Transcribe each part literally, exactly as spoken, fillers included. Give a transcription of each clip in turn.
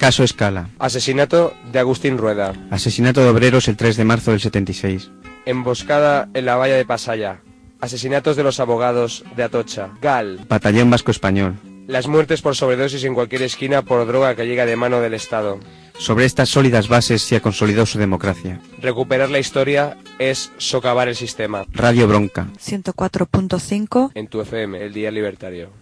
Caso Escala. Asesinato de Agustín Rueda. Asesinato de obreros el tres de marzo del setenta y seis. Emboscada en la valla de Pasaya. Asesinatos de los abogados de Atocha. Gal. Batallón Vasco Español. Las muertes por sobredosis en cualquier esquina por droga que llega de mano del Estado. Sobre estas sólidas bases se ha consolidado su democracia. Recuperar la historia es socavar el sistema. Radio Bronca. ciento cuatro punto cinco. En tu F M, el Día Libertario.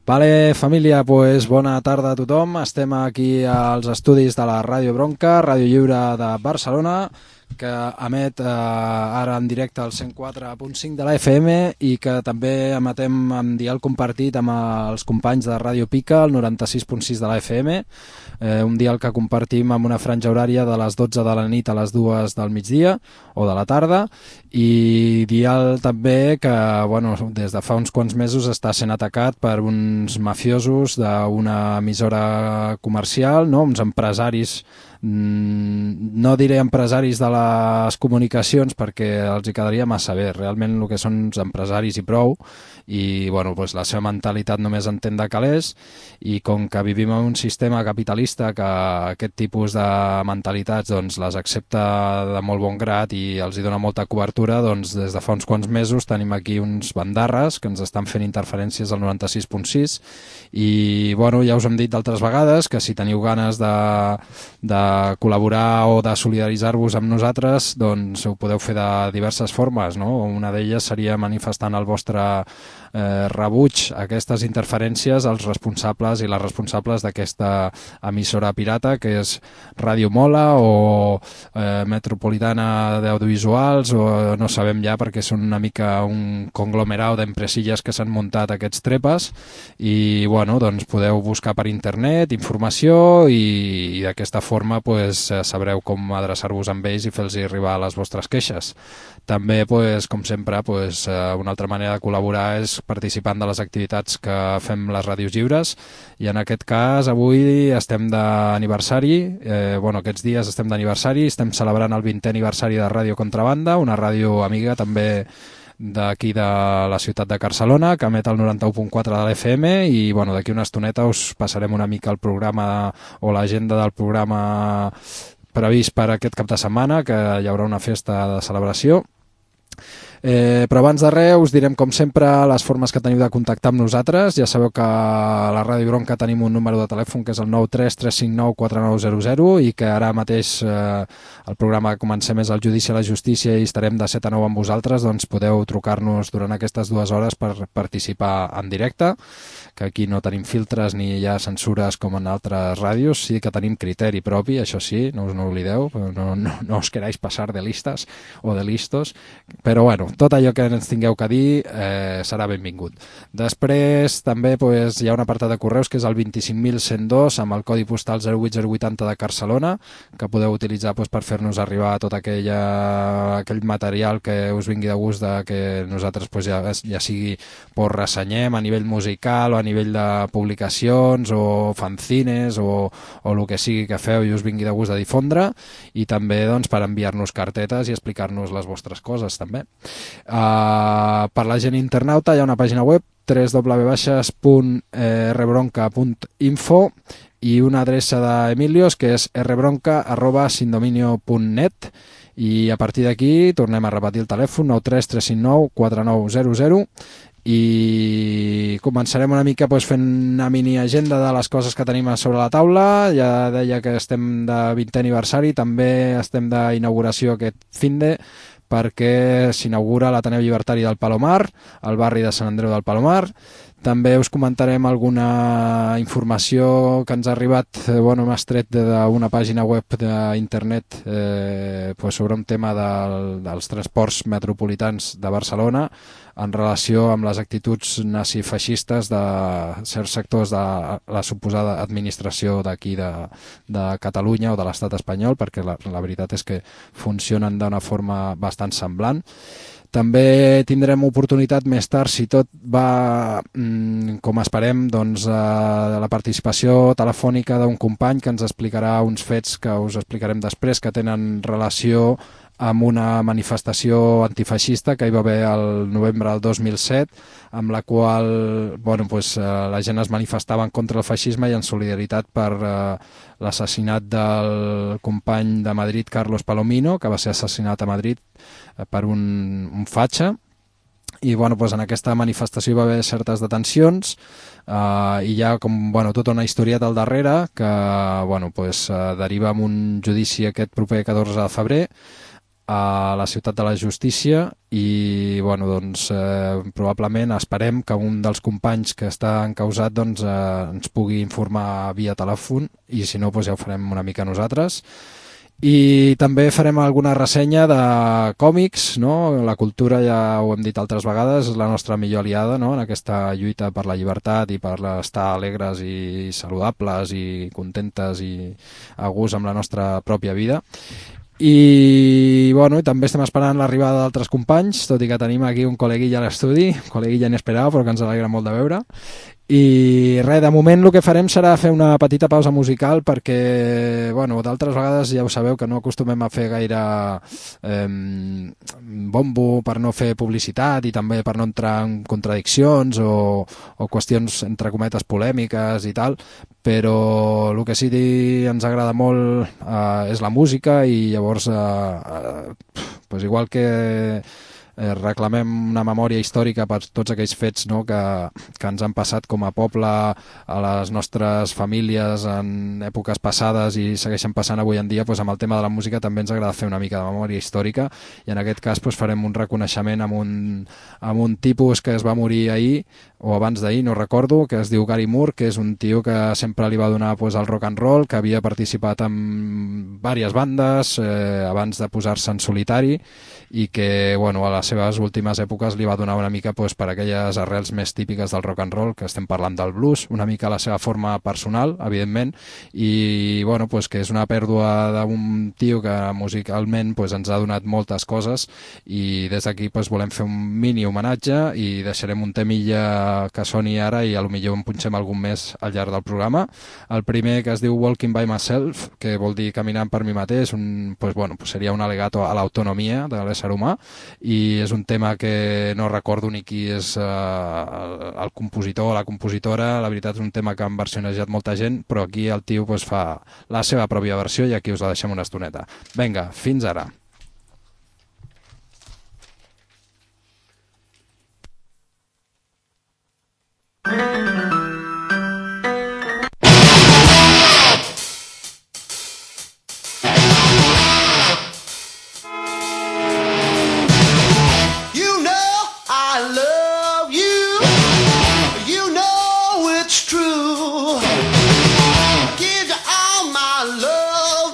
Vale, família, pues bona tarda a tothom. Estem aquí als estudis de la Ràdio Bronca, Ràdio Lliure de Barcelona, que emet eh, ara en directe al cent quatre punt cinc de la F M i que també emetem en dial compartit amb els companys de Ràdio Pica, el noranta sis punt sis de la F M, eh, un dial que compartim amb una franja horària de les dotze de la nit a les dues del migdia o de la tarda, i dial també que bueno, des de fa uns quants mesos està sent atacat per uns mafiosos d'una emissora comercial, no? Uns empresaris, no diré empresaris de la les comunicacions perquè els hi quedaria massa bé. Realment el que són uns empresaris i prou, i bueno, pues la seva mentalitat només entén de calés, i com que vivim en un sistema capitalista que aquest tipus de mentalitats doncs, les accepta de molt bon grat i els hi dona molta cobertura, doncs des de fa uns quants mesos tenim aquí uns bandarres que ens estan fent interferències al noranta-sis punt sis, i bueno, ja us hem dit d'altres vegades que si teniu ganes de, de col·laborar o de solidaritzar-vos amb nosaltres, doncs ho podeu fer de diverses formes, no? Una d'elles seria manifestant el vostre eh, rebuig a aquestes interferències als responsables i les responsables d'aquesta emissora pirata que és Ràdio Mola o eh, Metropolitana d'Audiovisuals, o no sabem ja perquè són una mica un conglomerau d'empresilles que s'han muntat aquests trepes, i bueno, doncs podeu buscar per internet informació i, i d'aquesta forma pues, sabreu com adreçar-vos amb ells i fer-los arribar les vostres queixes. També, pues, com sempre, pues, una altra manera de col·laborar és participant de les activitats que fem les ràdios lliures, i en aquest cas avui estem d'aniversari, eh, bueno, aquests dies estem d'aniversari, estem celebrant el vintè aniversari de Ràdio Contrabanda, una ràdio amiga també d'aquí de la ciutat de Barcelona, que emet el noranta-u punt quatre de l'F M, i bueno, d'aquí una estoneta us passarem una mica el programa o l'agenda del programa previst per aquest cap de setmana, que hi haurà una festa de celebració. Eh, però abans de res us direm com sempre les formes que teniu de contactar amb nosaltres. Ja sabeu que a la Ràdio Bronca tenim un número de telèfon que és el nou tres tres cinc nou quatre nou zero zero, i que ara mateix eh, el programa que comencem és el Judici a la Justícia i estarem de set a nou amb vosaltres, doncs podeu trucar-nos durant aquestes dues hores per participar en directe, que aquí no tenim filtres ni hi ha censures com en altres ràdios, sí que tenim criteri propi, això sí, no us no oblideu, no, no, no us queráis passar de listes o de listos, però bueno, tot allò que ens tingueu que dir eh, serà benvingut. Després també pues, hi ha un apartat de correus que és el vint-i-cinc mil cent dos amb el codi postal zero vuit zero vuitanta de Barcelona, que podeu utilitzar pues, per fer-nos arribar tot aquella, aquell material que us vingui de gust de que nosaltres pues, ja, ja sigui pues, ressenyem a nivell musical o a nivell de publicacions o fanzines o, o el que sigui que feu i us vingui de gust de difondre, i també doncs, per enviar-nos cartetes i explicar-nos les vostres coses també. Uh, per la gent internauta hi ha una pàgina web w w w punt r bronca punt info i una adreça d'Emilios que és r bronca arroba sindominio punt net, i a partir d'aquí tornem a repetir el telèfon nou tres tres cinc nou quatre nou zero zero, i començarem una mica pues, fent una mini agenda de les coses que tenim a sobre la taula. Ja deia que estem de vintè aniversari, també estem d'inauguració aquest finde, perquè s'inaugura l'Ateneu Llibertari del Palomar, al barri de Sant Andreu del Palomar. També us comentarem alguna informació que ens ha arribat, eh, bueno, hem extret d'una pàgina web d'internet eh, pues sobre un tema del, dels transports metropolitans de Barcelona en relació amb les actituds nazifeixistes de certs sectors de la suposada administració d'aquí de, de Catalunya o de l'estat espanyol, perquè la, la veritat és que funcionen d'una forma bastant semblant. També tindrem oportunitat més tard, si tot va com esperem, doncs, la participació telefònica d'un company que ens explicarà uns fets que us explicarem després, que tenen relació amb una manifestació antifeixista que hi va haver el novembre del dos mil set, amb la qual bueno, pues, eh, la gent es manifestava en contra del feixisme i en solidaritat per eh, l'assassinat del company de Madrid, Carlos Palomino, que va ser assassinat a Madrid eh, per un, un fatxa. I bueno, pues, en aquesta manifestació hi va haver certes detencions eh, i hi ha com, bueno, tota una historieta al darrere que bueno, pues, eh, deriva en un judici aquest proper catorze de febrer a la ciutat de la justícia, i bueno, doncs, eh, probablement esperem que un dels companys que està encausat doncs, eh, ens pugui informar via telèfon, i si no doncs ja ho farem una mica nosaltres. I també farem alguna ressenya de còmics, no? La cultura, ja ho hem dit altres vegades, és la nostra millor aliada, no? En aquesta lluita per la llibertat i per estar alegres i saludables i contentes i a gust amb la nostra pròpia vida. I bueno, també estem esperant l'arribada d'altres companys, tot i que tenim aquí un col·leguilla a l'estudi, un col·leguilla inesperat però que ens alegra molt de veure. I res, de moment el que farem serà fer una petita pausa musical perquè, bueno, d'altres vegades ja ho sabeu que no acostumem a fer gaire eh, bombo per no fer publicitat i també per no entrar en contradiccions o, o qüestions entre cometes polèmiques i tal, però el que sí que ens agrada molt eh, és la música i llavors eh, eh, pues igual que Eh, reclamem una memòria històrica per tots aquells fets, no, que, que ens han passat com a poble, a les nostres famílies en èpoques passades i segueixen passant avui en dia. Doncs amb el tema de la música també ens agrada fer una mica de memòria històrica i en aquest cas doncs, farem un reconeixement amb un, amb un tipus que es va morir ahir o abans d'ahir, no recordo, que es diu Gary Moore, que és un tio que sempre li va donar doncs, el rock and roll, que havia participat en diverses bandes eh, abans de posar-se en solitari i que bueno, a les seves últimes èpoques li va donar una mica pues, per aquelles arrels més típiques del rock and roll, que estem parlant del blues, una mica la seva forma personal, evidentment, i bueno, pues, que és una pèrdua d'un tio que musicalment pues, ens ha donat moltes coses i des d'aquí pues, volem fer un mini homenatge i deixarem un temilla que soni ara i a lo millor en punxem algun més al llarg del programa. El primer que es diu Walking by Myself, que vol dir caminant per mi mateix, un, pues, bueno, pues, seria un al·legato a l'autonomia de l'ésser humà i és un tema que no recordo ni qui és eh, el, el compositor o la compositora. La veritat és un tema que han versionejat molta gent, però aquí el tio pues, fa la seva pròpia versió i aquí us la deixem una estoneta. Vinga, fins ara. Love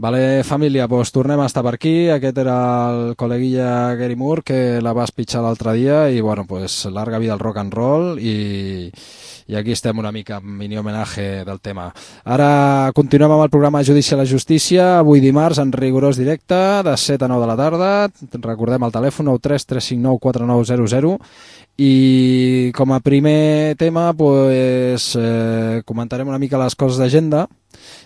Vale, família, doncs tornem a estar per aquí. Aquest era el col·leguilla Gary Moore, que la vas pitjar l'altre dia, i bueno, pues larga vida al rock and roll, i, i aquí estem una mica amb mini homenatge del tema. Ara continuem amb el programa Judici a la Justícia, avui dimarts en rigorós directe, de set a nou de la tarda. Recordem el telèfon nou tres tres cinc nou quatre nou zero zero. I com a primer tema pues, eh, comentarem una mica les coses d'agenda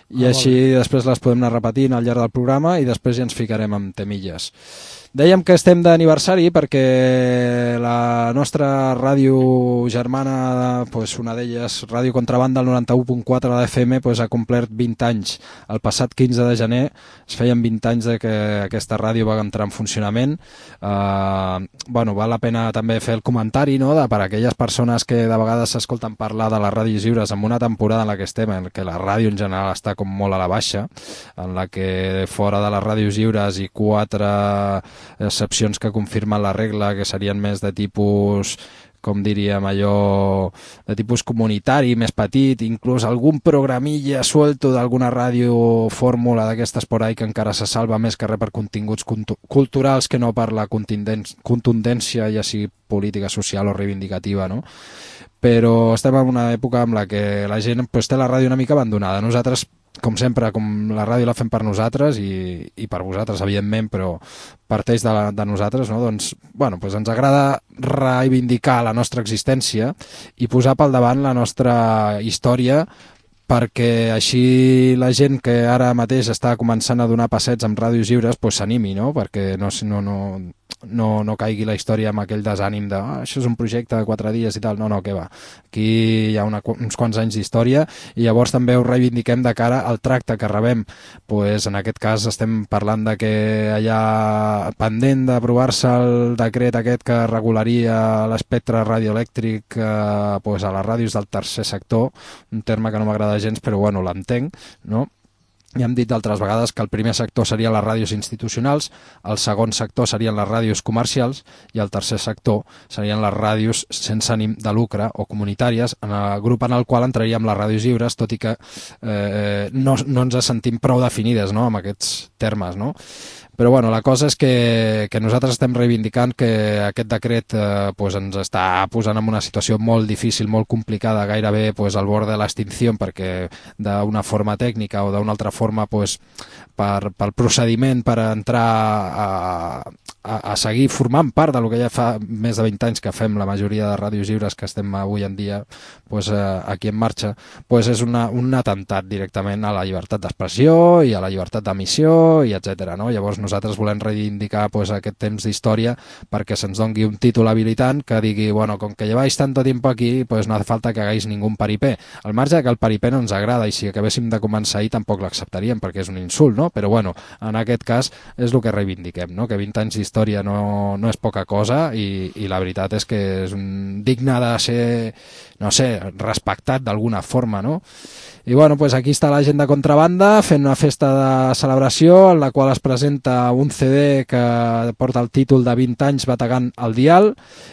i ah, així vale. Després les podem anar repetint al llarg del programa i després ja ens ficarem amb temilles. Dèiem que estem d'aniversari perquè la nostra ràdio germana, pues una d'elles, Ràdio Contrabanda, el noranta-u punt quatre de F M, pues ha complert vint anys. El passat quinze de gener es feien vint anys de que aquesta ràdio va entrar en funcionament. Uh, bueno, val la pena també fer el comentari, no?, de, per a aquelles persones que de vegades s'escolten parlar de les ràdios lliures en una temporada en la que estem, en què la ràdio en general està com molt a la baixa, en la que fora de les ràdios lliures i quatre excepcions que confirmen la regla, que serien més de tipus, com diríem allò, de tipus comunitari, més petit, inclús algun programilla suelto d'alguna ràdio fórmula d'aquestes por ahí que encara se salva més que res per continguts culturals que no per la contundència, ja sigui política, social o reivindicativa, no? Però estem en una època en la que la gent pues, té la ràdio una mica abandonada. Nosaltres, com sempre, com la ràdio la fem per nosaltres i, i per vosaltres, evidentment, però parteix de, la, de nosaltres, no? Doncs, bueno, pues ens agrada reivindicar la nostra existència i posar pel davant la nostra història perquè així la gent que ara mateix està començant a donar passets amb ràdios lliures pues, s'animi, no? Perquè no, no, no, no, no caigui la història amb aquell desànim de ah, això és un projecte de quatre dies i tal. No, no, què va. Aquí hi ha una, uns quants anys d'història i llavors també ho reivindiquem de cara al tracte que rebem. Pues, en aquest cas estem parlant de que allà pendent d'aprovar-se el decret aquest que regularia l'espectre radioelèctric eh, pues, a les ràdios del tercer sector, un terme que no m'agrada gens, però bueno, l'entenc, no? Ja hem dit d'altres vegades que el primer sector serien les ràdios institucionals, el segon sector serien les ràdios comercials i el tercer sector serien les ràdios sense ànim de lucre o comunitàries, en el grup en el qual entraríem les ràdios lliures, tot i que eh, no, no ens sentim prou definides, no?, amb aquests termes, no? Però bueno, la cosa és que, que nosaltres estem reivindicant que aquest decret eh, pues ens està posant en una situació molt difícil, molt complicada, gairebé pues, al bord de l'extinció, perquè d'una forma tècnica o d'una altra forma pues, per, pel procediment per entrar a, a, a seguir formant part del que ja fa més de vint anys que fem la majoria de ràdios lliures que estem avui en dia pues, eh, aquí en marxa, pues és una, un atemptat directament a la llibertat d'expressió i a la llibertat d'emissió i etcètera, no? Llavors nosaltres volem reivindicar pues, aquest temps d'història perquè se'ns doni un títol habilitant que digui, bueno, com que lleváis tanto tiempo aquí, pues no hace falta que hagáis ningún paripé. Al marge que el paripé no ens agrada i si acabéssim de començar ahir tampoc l'acceptaríem perquè és un insult, no? Però bueno, en aquest cas és el que reivindiquem, no? Que vint anys d'història no, no és poca cosa i, i la veritat és que és un digne de ser, no sé, respectat d'alguna forma, no? I bueno, pues aquí està la gent de Contrabanda fent una festa de celebració en la qual es presenta un C D que porta el títol de vint anys bategant el dial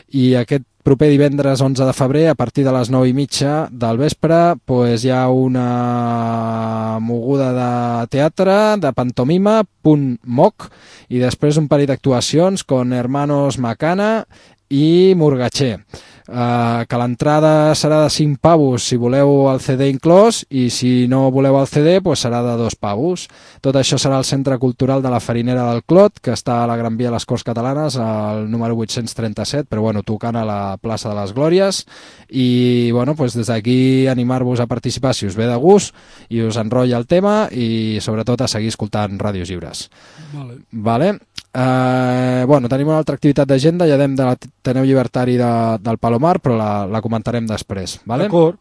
i aquest proper divendres onze de febrer a partir de les nou i mitja del vespre pues, hi ha una moguda de teatre de pantomima, punt moc, i després un parell d'actuacions con Hermanos Macana i Murgatxer. Uh, que l'entrada serà de cinc pavos si voleu el C D inclòs i si no voleu el C D pues serà de dos pavos. Tot això serà al Centre Cultural de la Farinera del Clot, que està a la Gran Via de les Corts Catalanes, al número vuit-cents trenta-set, però bueno, tocant a la plaça de les Glòries. I bueno, pues des d'aquí animar-vos a participar si us ve de gust i us enrotlla el tema i sobretot a seguir escoltant ràdios lliures. Vale. Vale? Uh, bueno, tenim una altra activitat d'agenda, ja dem de l'Ateneu Llibertari de, del Palomar, però la, la comentarem després. Vale? D'acord.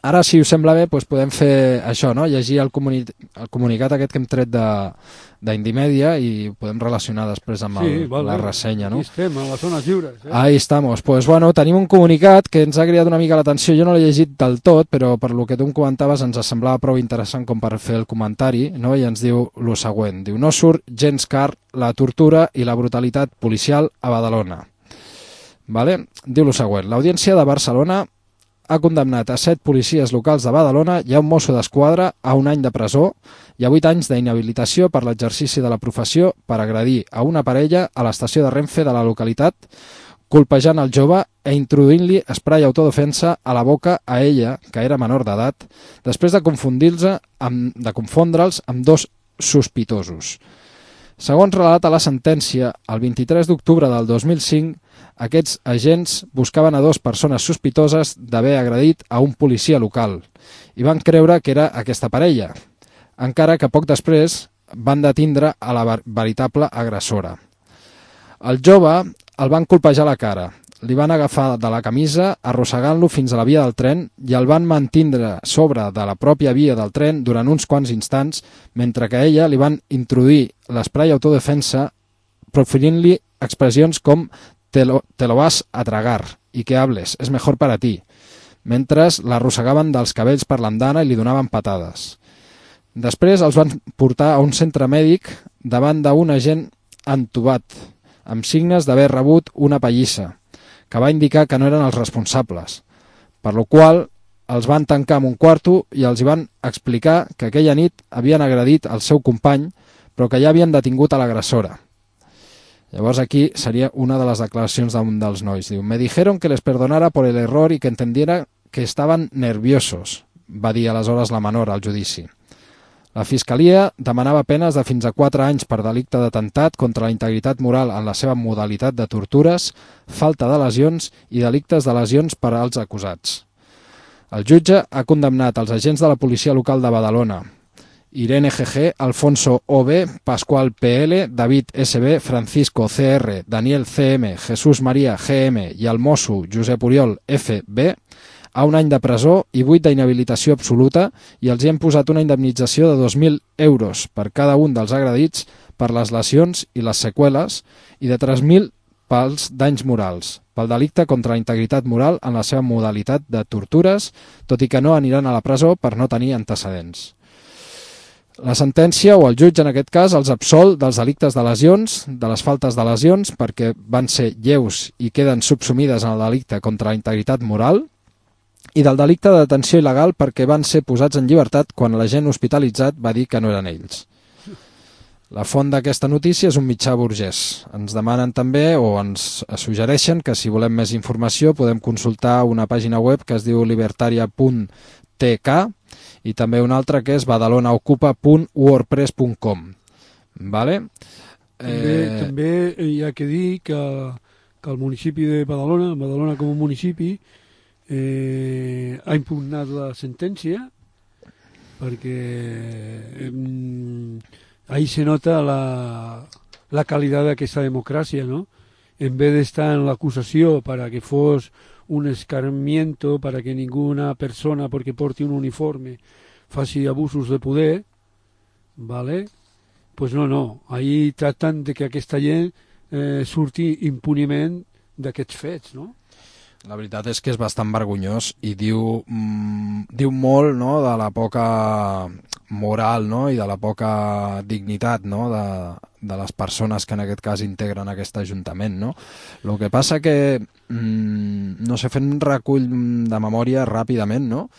Ara, si us sembla bé, doncs podem fer això, no? Llegir el, comuni el comunicat aquest que hem tret d'Indimèdia i podem relacionar després amb el, sí, vale. La ressenya, no? Aquí estem, a les zones lliures. Eh? Ahí estamos. Pues bueno, tenim un comunicat que ens ha cridat una mica l'atenció. Jo no l'he llegit del tot, però per lo que tu em comentaves ens semblava prou interessant com per fer el comentari, no? I ens diu lo següent. Diu, no surt gens car la tortura i la brutalitat policial a Badalona. Vale? Diu lo següent. L'Audiència de Barcelona ha condemnat a set policies locals de Badalona i a un mosso d'esquadra a un any de presó i a vuit anys d'inhabilitació per l'exercici de la professió per agredir a una parella a l'estació de Renfe de la localitat, colpejant el jove e introduint-li esprai autodefensa a la boca a ella, que era menor d'edat, després de confundir-se amb, de confondre'ls amb dos sospitosos. Segons relata la sentència, el vint-i-tres d'octubre del dos mil cinc, aquests agents buscaven a dues persones sospitoses d'haver agredit a un policia local i van creure que era aquesta parella, encara que poc després van detindre a la veritable agressora. El jove el van colpejar la cara, li van agafar de la camisa arrossegant-lo fins a la via del tren i el van mantindre sobre de la pròpia via del tren durant uns quants instants, mentre que a ella li van introduir l'esprai autodefensa proferint-li expressions com te lo, te lo vas a tragar i que hables, és mejor para ti, mentre l'arrossegaven dels cabells per l'andana i li donaven patades. Després els van portar a un centre mèdic davant d'un agent entubat, amb signes d'haver rebut una pallissa, que va indicar que no eren els responsables, per lo qual els van tancar en un quarto i els hi van explicar que aquella nit havien agredit el seu company, però que ja havien detingut a l'agressora. Llavors aquí seria una de les declaracions d'un dels nois. Diu, me dijeron que les perdonara por el error y que entendiera que estaban nerviosos, va dir aleshores la menor al judici. La Fiscalia demanava penes de fins a quatre anys per delicte d'atemptat contra la integritat moral en la seva modalitat de tortures, falta de lesions i delictes de lesions per als acusats. El jutge ha condemnat els agents de la policia local de Badalona, Irene G G, Alfonso O B, Pascual P L, David S B, Francisco C R, Daniel C M, Jesús María G M i el mosso Josep Oriol F B, a un any de presó i vuit d'inhabilitació absoluta i els hi hem posat una indemnització de dos mil euros per cada un dels agredits per les lesions i les seqüeles i de tres mil pels danys morals, pel delicte contra la integritat moral en la seva modalitat de tortures, tot i que no aniran a la presó per no tenir antecedents. La sentència, o el jutge en aquest cas, els absol dels delictes de lesions, de les faltes de lesions, perquè van ser lleus i queden subsumides en el delicte contra la integritat moral, i del delicte de detenció il·legal perquè van ser posats en llibertat quan l'agent hospitalitzat va dir que no eren ells. La font d'aquesta notícia és un mitjà burgès. Ens demanen també, o ens suggereixen, que si volem més informació podem consultar una pàgina web que es diu libertaria punt t k i també una altra que és badalonaocupa punt wordpress punt com. Vale? També, eh... també hi ha que dir que, que el municipi de Badalona, Badalona com a municipi, Eh, ha impugnat la sentència perquè eh, ahí se nota la, la calidad d'aquesta democràcia, ¿no? En vez de estar en l'acusació para que fos un escarmiento, para que ninguna persona porque porti un uniforme faci abusos de poder, ¿vale? Pues no, no, ahí tracten de que aquesta gent eh, surti impuniment d'aquests fets, no? La veritat és que és bastant vergonyós i diu, mm, diu molt, no?, de la poca moral, no?, i de la poca dignitat, no?, de, de les persones que en aquest cas integren aquest ajuntament, no? El que passa que, mm, no sé, fent un recull de memòria ràpidament, no?,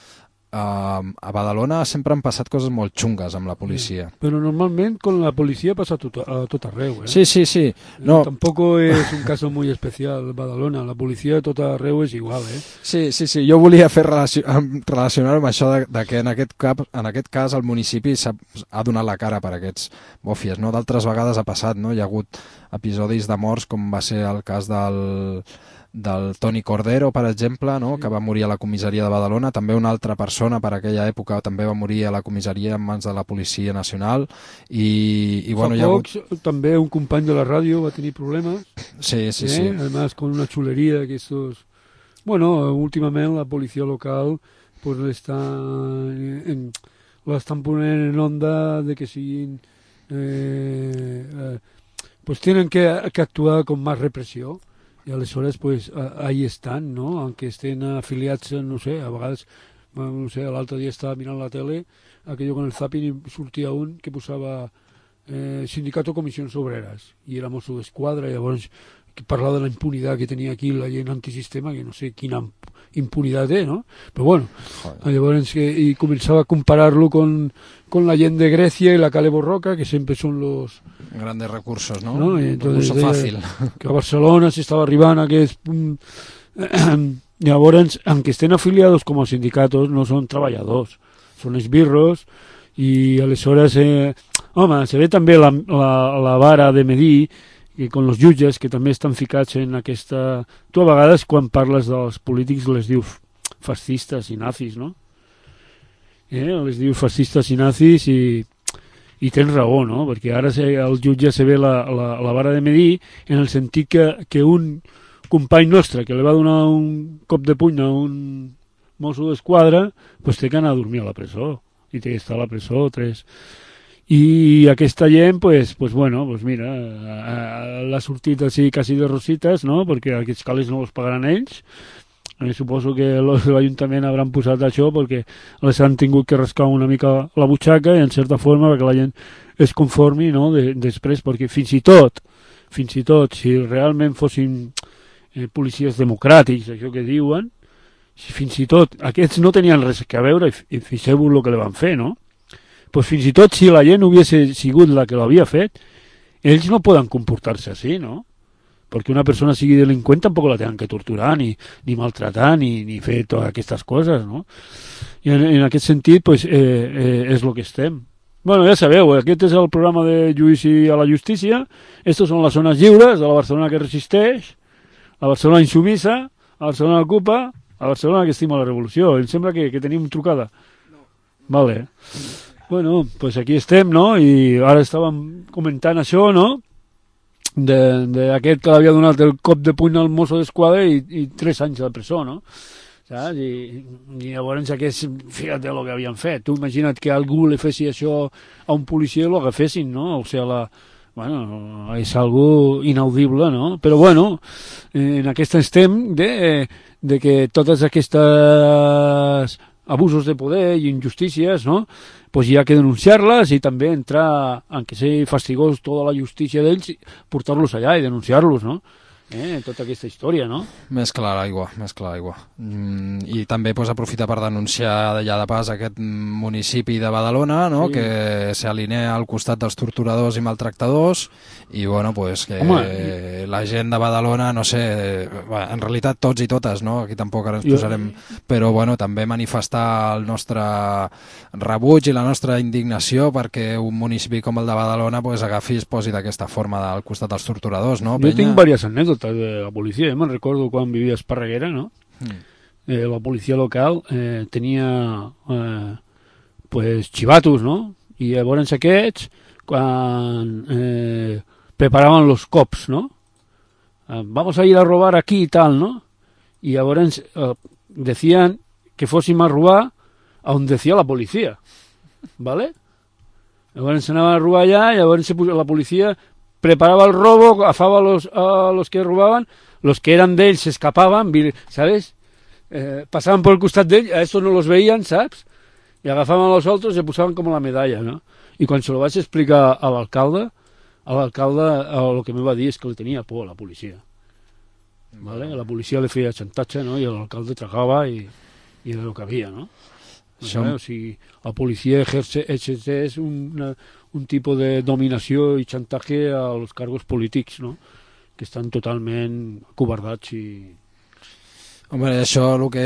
Uh, a Badalona sempre han passat coses molt xungues amb la policia. Sí, però normalment con la policia passa tot, a tot arreu, eh? Sí, sí, sí. No. Tampoco es un caso muy especial Badalona, la policia a tot arreu és igual, eh? Sí, sí, sí. Jo volia fer relacion... relacionar-ho amb això de, de que en aquest, cap, en aquest cas el municipi ha donat la cara per aquests bòfies, no? D'altres vegades ha passat, no? Hi ha hagut episodis de morts com va ser el cas del... del Toni Cordero, per exemple, no? Que va morir a la comissaria de Badalona. També una altra persona per aquella època també va morir a la comissaria en mans de la Policia Nacional i, i bueno, Fa hi ha pocs, hagut... també un company de la ràdio va tenir problemes, sí, sí, eh? sí. Además con una chulería que estos... Bueno, últimament la policia local pues l'estan en... l'estan ponent en onda de que siguin eh, eh, pues tienen que, que actuar con más represión. I aleshores, pues, ahí estan, no? Aunque estén afiliats, no sé, a vegades, no sé, l'altre dia estava mirant la tele, aquello con el zapping i sortia un que posava eh, Sindicato Comissions Obreras, i era mosso d'esquadra, i llavors que parlar de la impunidad que tenia aquí la gent antisistema, que no sé quina impunitat té, no? Però bueno, Joder. Llavors que, i començava a comparar-lo con, con la gent de Grècia i la Cale Borroca, que sempre són los... Grandes recursos, ¿no? ¿no? Entonces, Recurso fàcil. Que a Barcelona s'estava arribant a aquest... Llavors, aunque estén afiliados como sindicatos, no són treballadors, són esbirros, i aleshores, eh, home, se ve també la, la, la vara de medir, i con els jutges que també estan ficats en aquesta... Tu a vegades quan parles dels polítics les dius fascistes i nazis, no? Eh? Les dius fascistes i nazis i, i tens raó, no? Perquè ara se, el jutge se ve la, la, la vara de medir en el sentit que, que un company nostre que li va donar un cop de puny a un mosso d'esquadra pues té que anar a dormir a la presó i té que estar a la presó tres... I aquesta gent, pues, pues bueno, pues mira, l'ha sortit així quasi de rosites, no? Perquè aquests calés no els pagaran ells. Eh, suposo que l'Ajuntament hauran posat això perquè les han tingut que rascar una mica la butxaca i en certa forma perquè la gent es conformi, no? De, després, perquè fins i tot, fins i tot, si realment fossin eh, policies democràtics, això que diuen, si fins i tot aquests no tenien res a veure i, i fixeu-vos el que li van fer, no? Pues fins i tot si la gent hubiese sigut la que l'havia fet, ells no poden comportar-se així, no? Perquè una persona sigui delinqüent tampoc la tenen que torturar, ni, ni maltratar, ni, ni fer totes aquestes coses, no? I en, en aquest sentit, pues, eh, eh, és el que estem. Bueno, ja sabeu, aquest és el programa de Judici a la Justícia, estos són les zones lliures de la Barcelona que resisteix, la Barcelona insumissa, la Barcelona ocupa, la Barcelona que estima la revolució. Em sembla que, que tenim trucada. No. Vale. Bueno, pues aquí estem, no? I ara estàvem comentant això, no? D'aquest que l'havia donat el cop de puny al mosso d'esquadra i, i tres anys de presó, no? Saps? I, i llavors aquest, fíjate el que havien fet. Tu imagina't que algú li fessi això a un policia i el agafessin, no? O sigui, la... Bueno, és algo inaudible, no? Però bueno, en aquest estem de, de que totes aquestes abusos de poder i injustícies, no? Pues hi ha que denunciar-les i també entrar, aunque sigui fastigós tota la justícia d'ells, portar-los allà i denunciar-los, no? Eh, tota aquesta història, no? Més clar l'aigua, més clar l'aigua. Mm, I també pues, aprofitar per denunciar d'allà de pas aquest municipi de Badalona, no? Sí. Que s'alinea al costat dels torturadors i maltractadors i bueno, pues, que Home. la gent de Badalona, no sé, en realitat tots i totes, no? Aquí tampoc ara ens posarem... Però bueno, també manifestar el nostre rebuig i la nostra indignació perquè un municipi com el de Badalona pues, agafi i es posi d'aquesta forma al costat dels torturadors, no? Jo tinc diverses anècdotes de la policia, eh? Me'n recordo quan vivia a Esparreguera, no? Mm. Eh, la policia local eh, tenia eh, pues chivatos, no? I llavors aquests quan eh, preparaven los cops, no? Eh, vamos a ir a robar aquí y tal, no? Y llavors eh, decían que fóssim a robar a on decía la policia, ¿vale? Llavors s'anaven a robar allà i llavors la policia preparaba el robo, agafaba a los, a los que robaban, los que eran de él se escapaban, ¿sabes? Eh, pasaban por el costat d'ell, a estos no los veían, ¿sabes? Y agafaban a los otros y se posaban como la medalla, ¿no? Y cuando se lo vaig explicar a l'alcalde, a l'alcalde lo que me va dir és que li tenia por a la policia. ¿Vale? La policia li feia xantatge, no? I l'alcalde tragava i, i era el que havia, no? Això... O sigui, la policia ejerce, exerceix una, un tipus de dominació i xantatge als càrrecs polítics, no? Que estan totalment covardats i... Home, això el que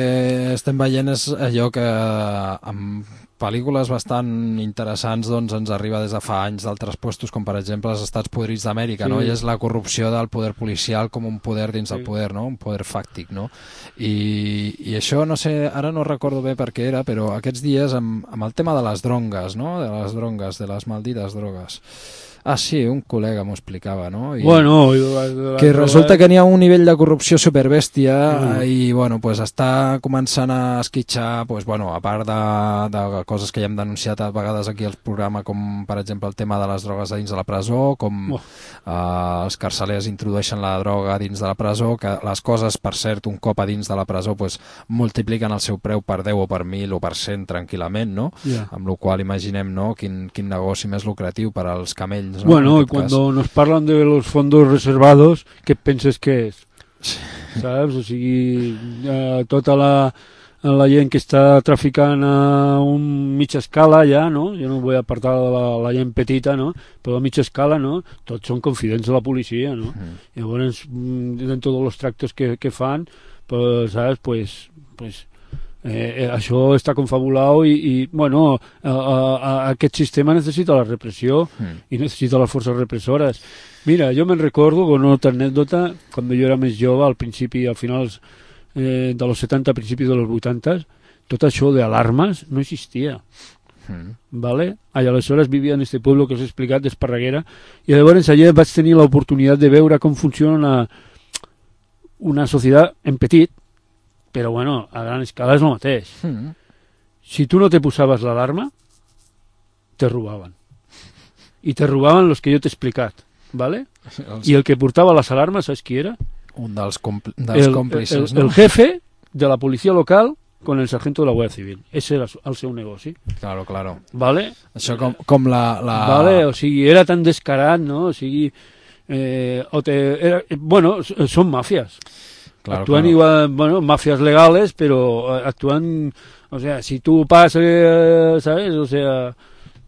estem veient és allò que amb pel·lícules bastant interessants doncs, ens arriba des de fa anys d'altres puestos, com per exemple els Estats Podrits d'Amèrica, sí. No? I és la corrupció del poder policial com un poder dins sí. del poder, no? Un poder fàctic, no? I, i això, no sé, ara no recordo bé per què era, però aquests dies amb, amb el tema de les drongues, no? De les drogues, de les maldites drogues. Ah, sí, un col·lega m'ho explicava, no? I bueno, i la, la, que resulta que n'hi ha un nivell de corrupció superbèstia mm. i, bueno, pues està començant a esquitxar, pues, bueno, a part de, de coses que ja hem denunciat a vegades aquí al programa, com per exemple el tema de les drogues a dins de la presó, com oh. eh, els carcelers introdueixen la droga dins de la presó, que les coses, per cert, un cop a dins de la presó pues, multipliquen el seu preu per deu o per mil o per cent tranquil·lament, no? Yeah. Amb la qual imaginem, no?, quin, quin negoci més lucratiu per als camells. ¿no? Bueno, y cuando cas. nos parlan de los fondos reservados, ¿qué penses que és? Sí. Saps? O sigui, eh, tota la, la gent que està traficant a un mitja escala ja, no? Jo no vull apartar la, la gent petita, no? Però a mitja escala, no? Tots són confidents de la policia, no? Mm. Llavors, dentro de los tractos que, que fan, pues, ¿sabes? Pues, pues eh, això està confabulat i, i bueno, a, a, a aquest sistema necessita la repressió mm. i necessita les forces repressores. Mira, jo me'n recordo, con otra anècdota, quan jo era més jove, al principi, al finals eh, de los setanta, a principis de los vuitanta, tot això d'alarmes no existia. Mm. ¿Vale? I aleshores vivia en este pueblo que us he explicat, d'Esparreguera, i llavors allà vaig tenir l'oportunitat de veure com funciona una, una societat en petit, però bueno, a gran escala és el mateix. Mm. Si tu no te posaves l'alarma, te robaven. I te robaven los que jo t'he explicat. ¿Vale? I el que portava les alarmes, saps qui era? Un dels, compl dels el, còmplices, el, no? El jefe de la policia local con el sargento de la Guàrdia Civil. Ese era el seu negoci. Claro, claro. ¿Vale? Això com, com la, la... Vale, o sigui, era tan descarat, no? O sigui, eh, o te, era, bueno, són màfies. Claro, actúan claro. igual, bueno, mafias legales, pero actúan, o sea, si tú pasas, eh, ¿sabes? O sea,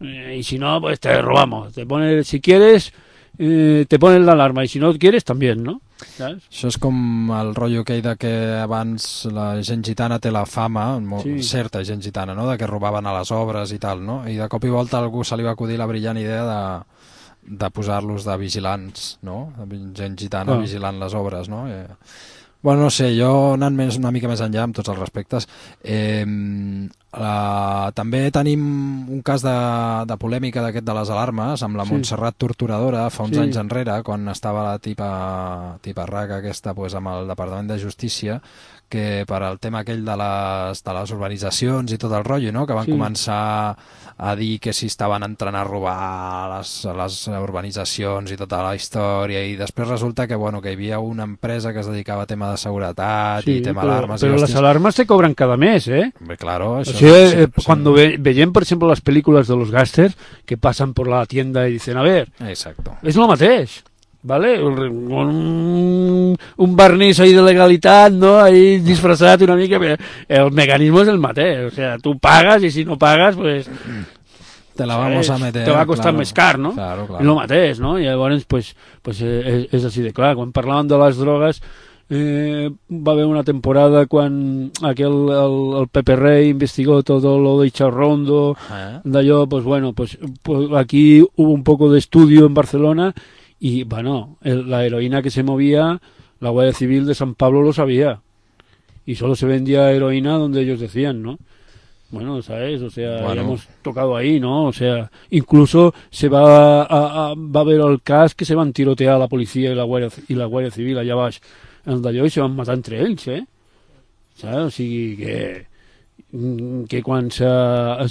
eh, y si no, pues te robamos. Te pone, si quieres... Eh, te ponen l'alarma i si no quieres també, no? ¿Sabes? Això és com el rotllo aquell de que abans la gent gitana té la fama, molt, sí. certa gent gitana, no? De que robaven a les obres i tal, no? I de cop i volta a algú se li va acudir la brillant idea de, de posar-los de vigilants, no? De gent gitana oh. vigilant les obres, no? Eh, bueno, no sé, jo anant més, una mica més enllà amb tots els respectes, eh, la, també tenim un cas de, de polèmica d'aquest de les alarmes amb la sí. Montserrat Torturadora fa uns sí. anys enrere, quan estava la tipa, tipa raca aquesta pues, amb el Departament de Justícia, que per al tema aquell de les, de les urbanitzacions i tot el rotllo, no? Que van sí. començar a dir que si estaven entrant a robar les, les urbanitzacions i tota la història, i després resulta que, bueno, que hi havia una empresa que es dedicava a tema de seguretat sí, i tema però, alarmes. Però i les alarmes se cobran cada mes, ¿eh? Hombre, claro. Eso o sea, sí, eh, sí, cuando sí. ve, veiem, por ejemplo, las películas de los gángsters que pasan por la tienda y dicen, a ver, exacto. és lo mateix. ¿Vale? Un, un barniz ahí de legalitat, ¿no? Ahí disfrazat una mica, pero el mecanismo es el mateix. O sea, tú pagas y si no pagas, pues... Te la vamos a meter. Te va a costar claro. més car, no? Claro, claro. És el mateix, no? I llavors, pues, pues és, és així de clar. Quan parlàvem de les drogues, eh, va haver una temporada quan aquel, el, el Pepe Rey investigó todo lo de Icharrondo, ¿eh? D'allò, pues bueno, pues, pues aquí hubo un poco de estudio en Barcelona. Y bueno, el, la heroína que se movía, la Guardia Civil de San Pablo lo sabía. Y solo se vendía heroína donde ellos decían, ¿no? Bueno, ¿sabes? O sea, bueno. Ya hemos tocado ahí, ¿no? O sea, incluso se va a, a, va a ver el cas que se van tirotear la policía y la Guardia, y la Guardia Civil allà baix en d'allò i se van matar entre ells, eh? ¿Sabes? O sigui que... que quan s'estan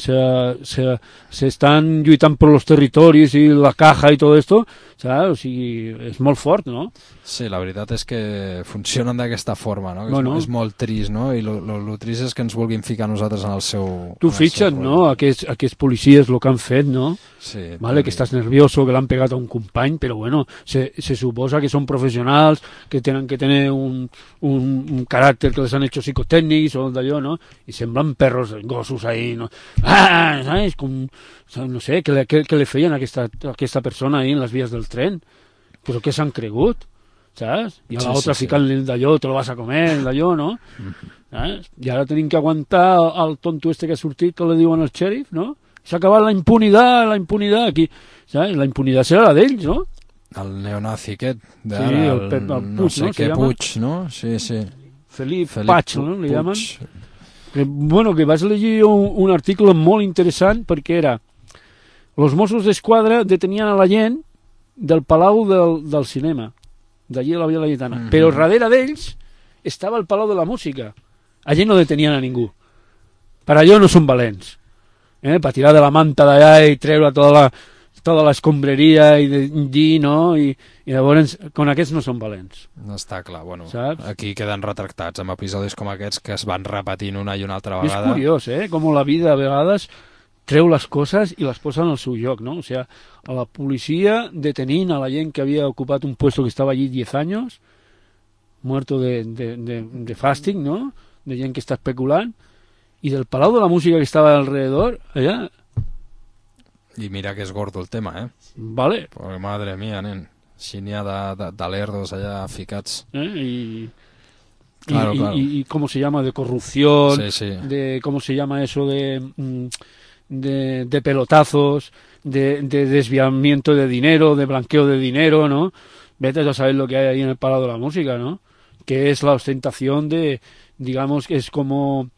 se, se, se lluitant per los territoris i la caja i tot esto, saps? O sigui, és molt fort, no? Sí, la veritat és que funcionen d'aquesta forma, no? Que bueno. és, és molt trist, no? I lo, lo, lo trist és que ens vulguin ficar nosaltres en el seu... Tu fixa't, no? Aquests, aquests policies, el que han fet, no? Sí. Vale, que estàs nervioso, que l'han pegat a un company, però bueno, se, se suposa que són professionals, que tenen que tenir un, un, un caràcter que les han hecho psicotècnics o d'allò, no? I semblen perros, gossos ahí, no? Ah, ¿sabes? Com, no sé, que le, que, que le feien a aquesta, a aquesta persona ahí en les vies del tren? Però què s'han cregut? ¿Sabes? I a sí, l'altre sí, ficant-li el d'allò, te lo vas a comer, el d'allò, no? ¿Sabes? I ara tenim que aguantar el tonto este que ha sortit, que li diuen al xèrif, no? S'ha acabat la impunitat, la impunitat, aquí, ¿sabes? La impunitat serà la d'ells, no? El neonazi aquest, d'ara, sí, el, Pep, el Puig, no sé no? què Puig, no? Sí, sí. Felip, Felip Patx, no? Li llamen. Que, bueno, que vas llegir un, un article molt interessant perquè era los Mossos d'Esquadra detenien a la gent del Palau del, del Cinema, d'allí a la Via Laietana, mm-hmm. però darrere d'ells estava el Palau de la Música. Allí no detenien a ningú. Per allò no són valents. eh, per tirar de la manta d'allà i treure tota la, tota l'escombreria i de dir, no? I, i llavors, con aquests no són valents. No està clar, bueno, saps? Aquí queden retractats amb episodis com aquests que es van repetint una i una altra I és vegada. curiós, eh? Com la vida a vegades treu les coses i les posa en el seu lloc, ¿no? O sea, a la policia detenint a la gent que havia ocupat un puesto que estava allí diez años, muerto de, de, de, de fàstic, ¿no? De gent que està especulant, i del Palau de la Música que estava alrededor, allà... I mira que és gordo el tema, eh? Vale. Porque madre mía, nen. Si n'hi ha de, de, de lerdos allà ficats. ¿Eh? Y, claro, y, claro. Y, y cómo se llama, de corrupción, Sí, sí. de cómo se llama eso de, de, de pelotazos, de, de desviamiento de dinero, de blanqueo de dinero, ¿no? Vete a saber lo que hay ahí en el Palau de la Música, ¿no? Que es la ostentación de, digamos, que es como...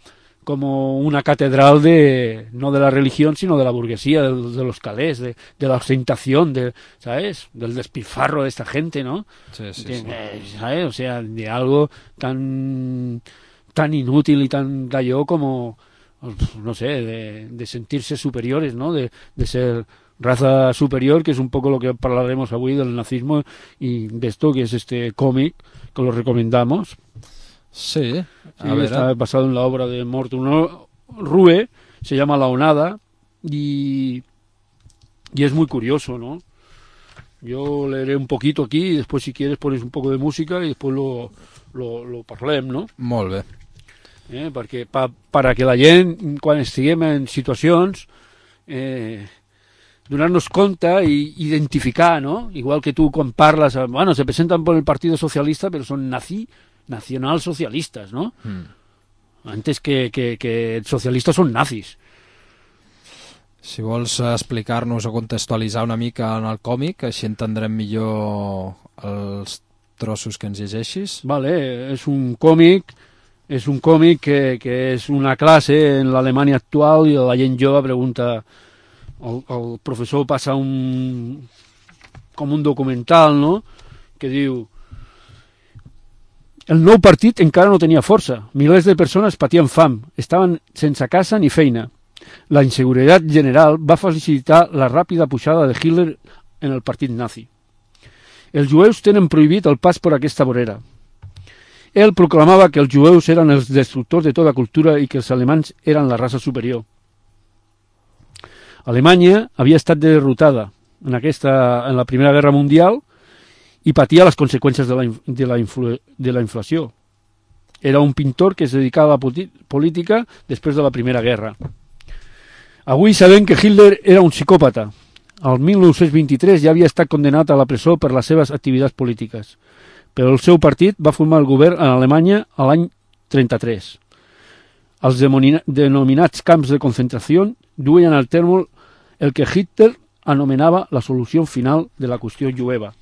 como una catedral de no de la religión sino de la burguesía, de, de los calés, de, de la ostentación, de, ¿sabes? Del despilfarro de esta gente, ¿no? Sí, sí, de, sí. ¿sabes? O sea, de algo tan tan inútil y tan gallo como, no sé, de, de sentirse superiores, ¿no? De, de ser raza superior, que es un poco lo que hablaremos hoy del nazismo y de esto que es este cómic, que lo recomendamos. Sí, a Sí, veure... está basado en la obra de Morton Rue, se llama La Onada, y, y es muy curioso, ¿no? Yo leeré un poquito aquí y después, si quieres, pones un poco de música y después lo, lo, lo parlem, no? Molt bé. Eh? Perquè pa, para que la gent, quan estiguem en situacions, eh, donar-nos compte i identificar, ¿no? Igual que tu quan parles, bueno, se presentan por el Partido Socialista, pero son nazi, nacionalsocialistas, ¿no? Mm. Antes que, que, que socialistes són nazis. Si vols explicar-nos o contextualitzar una mica en el còmic, així entendrem millor els trossos que ens llegeixis. Vale, és un còmic, és un còmic que, que és una classe en l'Alemanya actual i la gent jove pregunta, el, el professor passa un com un documental, no?, que diu: el nou partit encara no tenia força, milers de persones patien fam, estaven sense casa ni feina. La inseguretat general va facilitar la ràpida pujada de Hitler en el partit nazi. Els jueus tenen prohibit el pas per aquesta vorera. Ell proclamava que els jueus eren els destructors de tota cultura i que els alemanys eren la raça superior. Alemanya havia estat derrotada en, aquesta, en la Primera Guerra Mundial i patia les conseqüències de la, de, la influ, de la inflació. Era un pintor que es dedicava a la política després de la Primera Guerra. Avui sabem que Hitler era un psicòpata. El mil nou-cents vint-i-tres ja havia estat condenat a la presó per les seves activitats polítiques, però el seu partit va formar el govern en Alemanya a l'any trenta-tres. Els denominats camps de concentració duien al terme el que Hitler anomenava la solució final de la qüestió jueva.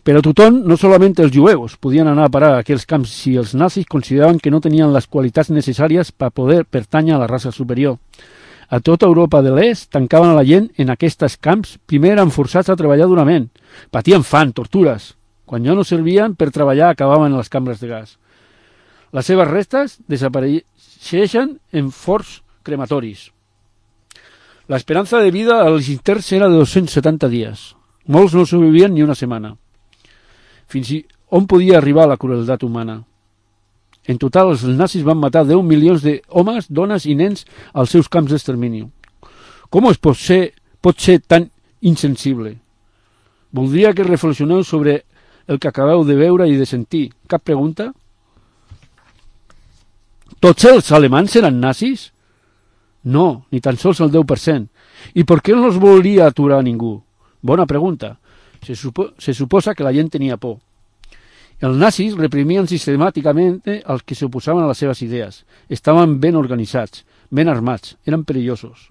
Però tothom, no solament els jueus, podien anar a parar a aquells camps si els nazis consideraven que no tenien les qualitats necessàries per poder pertànyer a la raça superior. A tota Europa de l'Est tancaven a la gent en aquests camps. Primer eren forçats a treballar durament. Patien fam, tortures. Quan ja no servien per treballar, acabaven en les cambres de gas. Les seves restes desapareixen en forts crematoris. L'esperança de vida als interns era de dos-cents setanta dies. Molts no sobrevivien ni una setmana. Fins i on podia arribar la crueltat humana. En total, els nazis van matar deu milions d'homes, dones i nens als seus camps d'extermini. Com es pot ser, pot ser tan insensible? Voldria que reflexioneu sobre el que acabeu de veure i de sentir. Cap pregunta? Tots els alemanys eren nazis? No, ni tan sols el deu per cent. I per què no els volia aturar ningú? Bona pregunta. Se, supo, se suposa que la gent tenia por. Els nazis reprimien sistemàticament els que s'oposaven a les seves idees. Estaven ben organitzats, ben armats, eren perillosos.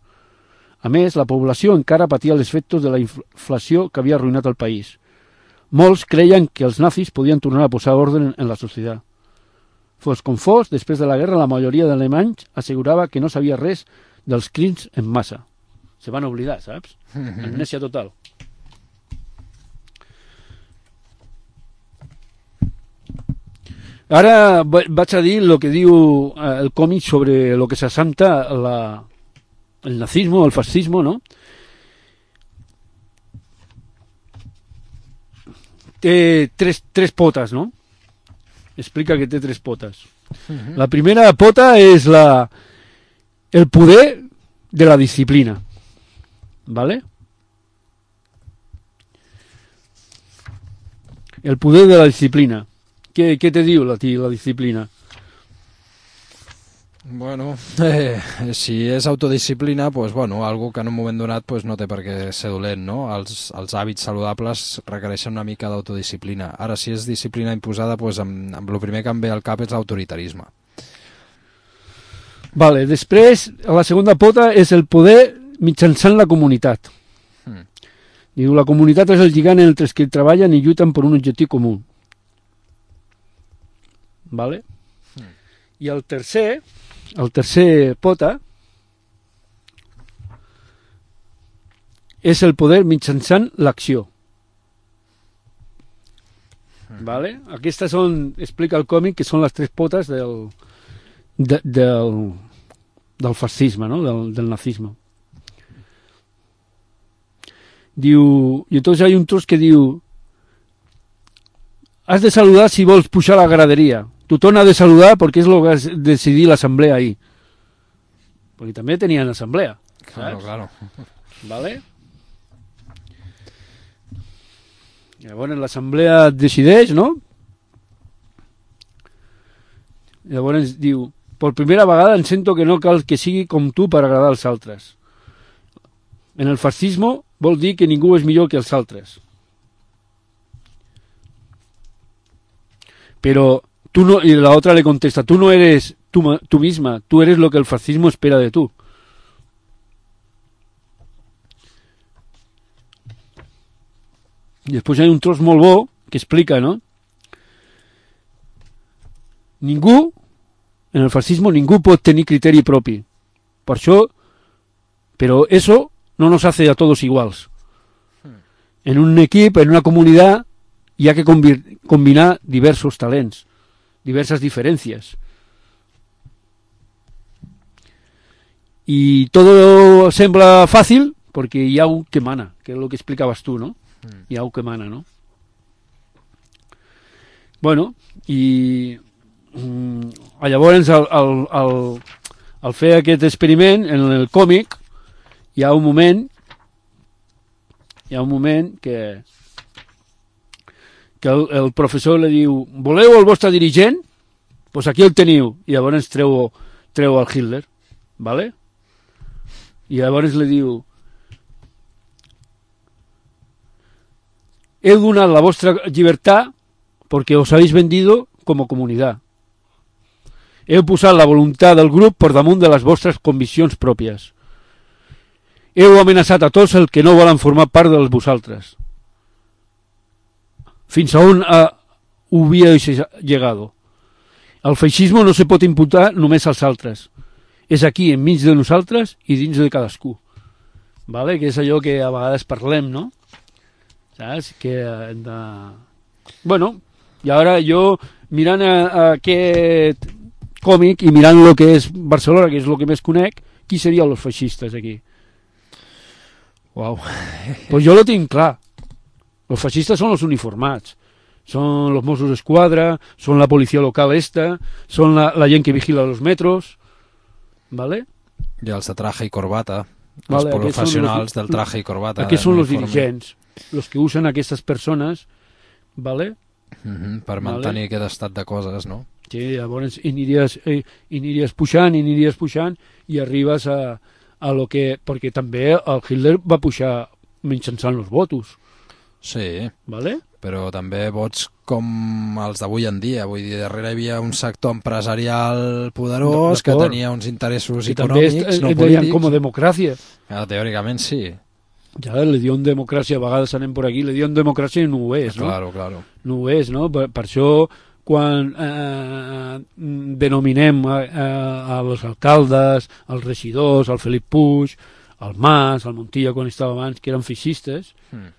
A més, la població encara patia els efectes de la inflació que havia arruïnat el país. Molts creien que els nazis podien tornar a posar ordre en la societat. Fos com fos, després de la guerra, la majoria d'alemanys assegurava que no sabia res dels crims en massa. Se van oblidar, saps? Amnèsia total. Ara vaig a dir el que diu el còmic sobre el que s'assenta la, el nazismo, el fascismo, ¿no? Té tres, tres potes, no? Explica que té tres potes. Uh-huh. La primera pota és la, el poder de la disciplina, ¿vale? El poder de la disciplina. Què, què te diu la, la disciplina? Bueno, eh, si és autodisciplina, pues, bueno, algo que en un moment donat pues, no té per què ser dolent, no? Els, els hàbits saludables requereixen una mica d'autodisciplina. Ara, si és disciplina imposada, pues, amb, amb el primer que em ve al cap és l'autoritarisme. Vale, després, la segona pota és el poder mitjançant la comunitat. Hmm. Diu, la comunitat és el lligant entre els que treballen i lluiten per un objectiu comú. Vale? Hmm. I el tercer, el tercer pota és el poder mitjançant l'acció. Hmm. Vale? Aquestes són, explica el còmic, que són les tres potes del, de, del, del fascisme, no? del, del nazisme. Diu, i entonces hay un tros que diu, has de saludar si vols pujar a la graderia. Tothom ha de saludar perquè és el que has decidit l'assemblea ahir. Perquè també tenien assemblea. Claro, saps? Claro. Vale? Llavors l'assemblea decideix, no? Llavors diu, per primera vegada em sento que no cal que sigui com tu per agradar als altres. En el fascisme vol dir que ningú és millor que els altres. Pero tú no, y la otra le contesta, tú no eres tú, tú misma, tú eres lo que el fascismo espera de tú. I després hi ha un tros molt bo que explica, no? Ningú, en el fascismo, ningú pot tenir criteri propi. Per això, però eso no nos hace a todos iguals. En un equip, en una comunitat, hi ha que combinar diversos talents, diverses diferències. I tot sembla fàcil perquè hi ha un que mana, que és el que explicaves tu, no? Mm. Hi ha un que mana, no? Bueno, i mm, llavors al, al, al, al fer aquest experiment en el còmic hi ha un moment hi ha un moment que que el, el professor li diu, voleu el vostre dirigent? Doncs pues aquí el teniu. I llavors treu, treu el Hitler, ¿vale? I llavors li diu, he donat la vostra llibertat perquè us habéis vendido com a comunitat. Heu posat la voluntat del grup per damunt de les vostres conviccions pròpies. Heu amenaçat a tots els que no volen formar part de vosaltres. Fins a on uh, hubierais llegado. El feixisme no se pot imputar només als altres. És aquí, enmig de nosaltres i dins de cadascú. Vale? Que és allò que a vegades parlem, no? Saps? Que hem de... Bueno, i ara jo, mirant a, a aquest còmic i mirant el que és Barcelona, que és el que més conec, qui serien els feixistes aquí? Uau. Pues jo lo tinc clar. Los fascistas son los uniformados, son los Mossos d'Esquadra, son la policía local esta, son la, la gent que vigila los metros, ¿vale? I els de traje i corbata, vale, els professionals los, del traje i corbata. Aquests són los dirigents, los que usen aquestes persones, ¿vale? Uh-huh, per mantenir vale. Aquest estat de coses, no? Sí, llavors i aniries, eh, i aniries pujant, i aniries pujant, i arribes a, a lo que... Perquè també el Hitler va pujar mitjançant els votos. Sí, vale? Però també vots com els d'avui en dia. Vull dir, darrere hi havia un sector empresarial poderós que tenia uns interessos I econòmics, també no polítics. Com a democràcia. Ja, teòricament sí. Ja, le dio en democràcia, a vegades anem per aquí, le dio en democràcia i no ho és, no? Claro, claro. No ho és, no? Per, per això, quan eh, denominem a, a, als alcaldes, als regidors, al Felip Puig, al Mas, al Montilla, quan estava abans, que eren feixistes, hmm.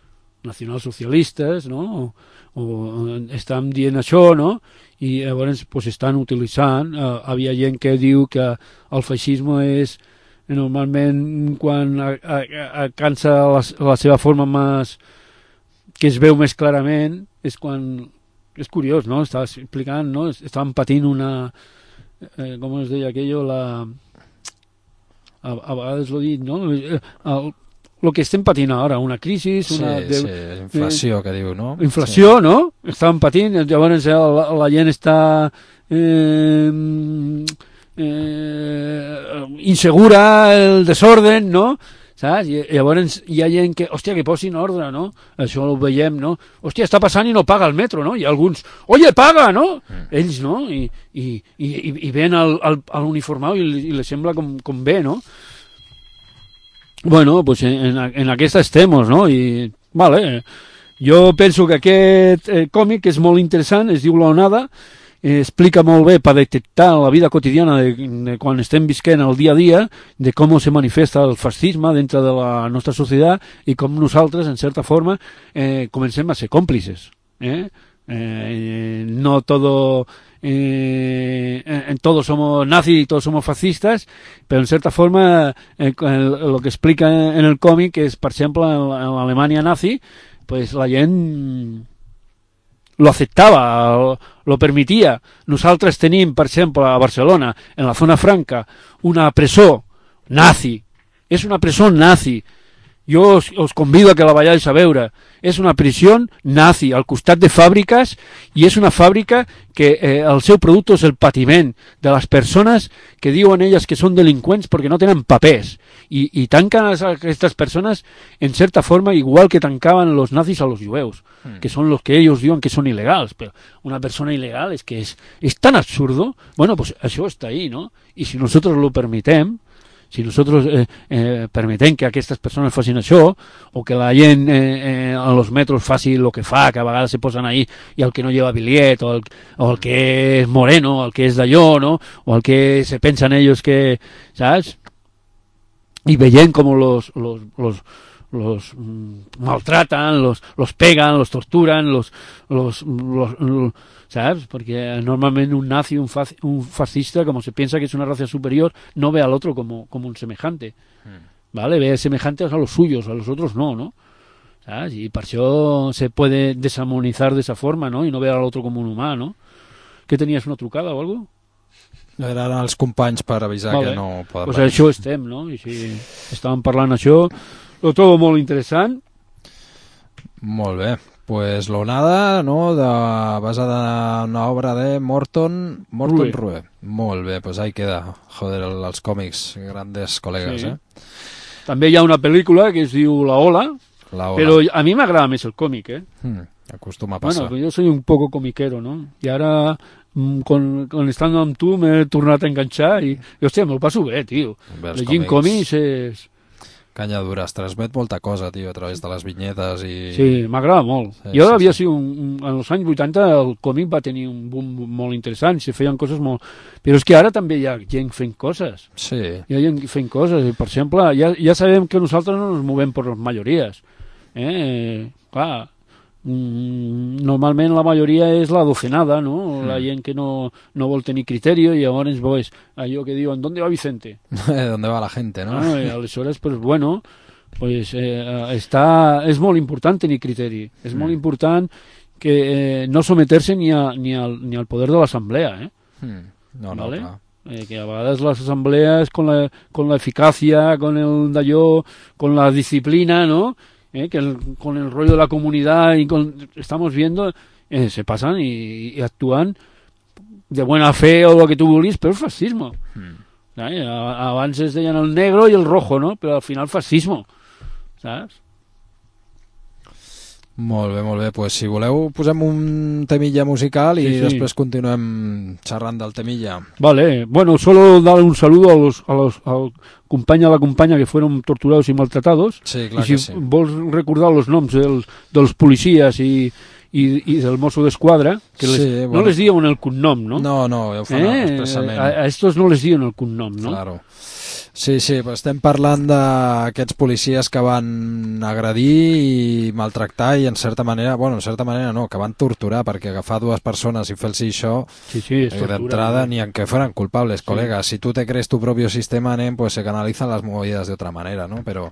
nacionalsocialistes, no? O, o estan dient això, no? I llavors pues, estan utilitzant, eh, havia gent que diu que el feixisme és normalment quan a, a, alcança la, la seva forma més, que es veu més clarament, és quan, és curiós, no? Estava explicant, no? Estaven patint una, eh, com es deia aquello, la, a, a vegades l'ho dit, no? El, el que estem patint ara, una crisi, una... Sí, de, sí, inflació, eh, que diu, no? Inflació, sí. No? Estaven patint, llavors la, la gent està eh, eh, insegura, el desorden, no? Saps? I llavors hi ha gent que, hòstia, que posin ordre, no? Això ho veiem, no? Hòstia, està passant i no paga el metro, no? Hi ha alguns, oye, paga, no? Mm. Ells, no? I, i, i, i ven al, al, a l'uniformau i, i li sembla com, com bé, no? Bueno, pues en, en aquesta estem, no? I, vale, jo penso que aquest eh, còmic és molt interessant, es diu La Onada, eh, explica molt bé per detectar la vida quotidiana de, de quan estem visquent el dia a dia, de com se manifesta el fascisme dintre de la nostra societat i com nosaltres, en certa forma, eh, comencem a ser còmplices. Eh? Eh, no todo... Eh, en todos somos nazis y todos somos fascistas, pero en cierta forma eh, el, lo que explica en el cómic es, por ejemplo, en, en la Alemania nazi, pues la gent lo aceptava, lo, lo permitia. Nosaltres tenim, per exemple, a Barcelona, en la zona franca, una presó nazi. És una presó nazi. Jo os, os convido a que la vayáis a veure. És una prisió nazi al costat de fàbriques i és una fàbrica que eh, el seu producte és el patiment de les persones que diuen elles que són delinqüents perquè no tenen papers i, i tanquen a aquestes persones en certa forma igual que tancaven los nazis a los jueus, mm. que són los que ellos diuen que són il·legals, però una persona il·legal és que és, és tan absurdo. Bueno, pues això està ahí, ¿no? I si nosotros lo permitem, si nosotros eh, eh, permetem que aquestes persones facin això, o que la gent eh, eh, en los metros faci el que fa, que a vegades se posen ahí i el que no lleva bitllet, o el, o el que és moreno, o el que és d'allò, no? O el que se pensen ellos que, saps? I veient com los, los, los, los mm, maltratan, los, los pegan, los torturan, los, los, los, los ¿sabes? Porque normalmente un nazi, un, fac, un fascista, como se piensa que es una raza superior, no ve al otro como, como un semejante, mm. ¿vale? Ve semejantes a los suyos, a los otros no, ¿no? ¿Sabes? Y por eso se puede desarmonizar de esa forma, ¿no? Y no ver al otro como un humà, ¿no? ¿Qué tenías, una trucada o algo? Eren els companys per avisar vale. Que no poden pues això estem, no? I si estàvem parlant això, lo todo molt interessant. Molt bé. Pues l'onada, no?, de, basada en una obra de Morton, Morton Rue. Rue. Molt bé, pues ahí queda. Joder, els còmics, grandes col·legues, sí. eh? També hi ha una pel·lícula que es diu La Ola, La Ola. Però a mi m'agrada més el còmic, eh? Hmm, acostuma a passar. Bueno, jo soy un poco comiquero, no? I ara, con, con estant amb tu, m'he tornat a enganxar i, i hòstia, me'l passo bé, tio. Llegint còmics és... Canya dura, es transmet molta cosa, tio, a través de les vinyetes i... Sí, m'agrada molt. Sí, jo sí, havia sí. sigut un, un, en els anys vuitanta el còmic va tenir un boom molt interessant, se feien coses molt... Però és que ara també hi ha gent fent coses. Sí. Hi ha gent fent coses. I, per exemple, ja, ja sabem que nosaltres no ens movem per les majories. Eh? Clar, normalment la majoria és la docenada, no? Mm. La gent que no, no vol tenir criteri i llavors pues, allò que diuen, ¿dónde va Vicente? ¿Dónde va la gente, no? Ah, i aleshores, pues bueno, pues, eh, està, és molt important tenir criteri, és mm. molt important que eh, no someter-se ni, a, ni, al, ni al poder de l'assemblea, eh? Mm. No, no, ¿vale? clar. Eh, que a vegades las asambleas con la, con la eficacia, con el d'allò, con la disciplina, ¿no? Eh, que el, con el rollo de la comunidad y con, estamos viendo eh, se pasan y, y actúan de buena fe o lo que tú vulguis, pero es fascismo. Mm. ¿Sabes? Abans es deien el negro y el rojo, ¿no? Pero al final fascismo, ¿sabes? Molt bé, molt bé. Pues si voleu posem un temilla musical y sí, sí. Després continuem xerrant del temilla. Vale, bueno, solo dar un saludo a los, a los al company a la companya que fueron torturados y maltratados. Sí, clar I si que sí. vols recordar los noms dels, dels policies i, i, i del mosso d'esquadra, que les, sí, bueno. No les diuen el cognom, no? No, no, ja ho fan eh? expressament. A, a estos no les diuen el cognom, no? Claro. Sí, sí, però estem parlant d'aquests policies que van agredir i maltractar i en certa manera, bueno, en certa manera no, que van torturar, perquè agafar dues persones i fer-los això, sí, sí, es eh, tortura, d'entrada, ¿no? ni aunque fueran culpables, Sí. colega. Si tú te crees tu propio sistema, nen, pues se canalizan las movidas de otra manera, no? Però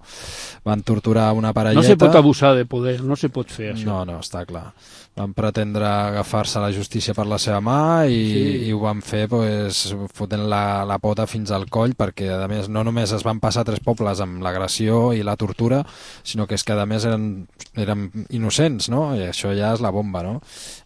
van torturar una parelleta... No se pot abusar de poder, no se pot fer això. No, no, està clar. Van pretendre agafar-se la justícia per la seva mà i, Sí. i ho van fer pues, fotent la, la pota fins al coll, perquè a més no només es van passar tres pobles amb l'agressió i la tortura, sinó que és que a més eren, eren innocents, no? I això ja és la bomba, no?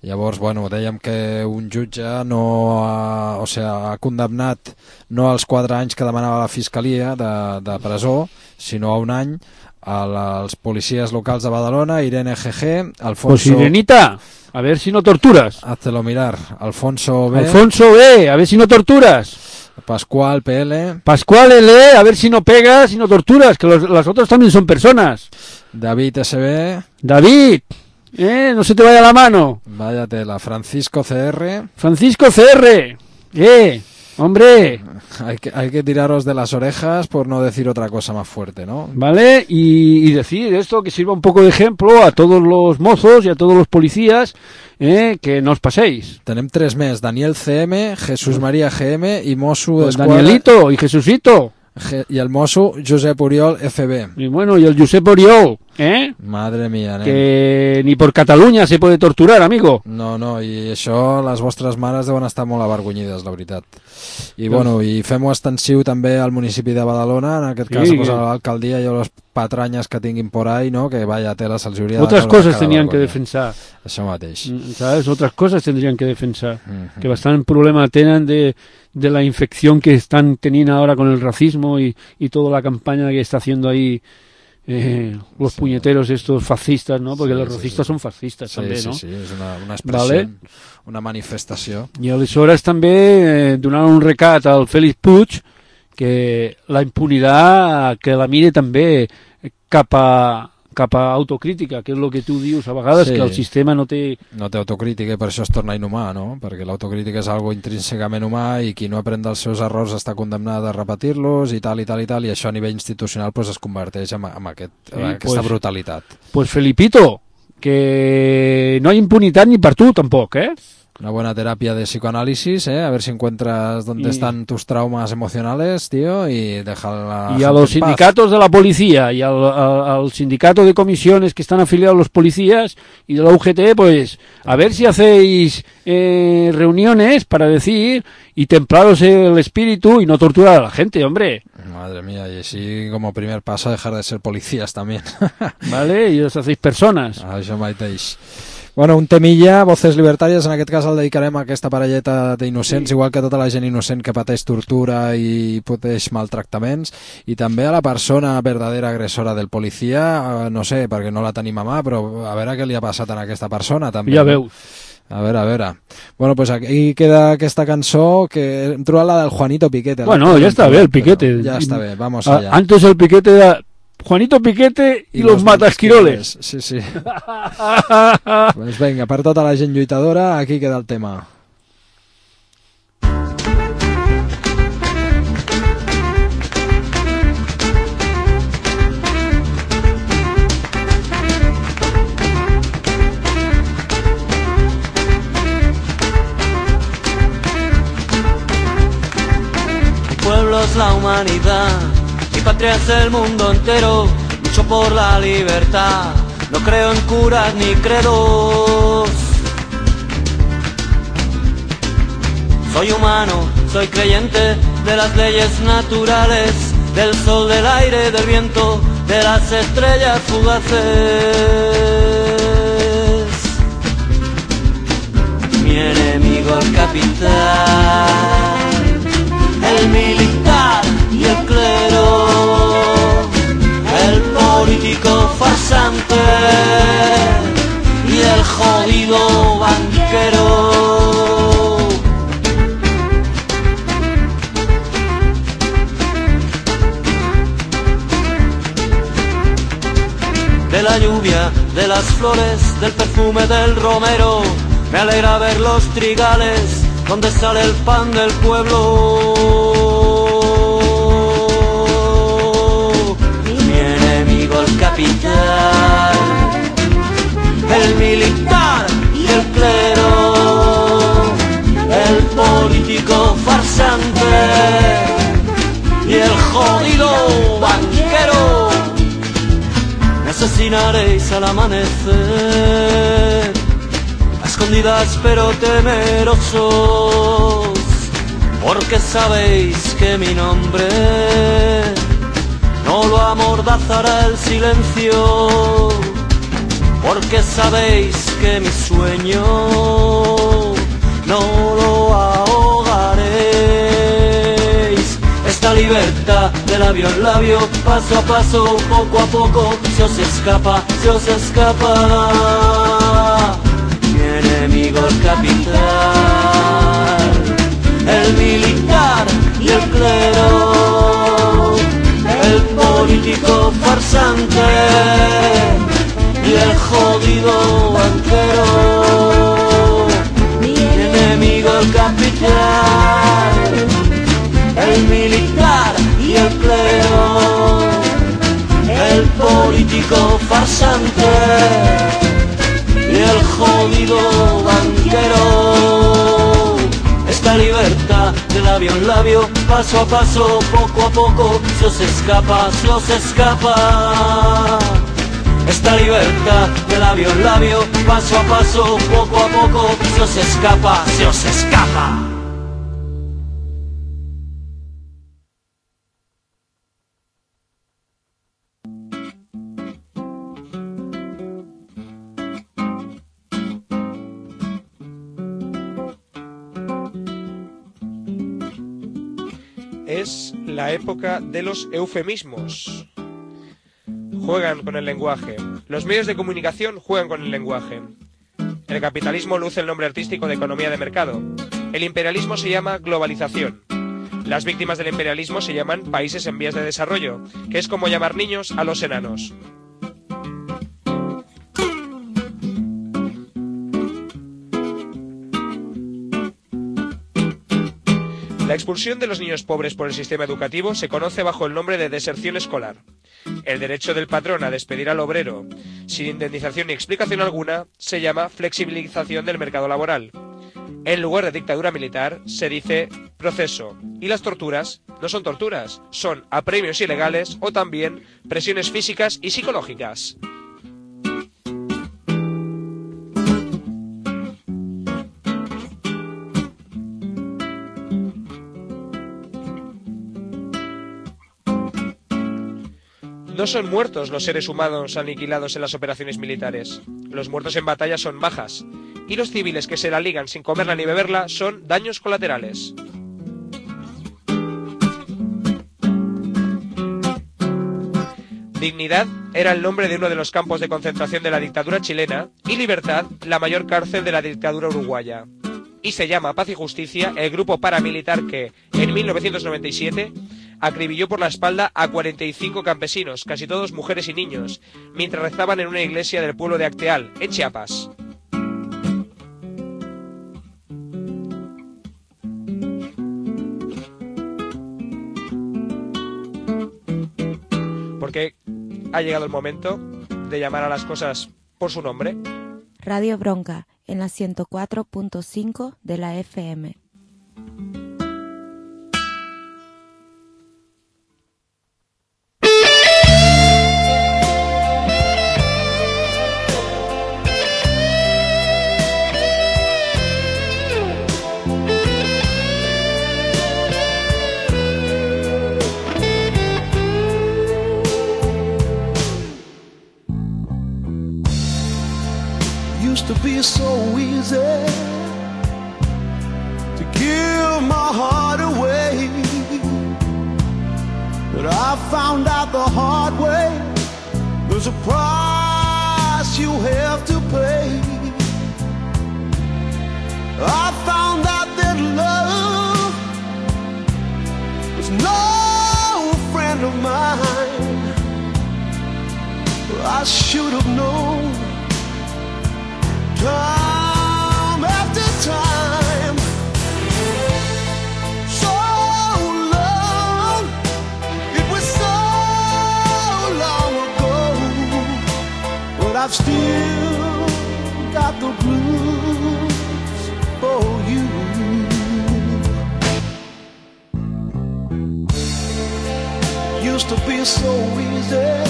Llavors, bueno, dèiem que un jutge no ha, o sigui, ha condemnat no als quatre anys que demanava la Fiscalia de, de presó, sinó a un any als policies locals de Badalona, Irene G G, Alfonso... Pues Irenita, a ver si no torturas. Háztelo mirar. Alfonso B. Alfonso B, a ver si no torturas. Pascual P L. Pascual L, a ver si no pegas y no torturas, que los, las otras también son personas. David S B. David, eh, no se te vaya la mano. Vaya tela. Francisco C R. Francisco C R, eh, hombre... Hay que, hay que tiraros de las orejas por no decir otra cosa más fuerte, ¿no? ¿Vale? Y, y decir esto que sirva un poco de ejemplo a todos los mozos y a todos los policías, eh, que no os paséis. Tenem tres més. Daniel C M, Jesús María G M i Mosso Pues d'Esquadra... Danielito y Jesucito. G- I el mosso Josep Oriol F B. Y bueno, y el Josep Oriol, ¿eh? Madre mía, nen. Que ni por Cataluña se puede torturar, amigo. No, no, i això les vostres mares deuen estar molt avergonyides, la veritat. I bueno, i fem-ho extensiu també al municipi de Badalona, en aquest cas Sí, pues, que- a l'alcaldia i a les patranyes que tinguin por ahí, no? Que vaya tela, se'ls hauria de Otras veure cosas cada tenían que vergonya. defensar, Això mateix. mm, ¿sabes? Otras cosas tendrían que defensar. Mhm. Que bastante problema tienen de, de la infección que están teniendo ahora con el racismo y, y toda la campaña que está haciendo ahí eh, los Sí. puñeteros estos fascistas, ¿no? Porque Sí, los sí, racistas sí. son fascistas Sí, també, sí, no? sí, és una, una expressió, Vale. una manifestació. I aleshores també eh, donar un recat al Félix Puig que la impunitat que la mire també cap a, cap a autocrítica, que és el que tu dius a vegades, Sí. que el sistema no té... No té autocrítica i per això es torna inhumà, no? Perquè l'autocrítica és algo intrínsecament humà i qui no aprèn dels seus errors està condemnat a repetir-los i tal i tal i tal, i això a nivell institucional pues, es converteix en, en, aquest, en Sí, aquesta pues- brutalitat. Pues Felipito, que no hay impunitat ni per tu tampoc, eh? Una buena terapia de psicoanálisis, ¿eh? A ver si encuentras dónde Y- están tus traumas emocionales, tío, y deja la Y a gente los en paz. sindicatos de la policía y al, al- al sindicato de comisiones que están afiliados a los policías y de la U G T, pues a ver si hacéis eh, reuniones para decir y templaros el espíritu y no torturar a la gente, hombre. Madre mía, y así como primer paso dejar de ser policías también. ¿Vale? Y os hacéis personas. Això mateix. Bueno, un temilla, Voces Libertàries, en aquest cas el dedicarem a aquesta parelleta d'innocents, igual que tota la gent innocent que pateix tortura i pateix maltractaments, i també a la persona verdadera agressora del policia, eh, no sé, perquè no la tenim a mà, però a veure què li ha passat a aquesta persona també. Ja no? veus. A veure, a veure. Bueno, pues aquí queda aquesta cançó, que hem trobat la del Juanito Piquete. Bueno, la- ya está bien el Piquete. Però Ja està bé, vamos A- allá. antes el Piquete era Juanito Piquete y, los, matasquiroles. Sí, sí. Pues venga, per tota la gent lluitadora, aquí queda el tema. Mi pueblo es la humanidad, mi patria es el mundo entero, lucho por la libertad, no creo en curas ni credos. Soy humano, soy creyente de las leyes naturales, del sol, del aire, del viento, de las estrellas fugaces. Mi enemigo el capital, el militar y el clero, el político farsante y el jodido banquero. De la lluvia, de las flores, del perfume del romero, me alegra ver los trigales donde sale el pan del pueblo. asesinaréis al amanecer, a escondidas pero temerosos, porque sabéis que mi nombre no lo amordazará el silencio, porque sabéis que mi sueño no lo ahogaréis. Esta libertad de labio en labio, paso a paso, poco a poco, se os escapa, se os escapa. Mi enemigo el capital, el militar y el clero, el político farsante y el jodido banquero. Mi enemigo el capital, el militar y el clero, el político farsante y el jodido banquero. Esta libertad de labio en labio, paso a paso, poco a poco, se os escapa, se os escapa. Esta libertad de labio en labio, paso a paso, poco a poco, se os escapa, se os escapa. Es la época de los eufemismos. Juegan con el lenguaje. Los medios de comunicación juegan con el lenguaje. El capitalismo luce el nombre artístico de economía de mercado. El imperialismo se llama globalización. Las víctimas del imperialismo se llaman países en vías de desarrollo, que es como llamar niños a los enanos. La expulsión de los niños pobres por el sistema educativo se conoce bajo el nombre de deserción escolar. El derecho del patrón a despedir al obrero sin indemnización ni explicación alguna se llama flexibilización del mercado laboral. En lugar de dictadura militar se dice proceso, y las torturas no son torturas, son apremios ilegales o también presiones físicas y psicológicas. No son muertos los seres humanos aniquilados en las operaciones militares. Los muertos en batalla son bajas, y los civiles que se la ligan sin comerla ni beberla son daños colaterales. Dignidad era el nombre de uno de los campos de concentración de la dictadura chilena y Libertad la mayor cárcel de la dictadura uruguaya. Y se llama Paz y Justicia el grupo paramilitar que, en mil novecientos noventa y siete, acribilló por la espalda a cuarenta y cinco campesinos, casi todos mujeres y niños, mientras rezaban en una iglesia del pueblo de Acteal, en Chiapas. Porque ha llegado el momento de llamar a las cosas por su nombre. Radio Bronca, en la ciento cuatro punto cinco de la F M. Used to be so easy to give my heart away, but I found out the hard way there's a price you have to pay. I found out that love was no friend of mine. I should have known time after time. So long, it was so long ago, but I've still got the blues for you. Used to be so easy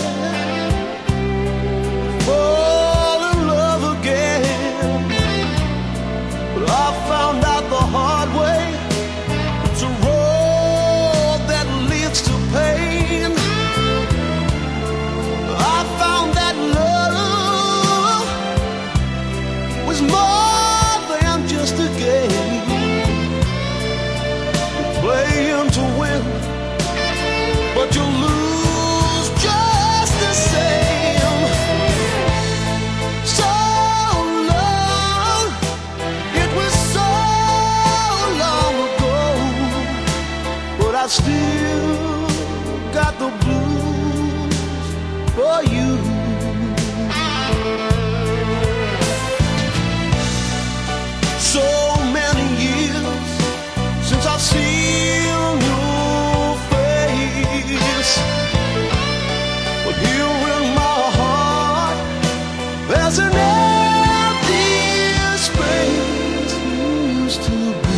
There's an empty space used to be.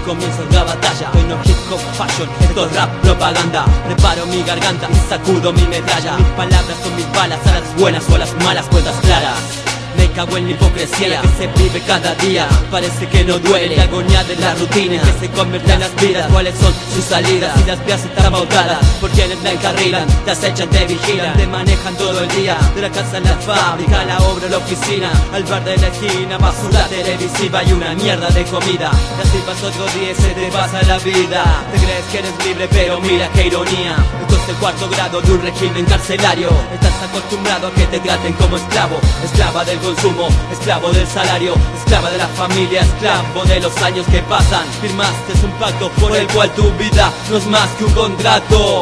Comienza la batalla, hoy no hip hop fashion, esto es rap propaganda. Preparo mi garganta y sacudo mi medalla. Mis palabras son mis balas, a las buenas o a las malas, cuentas claras. Me cago en la hipocresía que se vive cada día. Parece que no duele la agonía de la rutina que se convierte en las vidas. ¿Cuáles son sus salidas? Si las vías están pautadas por quienes la encarrilan, te acechan, te vigilan, te manejan todo el día. De la casa a la fábrica, a la obra, a la oficina, al bar de la esquina, basura televisiva y una mierda de comida. Y así pasa otro día y se te pasa la vida. Te crees que eres libre pero mira qué ironía. Esto es el cuarto grado de un régimen carcelario. Estás acostumbrado a que te traten como esclavo, esclava del consumo. consumo, esclavo del salario, esclava de la familia, esclavo de los años que pasan. Firmaste un pacto por el cual tu vida no es más que un contrato.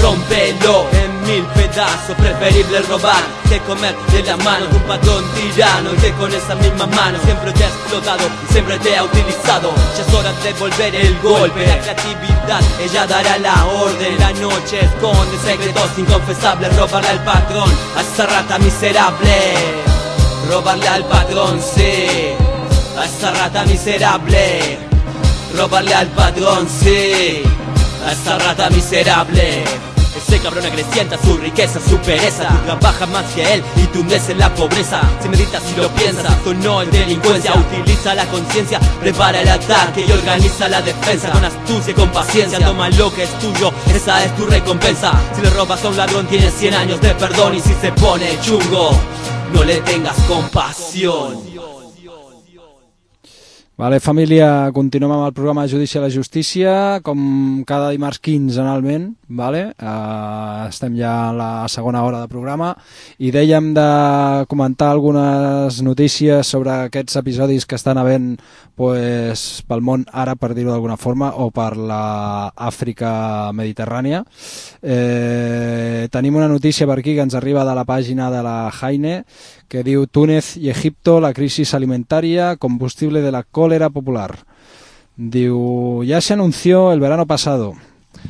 Rómpelo en mil pedazos, preferible robar que comer de la mano de un patrón tirano, y que con esa misma mano siempre te ha explotado y siempre te ha utilizado. Ya es hora de volver el golpe, la creatividad, ella dará la orden. La noche esconde secretos inconfesables, robarle al patrón, a esa rata miserable. Robarle al patrón, sí, a esa rata miserable. Robarle al patrón, sí, a esa rata miserable. Ese cabrón acrecienta su riqueza, su pereza. Tú trabajas más que él y tú hundes en la pobreza. Si meditas y lo piensas, esto no es delincuencia. Utiliza la conciencia, prepara el ataque y organiza la defensa. Con astucia y con paciencia, toma lo que es tuyo, esa es tu recompensa. Si le robas a un ladrón tienes cien años de perdón. Y si se pone chungo, no le tengas compasión. Vale, família, continuem amb el programa Judici a la Justícia, com cada dimarts quinzenalment, vale? Uh, estem ja a la segona hora de programa i dèiem de comentar algunes notícies sobre aquests episodis que estan havent pues, pel món àrab, per dir-ho d'alguna forma, o per l'Àfrica mediterrània. Eh, tenim una notícia per aquí que ens arriba de la pàgina de la Jaine, que diu Túnez y Egipto, la crisis alimentaria, combustible de la cólera popular. Diu, ya se anunció el verano pasado.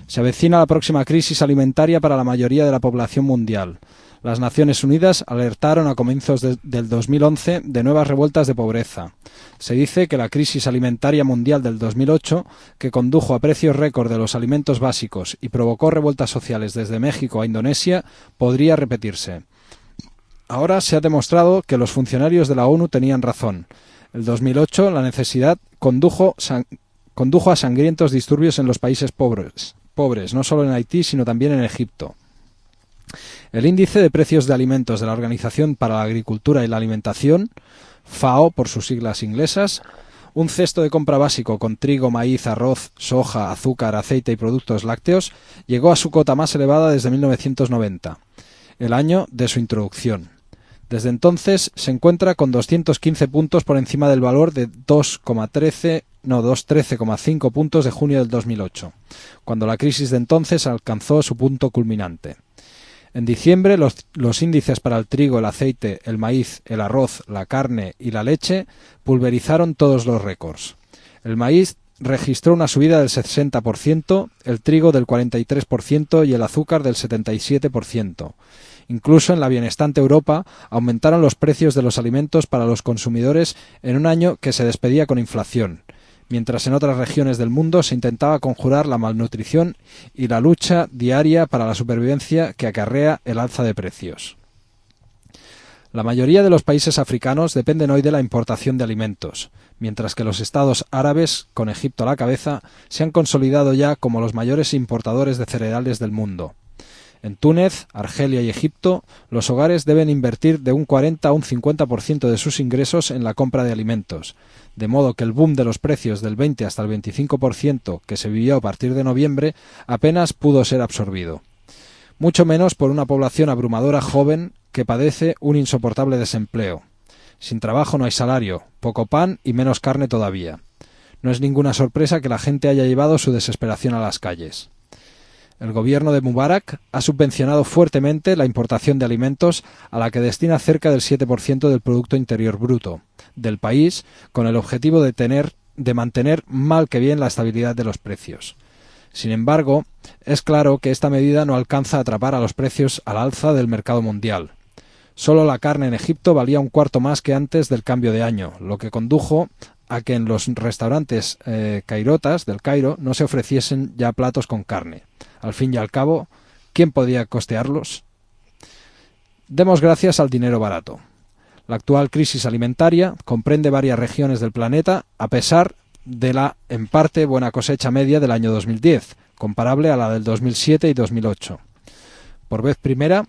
Se avecina la próxima crisis alimentaria para la mayoría de la población mundial. Las Naciones Unidas alertaron a comienzos de, del dos mil once de nuevas revueltas de pobreza. Se dice que la crisis alimentaria mundial del dos mil ocho, que condujo a precios récord de los alimentos básicos y provocó revueltas sociales desde México a Indonesia, podría repetirse. Ahora se ha demostrado que los funcionarios de la ONU tenían razón. El dos mil ocho la necesidad condujo, san, condujo a sangrientos disturbios en los países pobres, pobres, no solo en Haití, sino también en Egipto. El índice de precios de alimentos de la Organización para la Agricultura y la Alimentación, FAO por sus siglas inglesas, un cesto de compra básico con trigo, maíz, arroz, soja, azúcar, aceite y productos lácteos, llegó a su cota más elevada desde mil novecientos noventa, el año de su introducción. Desde entonces se encuentra con doscientos quince puntos por encima del valor de dos coma trece, no, doscientos trece coma cinco puntos de junio del dos mil ocho, cuando la crisis de entonces alcanzó su punto culminante. En diciembre los, los índices para el trigo, el aceite, el maíz, el arroz, la carne y la leche pulverizaron todos los récords. El maíz registró una subida del sesenta por ciento, el trigo del cuarenta y tres por ciento y el azúcar del setenta y siete por ciento. Incluso en la bienestante Europa aumentaron los precios de los alimentos para los consumidores en un año que se despedía con inflación, mientras en otras regiones del mundo se intentaba conjurar la malnutrición y la lucha diaria para la supervivencia que acarrea el alza de precios. La mayoría de los países africanos dependen hoy de la importación de alimentos, mientras que los estados árabes, con Egipto a la cabeza, se han consolidado ya como los mayores importadores de cereales del mundo. En Túnez, Argelia y Egipto, los hogares deben invertir de un cuarenta a un cincuenta por ciento de sus ingresos en la compra de alimentos, de modo que el boom de los precios del veinte hasta el veinticinco por ciento que se vivió a partir de noviembre apenas pudo ser absorbido. Mucho menos por una población abrumadora joven que padece un insoportable desempleo. Sin trabajo no hay salario, poco pan y menos carne todavía. No es ninguna sorpresa que la gente haya llevado su desesperación a las calles. El gobierno de Mubarak ha subvencionado fuertemente la importación de alimentos, a la que destina cerca del siete por ciento del Producto Interior Bruto del país, con el objetivo de, tener, de mantener mal que bien la estabilidad de los precios. Sin embargo, es claro que esta medida no alcanza a atrapar a los precios al alza del mercado mundial. Solo la carne en Egipto valía un cuarto más que antes del cambio de año, lo que condujo a que en los restaurantes eh, cairotas del Cairo no se ofreciesen ya platos con carne. Al fin y al cabo, ¿quién podía costearlos? Demos gracias al dinero barato. La actual crisis alimentaria comprende varias regiones del planeta, a pesar de la, en parte, buena cosecha media del año dos mil diez, comparable a la del dos mil siete y dos mil ocho. Por vez primera,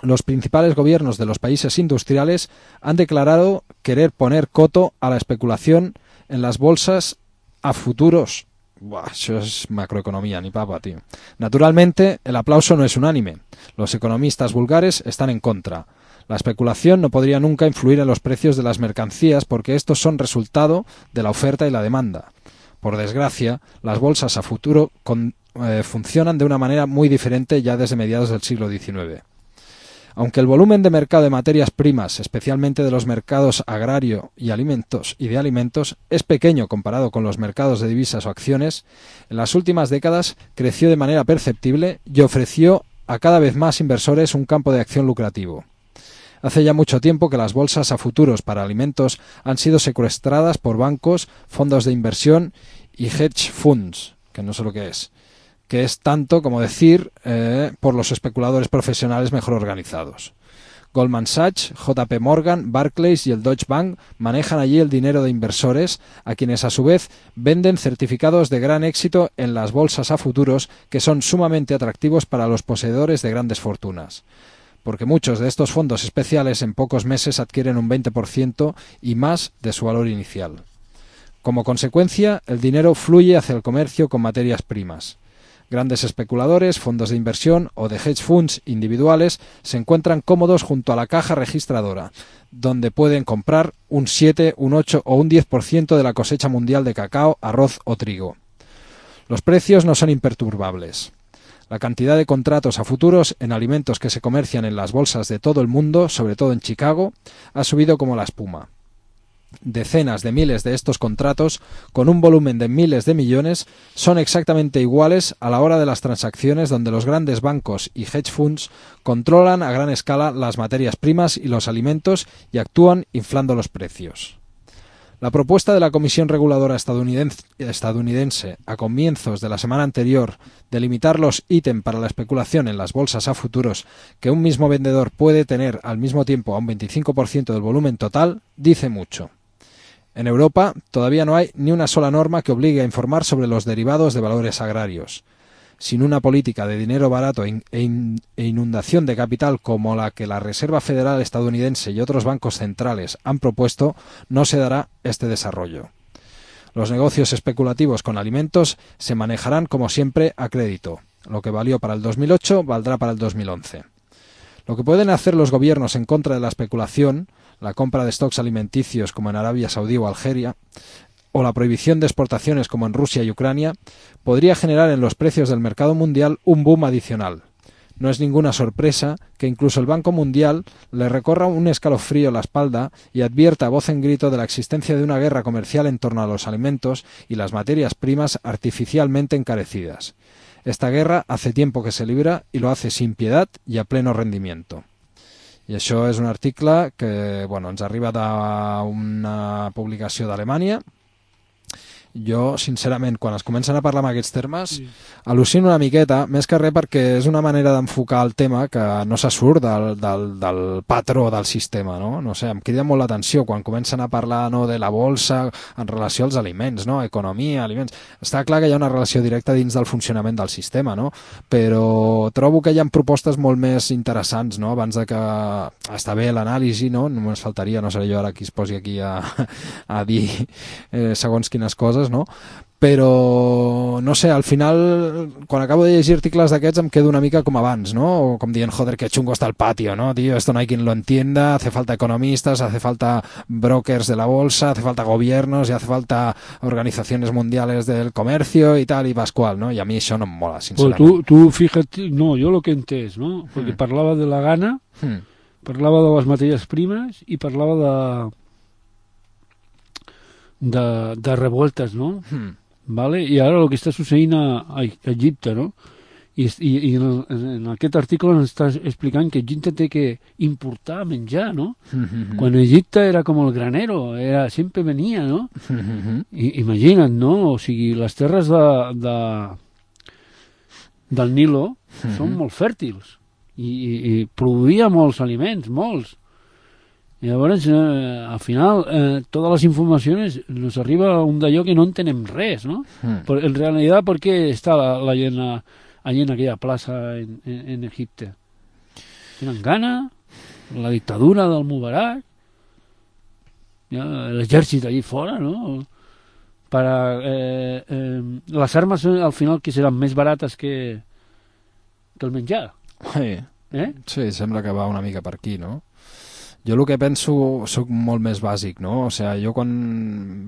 los principales gobiernos de los países industriales han declarado querer poner coto a la especulación en las bolsas a futuros. Buah, eso es macroeconomía, ni papa, tío. Naturalmente, el aplauso no es unánime. Los economistas vulgares están en contra. La especulación no podría nunca influir en los precios de las mercancías porque estos son resultado de la oferta y la demanda. Por desgracia, las bolsas a futuro con, eh, funcionan de una manera muy diferente ya desde mediados del siglo diecinueve. Aunque el volumen de mercado de materias primas, especialmente de los mercados agrario y alimentos y de alimentos, es pequeño comparado con los mercados de divisas o acciones, en las últimas décadas creció de manera perceptible y ofreció a cada vez más inversores un campo de acción lucrativo. Hace ya mucho tiempo que las bolsas a futuros para alimentos han sido secuestradas por bancos, fondos de inversión y hedge funds, que no sé lo que es, que es tanto como decir eh, por los especuladores profesionales mejor organizados. Goldman Sachs, J P Morgan, Barclays y el Deutsche Bank manejan allí el dinero de inversores, a quienes a su vez venden certificados de gran éxito en las bolsas a futuros que son sumamente atractivos para los poseedores de grandes fortunas. Porque muchos de estos fondos especiales en pocos meses adquieren un veinte por ciento y más de su valor inicial. Como consecuencia, el dinero fluye hacia el comercio con materias primas. Grandes especuladores, fondos de inversión o de hedge funds individuales se encuentran cómodos junto a la caja registradora, donde pueden comprar un siete, un ocho o un diez por ciento de la cosecha mundial de cacao, arroz o trigo. Los precios no son imperturbables. La cantidad de contratos a futuros en alimentos que se comercian en las bolsas de todo el mundo, sobre todo en Chicago, ha subido como la espuma. Decenas de miles de estos contratos, con un volumen de miles de millones, son exactamente iguales a la hora de las transacciones donde los grandes bancos y hedge funds controlan a gran escala las materias primas y los alimentos y actúan inflando los precios. La propuesta de la Comisión Reguladora estadounidense, estadounidense a comienzos de la semana anterior de limitar los ítems para la especulación en las bolsas a futuros que un mismo vendedor puede tener al mismo tiempo a un veinticinco por ciento del volumen total dice mucho. En Europa todavía no hay ni una sola norma que obligue a informar sobre los derivados de valores agrarios. Sin una política de dinero barato e inundación de capital como la que la Reserva Federal estadounidense y otros bancos centrales han propuesto, no se dará este desarrollo. Los negocios especulativos con alimentos se manejarán como siempre a crédito. Lo que valió para el dos mil ocho valdrá para el dos mil once. Lo que pueden hacer los gobiernos en contra de la especulación, la compra de stocks alimenticios como en Arabia Saudí o Algeria, o la prohibición de exportaciones como en Rusia y Ucrania, podría generar en los precios del mercado mundial un boom adicional. No es ninguna sorpresa que incluso el Banco Mundial le recorra un escalofrío la espalda y advierta a voz en grito de la existencia de una guerra comercial en torno a los alimentos y las materias primas artificialmente encarecidas. Esta guerra hace tiempo que se libra i lo hace sin piedad i a pleno rendimiento. I això és un article que bueno, ens arriba d'una publicació d'Alemanya. Jo, sincerament, quan es comencen a parlar amb aquests termes, sí. al·lucino una miqueta, més que res perquè és una manera d'enfocar el tema que no se surt del, del, del patró del sistema, no? No sé, em crida molt l'atenció quan comencen a parlar no, de la bolsa en relació als aliments, no? Economia, aliments... Està clar que hi ha una relació directa dins del funcionament del sistema, no? Però trobo que hi ha propostes molt més interessants, no? Abans de que... Està bé l'anàlisi, no? Només faltaria, no seré jo ara qui es posi aquí a, a dir eh, segons quines coses, no? Però, no sé, al final, quan acabo de llegir articles d'aquests em quedo una mica com abans, ¿no? O com dient, joder, que chungo está el patio, ¿no? Tío, esto no hay quien lo entienda, hace falta economistas, hace falta brokers de la bolsa, hace falta gobiernos y hace falta organizaciones mundiales del comercio y tal, y pascual, ¿no? Y a mí això no em mola, sincerament. Pues tú, tú fíjate, no, yo lo que entès, ¿no? Porque mm. parlava de la gana, mm. parlava de les matèries primes i parlava de... de, de revoltes, ¿no? Mm. ¿Vale? Y ahora lo que está sucediendo a, a Egipte, ¿no? I, i, i en, en aquest article ens està explicant que Egipte té que importar menjar, no? Mm-hmm. Quan Egipte era com el granero, era, sempre venia, no? Mm-hmm. I, imagina't, no? O sigui, les terres de, de, del Nilo mm-hmm. són molt fèrtils i, i, i produïa molts aliments, molts. I llavors, eh, al final, eh, totes les informacions nos arriba un d'allò que no entenem res, ¿no? Mm. Por, en realitat, ¿por qué está la, la llena, allí en aquella plaza en, en, en Egipte? Tenen gana, la dictadura del Mubarak, ja, l'exèrcit allí fora, ¿no? Para, eh, eh, les armes al final que seran més barates que, que el menjar. Sí. Eh? Sí, sembla que va una mica per aquí, no? jo el que penso soc molt més bàsic, no? O sigui, jo quan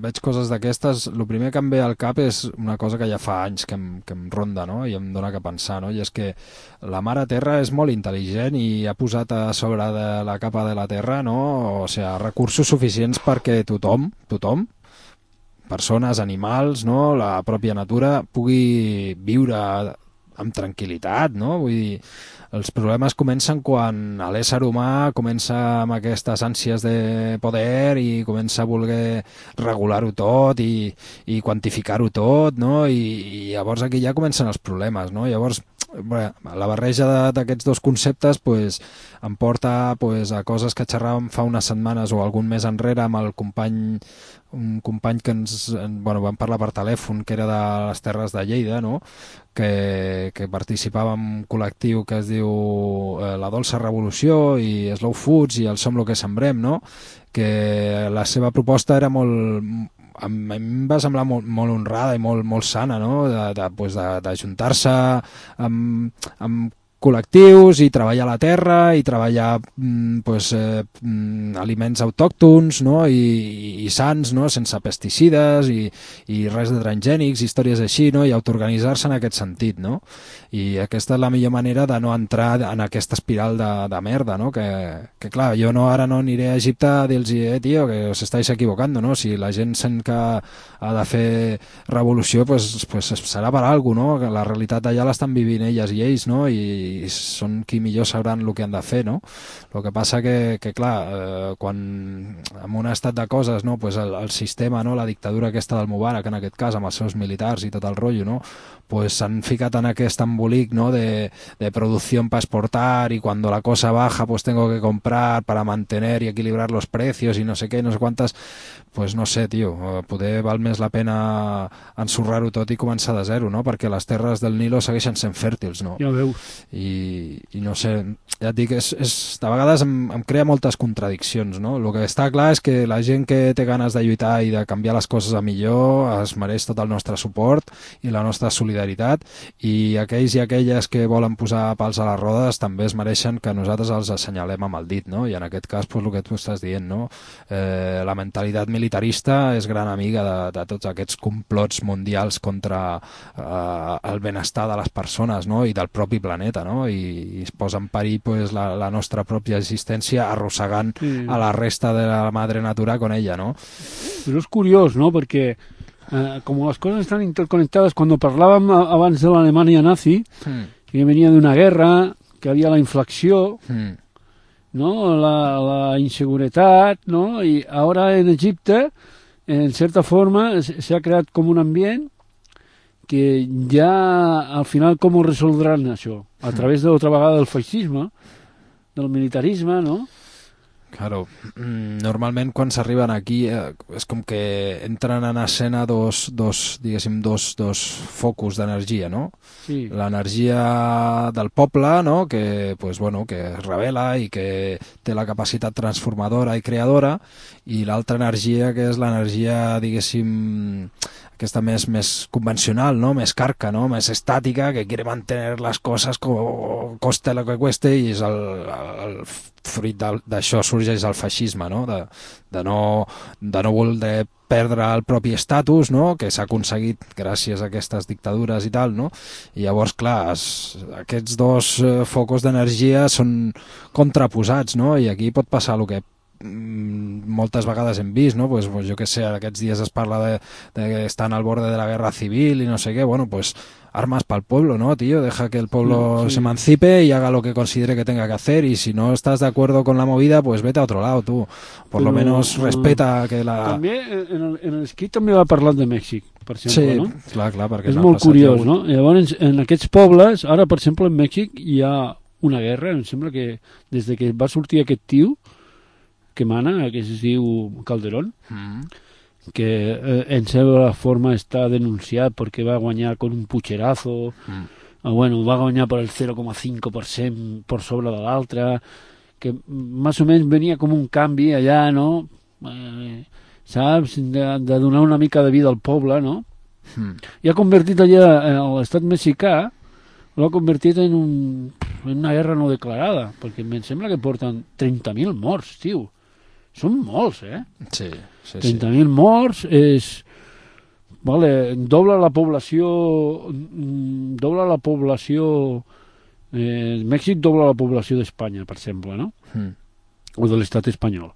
veig coses d'aquestes, el primer que em ve al cap és una cosa que ja fa anys que em, que em ronda, no? I em dona que pensar, no? I és que la mare Terra és molt intel·ligent i ha posat a sobre de la capa de la Terra, no? O sigui, recursos suficients perquè tothom, tothom, persones, animals, no? La pròpia natura pugui viure amb tranquil·litat, no? Vull dir, els problemes comencen quan l'ésser humà comença amb aquestes ànsies de poder i comença a voler regular-ho tot i, i quantificar-ho tot, no? I, i llavors aquí ja comencen els problemes, no? Llavors, bé, la barreja d'aquests dos conceptes pues, em porta pues, a coses que xerràvem fa unes setmanes o algun mes enrere amb el company un company que ens bueno, vam parlar per telèfon, que era de les Terres de Lleida, no? que, que participava en un col·lectiu que es diu eh, La Dolça Revolució i Slow Foods i el Som lo que sembrem, no? Que la seva proposta era molt... a mi em va semblar molt, molt honrada i molt, molt sana, no? de, de, pues de, d'ajuntar-se amb, amb col·lectius i treballar la terra i treballar mm, pues, eh, mm, aliments autòctons, no? I, i sants, no? Sense pesticides i, i res de transgènics, històries així, no? I autoorganitzar-se en aquest sentit, no? I aquesta és la millor manera de no entrar en aquesta espiral de, de merda, no? Que, que clar, jo no, ara no aniré a Egipte a dir-los, eh, tio, que us estáis equivocando, no? Si la gent sent que ha de fer revolució, pues, pues serà per alguna cosa, no? Que la realitat allà l'estan vivint elles i ells, no? I i són qui millor sabran el que han de fer, no? El que passa que, que clar, eh, quan en un estat de coses, no? Pues el, el sistema, no? La dictadura aquesta del Mubarak, en aquest cas, amb els seus militars i tot el rotllo, no? Pues s'han ficat en aquest embolic, ¿no? de, de producción para exportar y cuando la cosa baja pues tengo que comprar para mantener y equilibrar los precios y no sé què, no sé quantes, pues no sé, tio, poder val més la pena ensorrar-ho tot i començar de zero, no? Perquè les terres del Nilo segueixen sent fèrtils, no? Ja veus. I, i no sé, ja et dic, és, és, de vegades em, em crea moltes contradiccions, no? El que està clar és que la gent que té ganes de lluitar i de canviar les coses a millor es mereix tot el nostre suport i la nostra solidaritat, i aquells i aquelles que volen posar pals a les rodes també es mereixen que nosaltres els assenyalem amb el dit, no? I en aquest cas, pues, el que tu estàs dient, no? Eh, la mentalitat militarista és gran amiga de, de tots aquests complots mundials contra eh, el benestar de les persones, no? I del propi planeta, no? I, i es posa en perill pues, la, la nostra pròpia existència arrossegant sí. a la resta de la madre natura con ella, no? Però és curiós, no? Perquè eh, com les coses estan interconectades, quan parlàvem abans de l'Alemanya nazi, mm. que venia d'una guerra, que havia la inflació, mm. no? la, la inseguretat, no? I ara en Egipte, en certa forma, s'ha creat com un ambient que ja al final com ho resoldran això? A través de l'altra vegada del feixisme, del militarisme, no? Claro, normalment quan s'arriben aquí eh, és com que entren en escena dos, dos, diguéssim, dos, dos focus d'energia, no? Sí. L'energia del poble, no? Que, pues, bueno, que es rebel·la i que té la capacitat transformadora i creadora, i l'altra energia que és l'energia, diguéssim, aquesta més, més convencional, no? Més carca, no? Més estàtica, que quiere mantener les coses co coste lo que cueste, i és el, el fruit d'això sorgeix el feixisme, no? De, de no, de no voler perdre el propi estatus, no? Que s'ha aconseguit gràcies a aquestes dictadures i tal, no? I llavors, clar, es, aquests dos eh, focus d'energia són contraposats, no? I aquí pot passar el que moltes vegades hem vist, no? Pues, pues jo que sé, aquests dies es parla de, de que estan al borde de la guerra civil i no sé què, bueno, pues armas para el pueblo, ¿no, tío? Deja que el pueblo sí. se emancipe y haga lo que considere que tenga que hacer, y si no estás de acuerdo con la movida, pues vete a otro lado, tú. Por Però, lo menos respeta que la... També, en el, en l'escrit també va parlar de Mèxic, per exemple, sí, no? clar, clar, perquè és molt curiós, no? Llavors, en aquests pobles, ara, per exemple, en Mèxic hi ha una guerra, em sembla que des de que va sortir aquest tio que mana, que es diu Calderón, mm. que eh, en seva forma està denunciat perquè va guanyar con un pucherazo, mm. eh, bueno, va guanyar per el zero coma cinc per cent per sobre de l'altre, que més o menys venia com un canvi allà, no? Eh, saps? De, de donar una mica de vida al poble, no? Mm. I ha convertit allà, eh, l'estat mexicà, l'ha convertit en un, una guerra no declarada, perquè em sembla que porten trenta mil morts, tio. Són molts, eh? Sí, sí, trenta mil morts és... Vale, dobla la població... Dobla la població... Eh, Mèxic dobla la població d'Espanya, per exemple, ¿no? Mm. O de l'estat espanyol.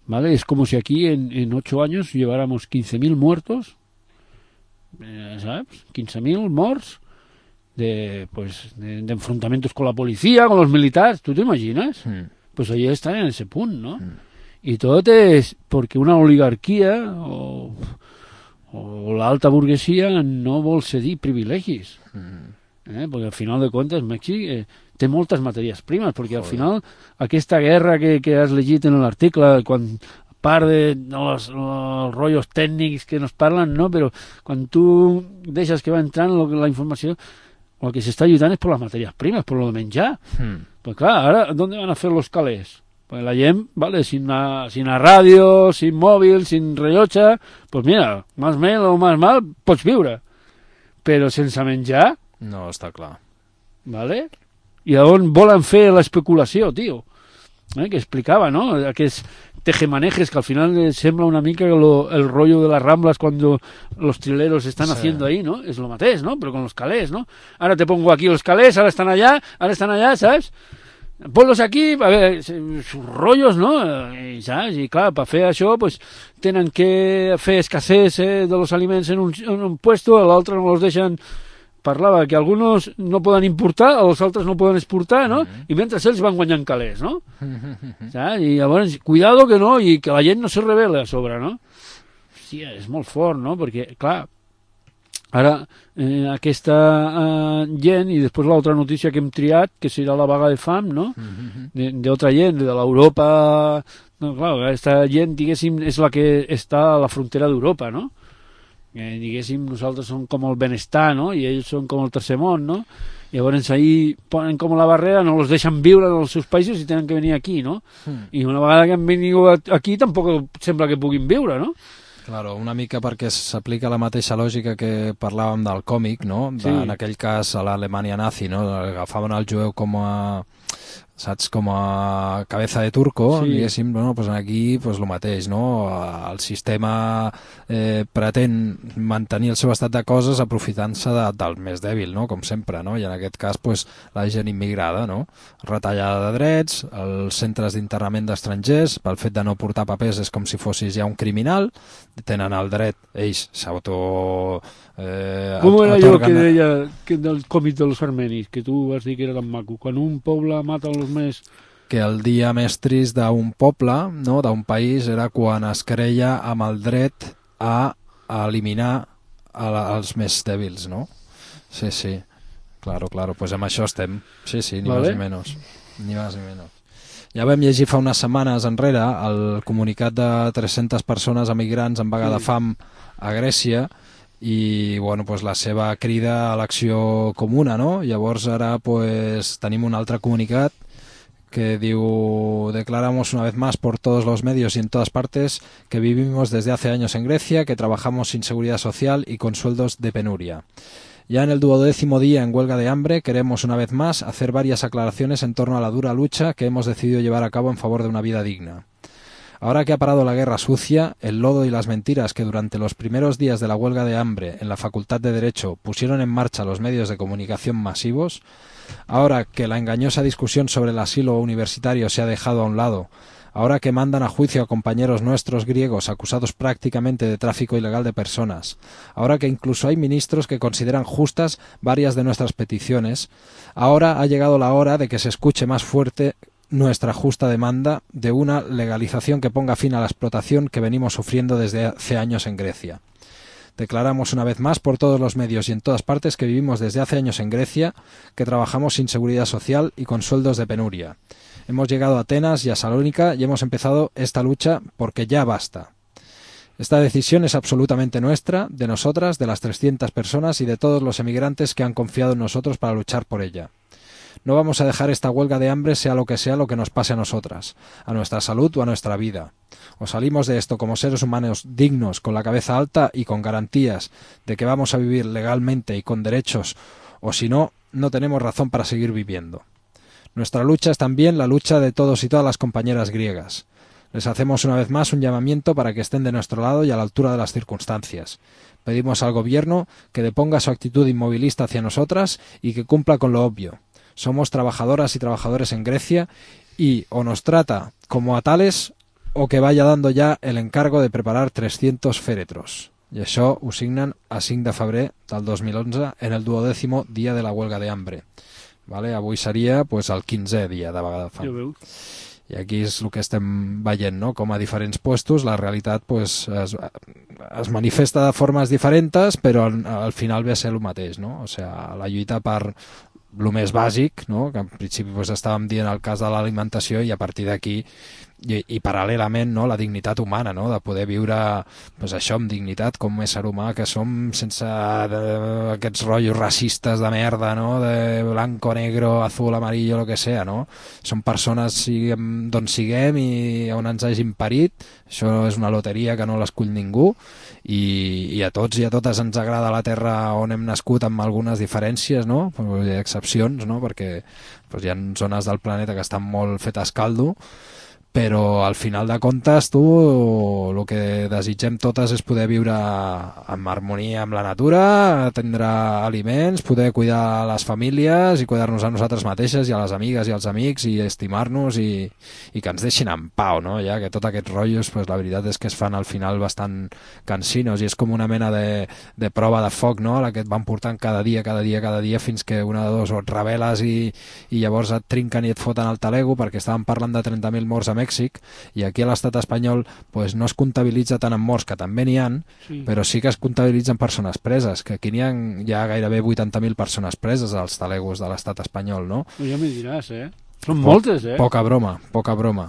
¿Vale? Es como si aquí en, en ocho años lleváramos quince mil muertos, eh, ¿sabes? quince mil morts de, pues, de, de enfrentamientos con la policía, con los militares, ¿tú te imaginas? Mm. Pues allí están en ese punto, ¿no? Mm. Y todo es porque una oligarquía o, o la alta burguesía no vol cedir privilegis. Mm. Eh? Perquè al final de comptes Mèxic eh, té moltes matèries primes, perquè al final aquesta guerra que, que has llegit en l'article, quan part de, de los, los rollos tècnics que nos parlen, no? Però quan tu deixes que va entrant lo, la informació, el que s'està lluitant és per les matèries primes, per lo de menjar. Mm. Pues clar, ara, ¿dónde van a fer los calés? Pues la gent, vale, sin a, sin a ràdio, sin mòbil, sin rellotge, pues mira, más mal o más mal, pots viure. Però sense menjar... No, està clar. Vale? I on volen fer l'especulació, tio? Eh, que explicava, ¿no? Aquests tejemanejes que al final sembla una mica lo, el rollo de las Ramblas cuando los trileros están sí. haciendo ahí, ¿no? Es lo mateix, ¿no? Pero con los calés, ¿no? Ahora te pongo aquí los calés, ahora están allá, ahora están allá, ¿sabes? Ponlos aquí, a ver, sus rollos, ¿no? I, ¿sabes? I clar, per fer això, pues, tenen que fer escasez eh, de los aliments en un, en un puesto, a l'altre no los deixen... Parlava que algunos no poden importar, els altres no poden exportar, no? Mm-hmm. I mentre ells van guanyant calés, no? Mm-hmm. Saps? I llavors, cuidado que no, i que la gent no se revela a sobre, no? Hòstia, és molt fort, no? Perquè, clar, ara eh, aquesta eh, gent, i després l'altra notícia que hem triat, que serà la vaga de fam, no? Mm-hmm. D'altra gent, de l'Europa... No, clar, aquesta gent, diguéssim, és la que està a la frontera d'Europa, no? Eh, diguéssim, nosaltres som com el benestar, no? I ells són com el tercer món, no? Llavors ahí ponen com la barrera, no els deixen viure en els seus països i tenen que venir aquí, no? Mm. I una vegada que han vingut aquí tampoc sembla que puguin viure, no? Claro, una mica perquè s'aplica la mateixa lògica que parlàvem del còmic, no? De, sí. En aquell cas a l'Alemanya nazi, no? Agafaven el jueu com a... saps, com a cabeza de turco, sí. Diguéssim, bueno, pues aquí pues el mateix, no? El sistema eh, pretén mantenir el seu estat de coses aprofitant-se de, del més dèbil, no? Com sempre, no? I en aquest cas, pues, la gent immigrada, no? Retallada de drets, els centres d'internament d'estrangers, pel fet de no portar papers és com si fossis ja un criminal, tenen el dret, ells s'auto... Eh, Com era allò que deia que del còmic dels armenis, que tu vas dir que era tan maco, quan un poble mata els més... Que el dia més trist d'un poble, no, d'un país, era quan es creia amb el dret a, a eliminar a la, els més dèbils, no? Sí, sí, claro, claro, pues amb això estem, sí, sí, ni vale. Más ni menys, ni más ni menys. Ja vam llegir fa unes setmanes enrere el comunicat de tres-centes persones emigrants en vaga sí. de fam a Grècia, i bueno, pues la seva crida a l'acció comuna, no? Llavors ara pues tenim un altre comunicat que diu: declaramos una vez más por todos los medios y en todas partes que vivimos desde hace años en Grecia, que trabajamos sin seguridad social y con sueldos de penuria. Ya en el duodécimo día en huelga de hambre queremos una vez más hacer varias aclaraciones en torno a la dura lucha que hemos decidido llevar a cabo en favor de una vida digna. Ahora que ha parado la guerra sucia, el lodo y las mentiras que durante los primeros días de la huelga de hambre en la Facultad de Derecho pusieron en marcha los medios de comunicación masivos, ahora que la engañosa discusión sobre el asilo universitario se ha dejado a un lado, ahora que mandan a juicio a compañeros nuestros griegos acusados prácticamente de tráfico ilegal de personas, ahora que incluso hay ministros que consideran justas varias de nuestras peticiones, ahora ha llegado la hora de que se escuche más fuerte nuestra justa demanda de una legalización que ponga fin a la explotación que venimos sufriendo desde hace años en Grecia. Declaramos una vez más por todos los medios y en todas partes que vivimos desde hace años en Grecia, que trabajamos sin seguridad social y con sueldos de penuria. Hemos llegado a Atenas y a Salónica y hemos empezado esta lucha porque ya basta. Esta decisión es absolutamente nuestra, de nosotras, de las trescientas personas y de todos los emigrantes que han confiado en nosotros para luchar por ella. No vamos a dejar esta huelga de hambre sea lo que sea lo que nos pase a nosotras, a nuestra salud o a nuestra vida. O salimos de esto como seres humanos dignos, con la cabeza alta y con garantías de que vamos a vivir legalmente y con derechos, o si no, no tenemos razón para seguir viviendo. Nuestra lucha es también la lucha de todos y todas las compañeras griegas. Les hacemos una vez más un llamamiento para que estén de nuestro lado y a la altura de las circunstancias. Pedimos al gobierno que deponga su actitud inmovilista hacia nosotras y que cumpla con lo obvio. Somos trabajadoras y trabajadores en Grecia y o nos trata como a tales o que vaya dando ja el encargo de preparar trescientos fèretros. I això ho signen a cinc de febrer del dos mil onze en el duodècimo dia de la huelga de hambre. Vale? Avui seria pues, el quinzè dia de vaga de fam. Ja veus. I aquí és el que estem veient, no? Com a diferents puestos la realitat pues, es, es manifesta de formes diferents, però al, al final ve a ser el mateix, no? O sigui, la lluita per el més bàsic, no? Que en principi pues, estàvem dient el cas de l'alimentació i a partir d'aquí i, i paral·lelament no? La dignitat humana, no? De poder viure pues, això amb dignitat com a ésser humà que som sense de, aquests rotllos racistes de merda, no? De blanco, negro, azul, amarillo, lo que sea, no? Som persones siguem d'on siguem i on ens hagin parit, això és una loteria que no l'escull ningú i, i a tots i a totes ens agrada la terra on hem nascut amb algunes diferències, no? Hi ha excepcions, no? Perquè pues, hi ha zones del planeta que estan molt fetes caldo, però al final de comptes tu el que desitgem totes és poder viure en harmonia amb la natura, tindre aliments, poder cuidar les famílies i cuidar-nos a nosaltres mateixes i a les amigues i als amics i estimar-nos i, i que ens deixin en pau, no? Ja que tots aquests rotllos, pues, la veritat és que es fan al final bastant cansinos i és com una mena de, de prova de foc, no? La que et van portant cada dia, cada dia, cada dia fins que una de dos o et rebel·les i, i llavors et trinquen i et foten el talego perquè estàvem parlant de trenta mil morts a Mèxic i aquí a l'estat espanyol pues, no es comptabilitza tant en morts, que també n'hi ha, sí. Però sí que es comptabilitzen persones preses, que aquí n'hi ha ja gairebé vuitanta mil persones preses als talegos de l'estat espanyol, no? Ja me diràs, eh? Són po moltes, eh? Poca broma, poca broma.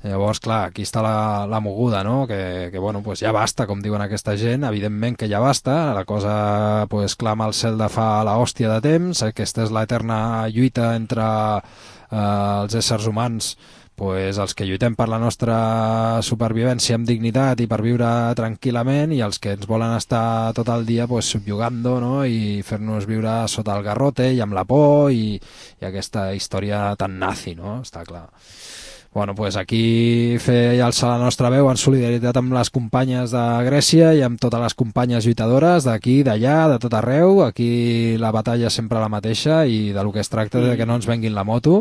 Llavors, clar, aquí està la, la moguda, no? Que, que bueno, pues ja basta, com diuen aquesta gent, evidentment que ja basta, la cosa pues, clama al cel de fa la hòstia de temps, aquesta és l'eterna lluita entre eh, els éssers humans, pues, els que lluitem per la nostra supervivència amb dignitat i per viure tranquil·lament i els que ens volen estar tot el dia pues, subjugando, no? I fer-nos viure sota el garrote i amb la por i, i aquesta història tan nazi, no? Està clar. Bueno, pues aquí fer alçar la nostra veu en solidaritat amb les companyes de Grècia i amb totes les companyes lluitadores d'aquí, d'allà, de tot arreu. Aquí la batalla és sempre la mateixa i de lo que es tracta de que no ens venguin la moto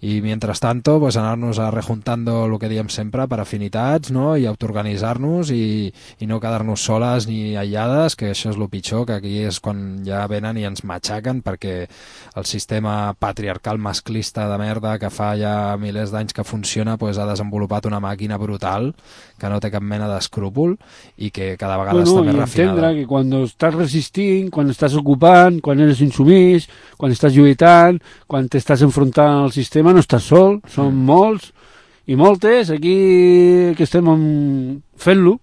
i mientras tanto pues anar-nos a rejuntando lo que diem sempre per afinitats, no? I autoorganitzar-nos i, i no quedar-nos soles ni aïllades, que això és el pitjor, que aquí és quan ja venen i ens matxaquen perquè el sistema patriarcal masclista de merda que fa ja milers d'anys que funciona pues, ha desenvolupat una màquina brutal que no té cap mena d'escrúpol i que cada vegada bueno, està més refinada. Entendre que quan estàs resistint, quan estàs ocupant, quan eres insumís, quan estàs lluitant, quan t'estàs enfrontant al sistema, no estàs sol, són mm. molts i moltes aquí que estem fent-lo,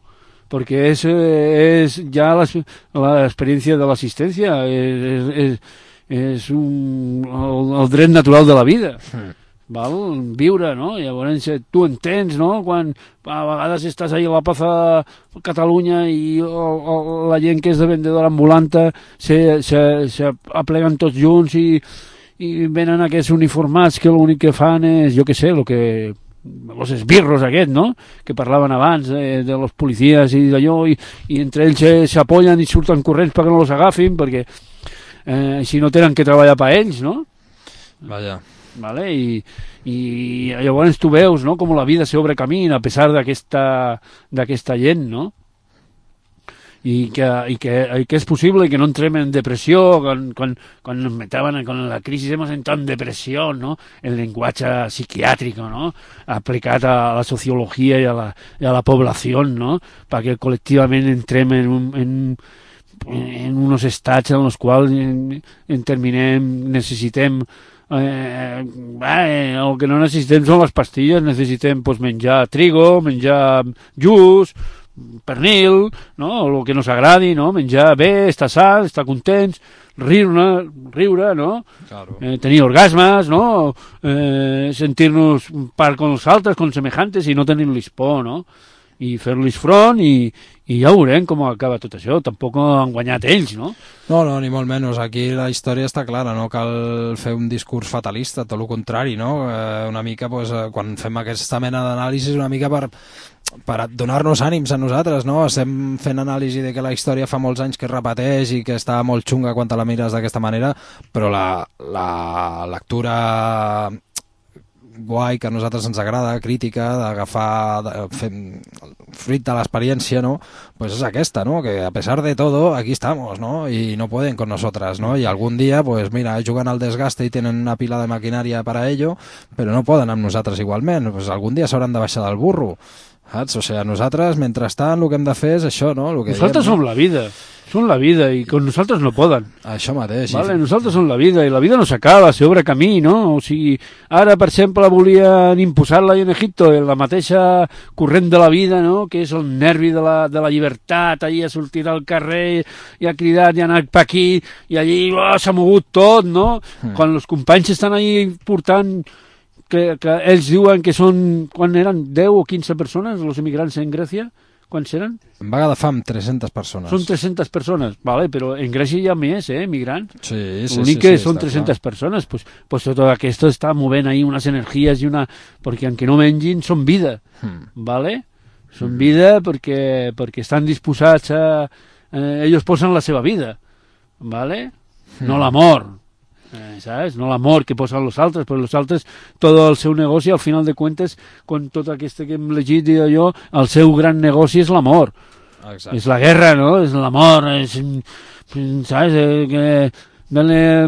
perquè és, és ja l'experiència de l'assistència, és, és, és un, el, el dret natural de la vida. Mm. Val? Viure, no? Llavors tu entens, no? Quan a vegades estàs ahí a la plaça de Catalunya i o, o, la gent que és de vendedora ambulanta se, se, se apleguen tots junts i, i venen aquests uniformats que l'únic que fan és, jo què sé, el que els esbirros aquests, no? Que parlaven abans de, de los policies i d'allò i, i entre ells s'apollen i surten corrents perquè no els agafin perquè eh, així no tenen que treballar per ells, no? Vaja. Vale? I, i llavors tu veus, no? Com la vida s'obre camí a pesar d'aquesta d'aquesta gent, no? I que, i, que, i que és possible que no entrem en depressió quan, quan, quan nos metaven con la crisi hemos entrado en depressió, no? El llenguatge psiquiàtric, no? Aplicat a la sociologia i a la, i a la població, no? Perquè col·lectivament entrem en, un, en, en uns estats en els quals en, en terminem, necessitem Eh, eh, el que no necessitem són les pastilles, necessitem pues, menjar trigo, menjar just, pernil, no? El que nos agradi, no? Menjar bé, estar sa, estar contents, riure, riure, no? Claro. Eh, tenir orgasmes, no? Eh, sentir-nos part con els altres, con semejantes i no tenir-los por, no? i fer-los front i, i ja veurem com acaba tot això. Tampoc han guanyat ells, no? No, no, ni molt menys. Aquí la història està clara, no cal fer un discurs fatalista, tot el contrari, no? Eh, una mica, pues, quan fem aquesta mena d'anàlisis, una mica per, per donar-nos ànims a nosaltres, no? Estem fent anàlisi de que la història fa molts anys que es repeteix i que està molt xunga quan te la mires d'aquesta manera, però la, la lectura guai que a nosaltres ens agrada, crítica, d'agafar fruit de l'experiència, no? Pues és aquesta, no? Que a pesar de todo, aquí estamos, ¿no? Y no pueden con nosotras, ¿no? Y algún día, pues mira, juguen al desgaste i tenen una pila de maquinària per a ello, però no poden amb nosaltres igualment. Pues algun dia s'hauran de baixar del burro, saps? O sigui, nosaltres, mentrestant, el que hem de fer és això, no? Lo que nosaltres diem, som no? la vida, som la vida, i con nosaltres no poden. Això mateix. Vale, Sí. nosaltres som la vida, i la vida no s'acaba, s'obre camí, no? O sigui, ara, per exemple, volien imposar-la en Egipto, en la mateixa corrent de la vida, no? Que és el nervi de la, de la llibertat, allí a sortir al carrer, i ha cridat, i ha anat per aquí, i allí oh, s'ha mogut tot, no? Mm. Quan els companys estan allí portant... Que, que ells diuen que són, quan eren deu o quinze persones, els emigrants en Grècia, quants eren? En vaga de fam, tres-centes persones. Són tres-centes persones, vale, però en Grècia hi ha més, eh, emigrants. Sí, sí, L'únic sí, que sí, són està tres-centes clar. persones, pues, pues tot aquest està movent ahí unes energies i una... Perquè aunque no mengin, són vida, Hmm. vale? Són vida perquè, perquè estan disposats a... Eh, ells posen la seva vida, vale? No l'amor. Eh, ¿sabes? No l'amor que posen els altres, però els altres, tot el seu negoci, al final de cuentes, con tot aquest que hem llegit i allò, el seu gran negoci és l'amor. Exacte. És la guerra, no? És l'amor, és... ¿Sabes? Eh, que... Dale,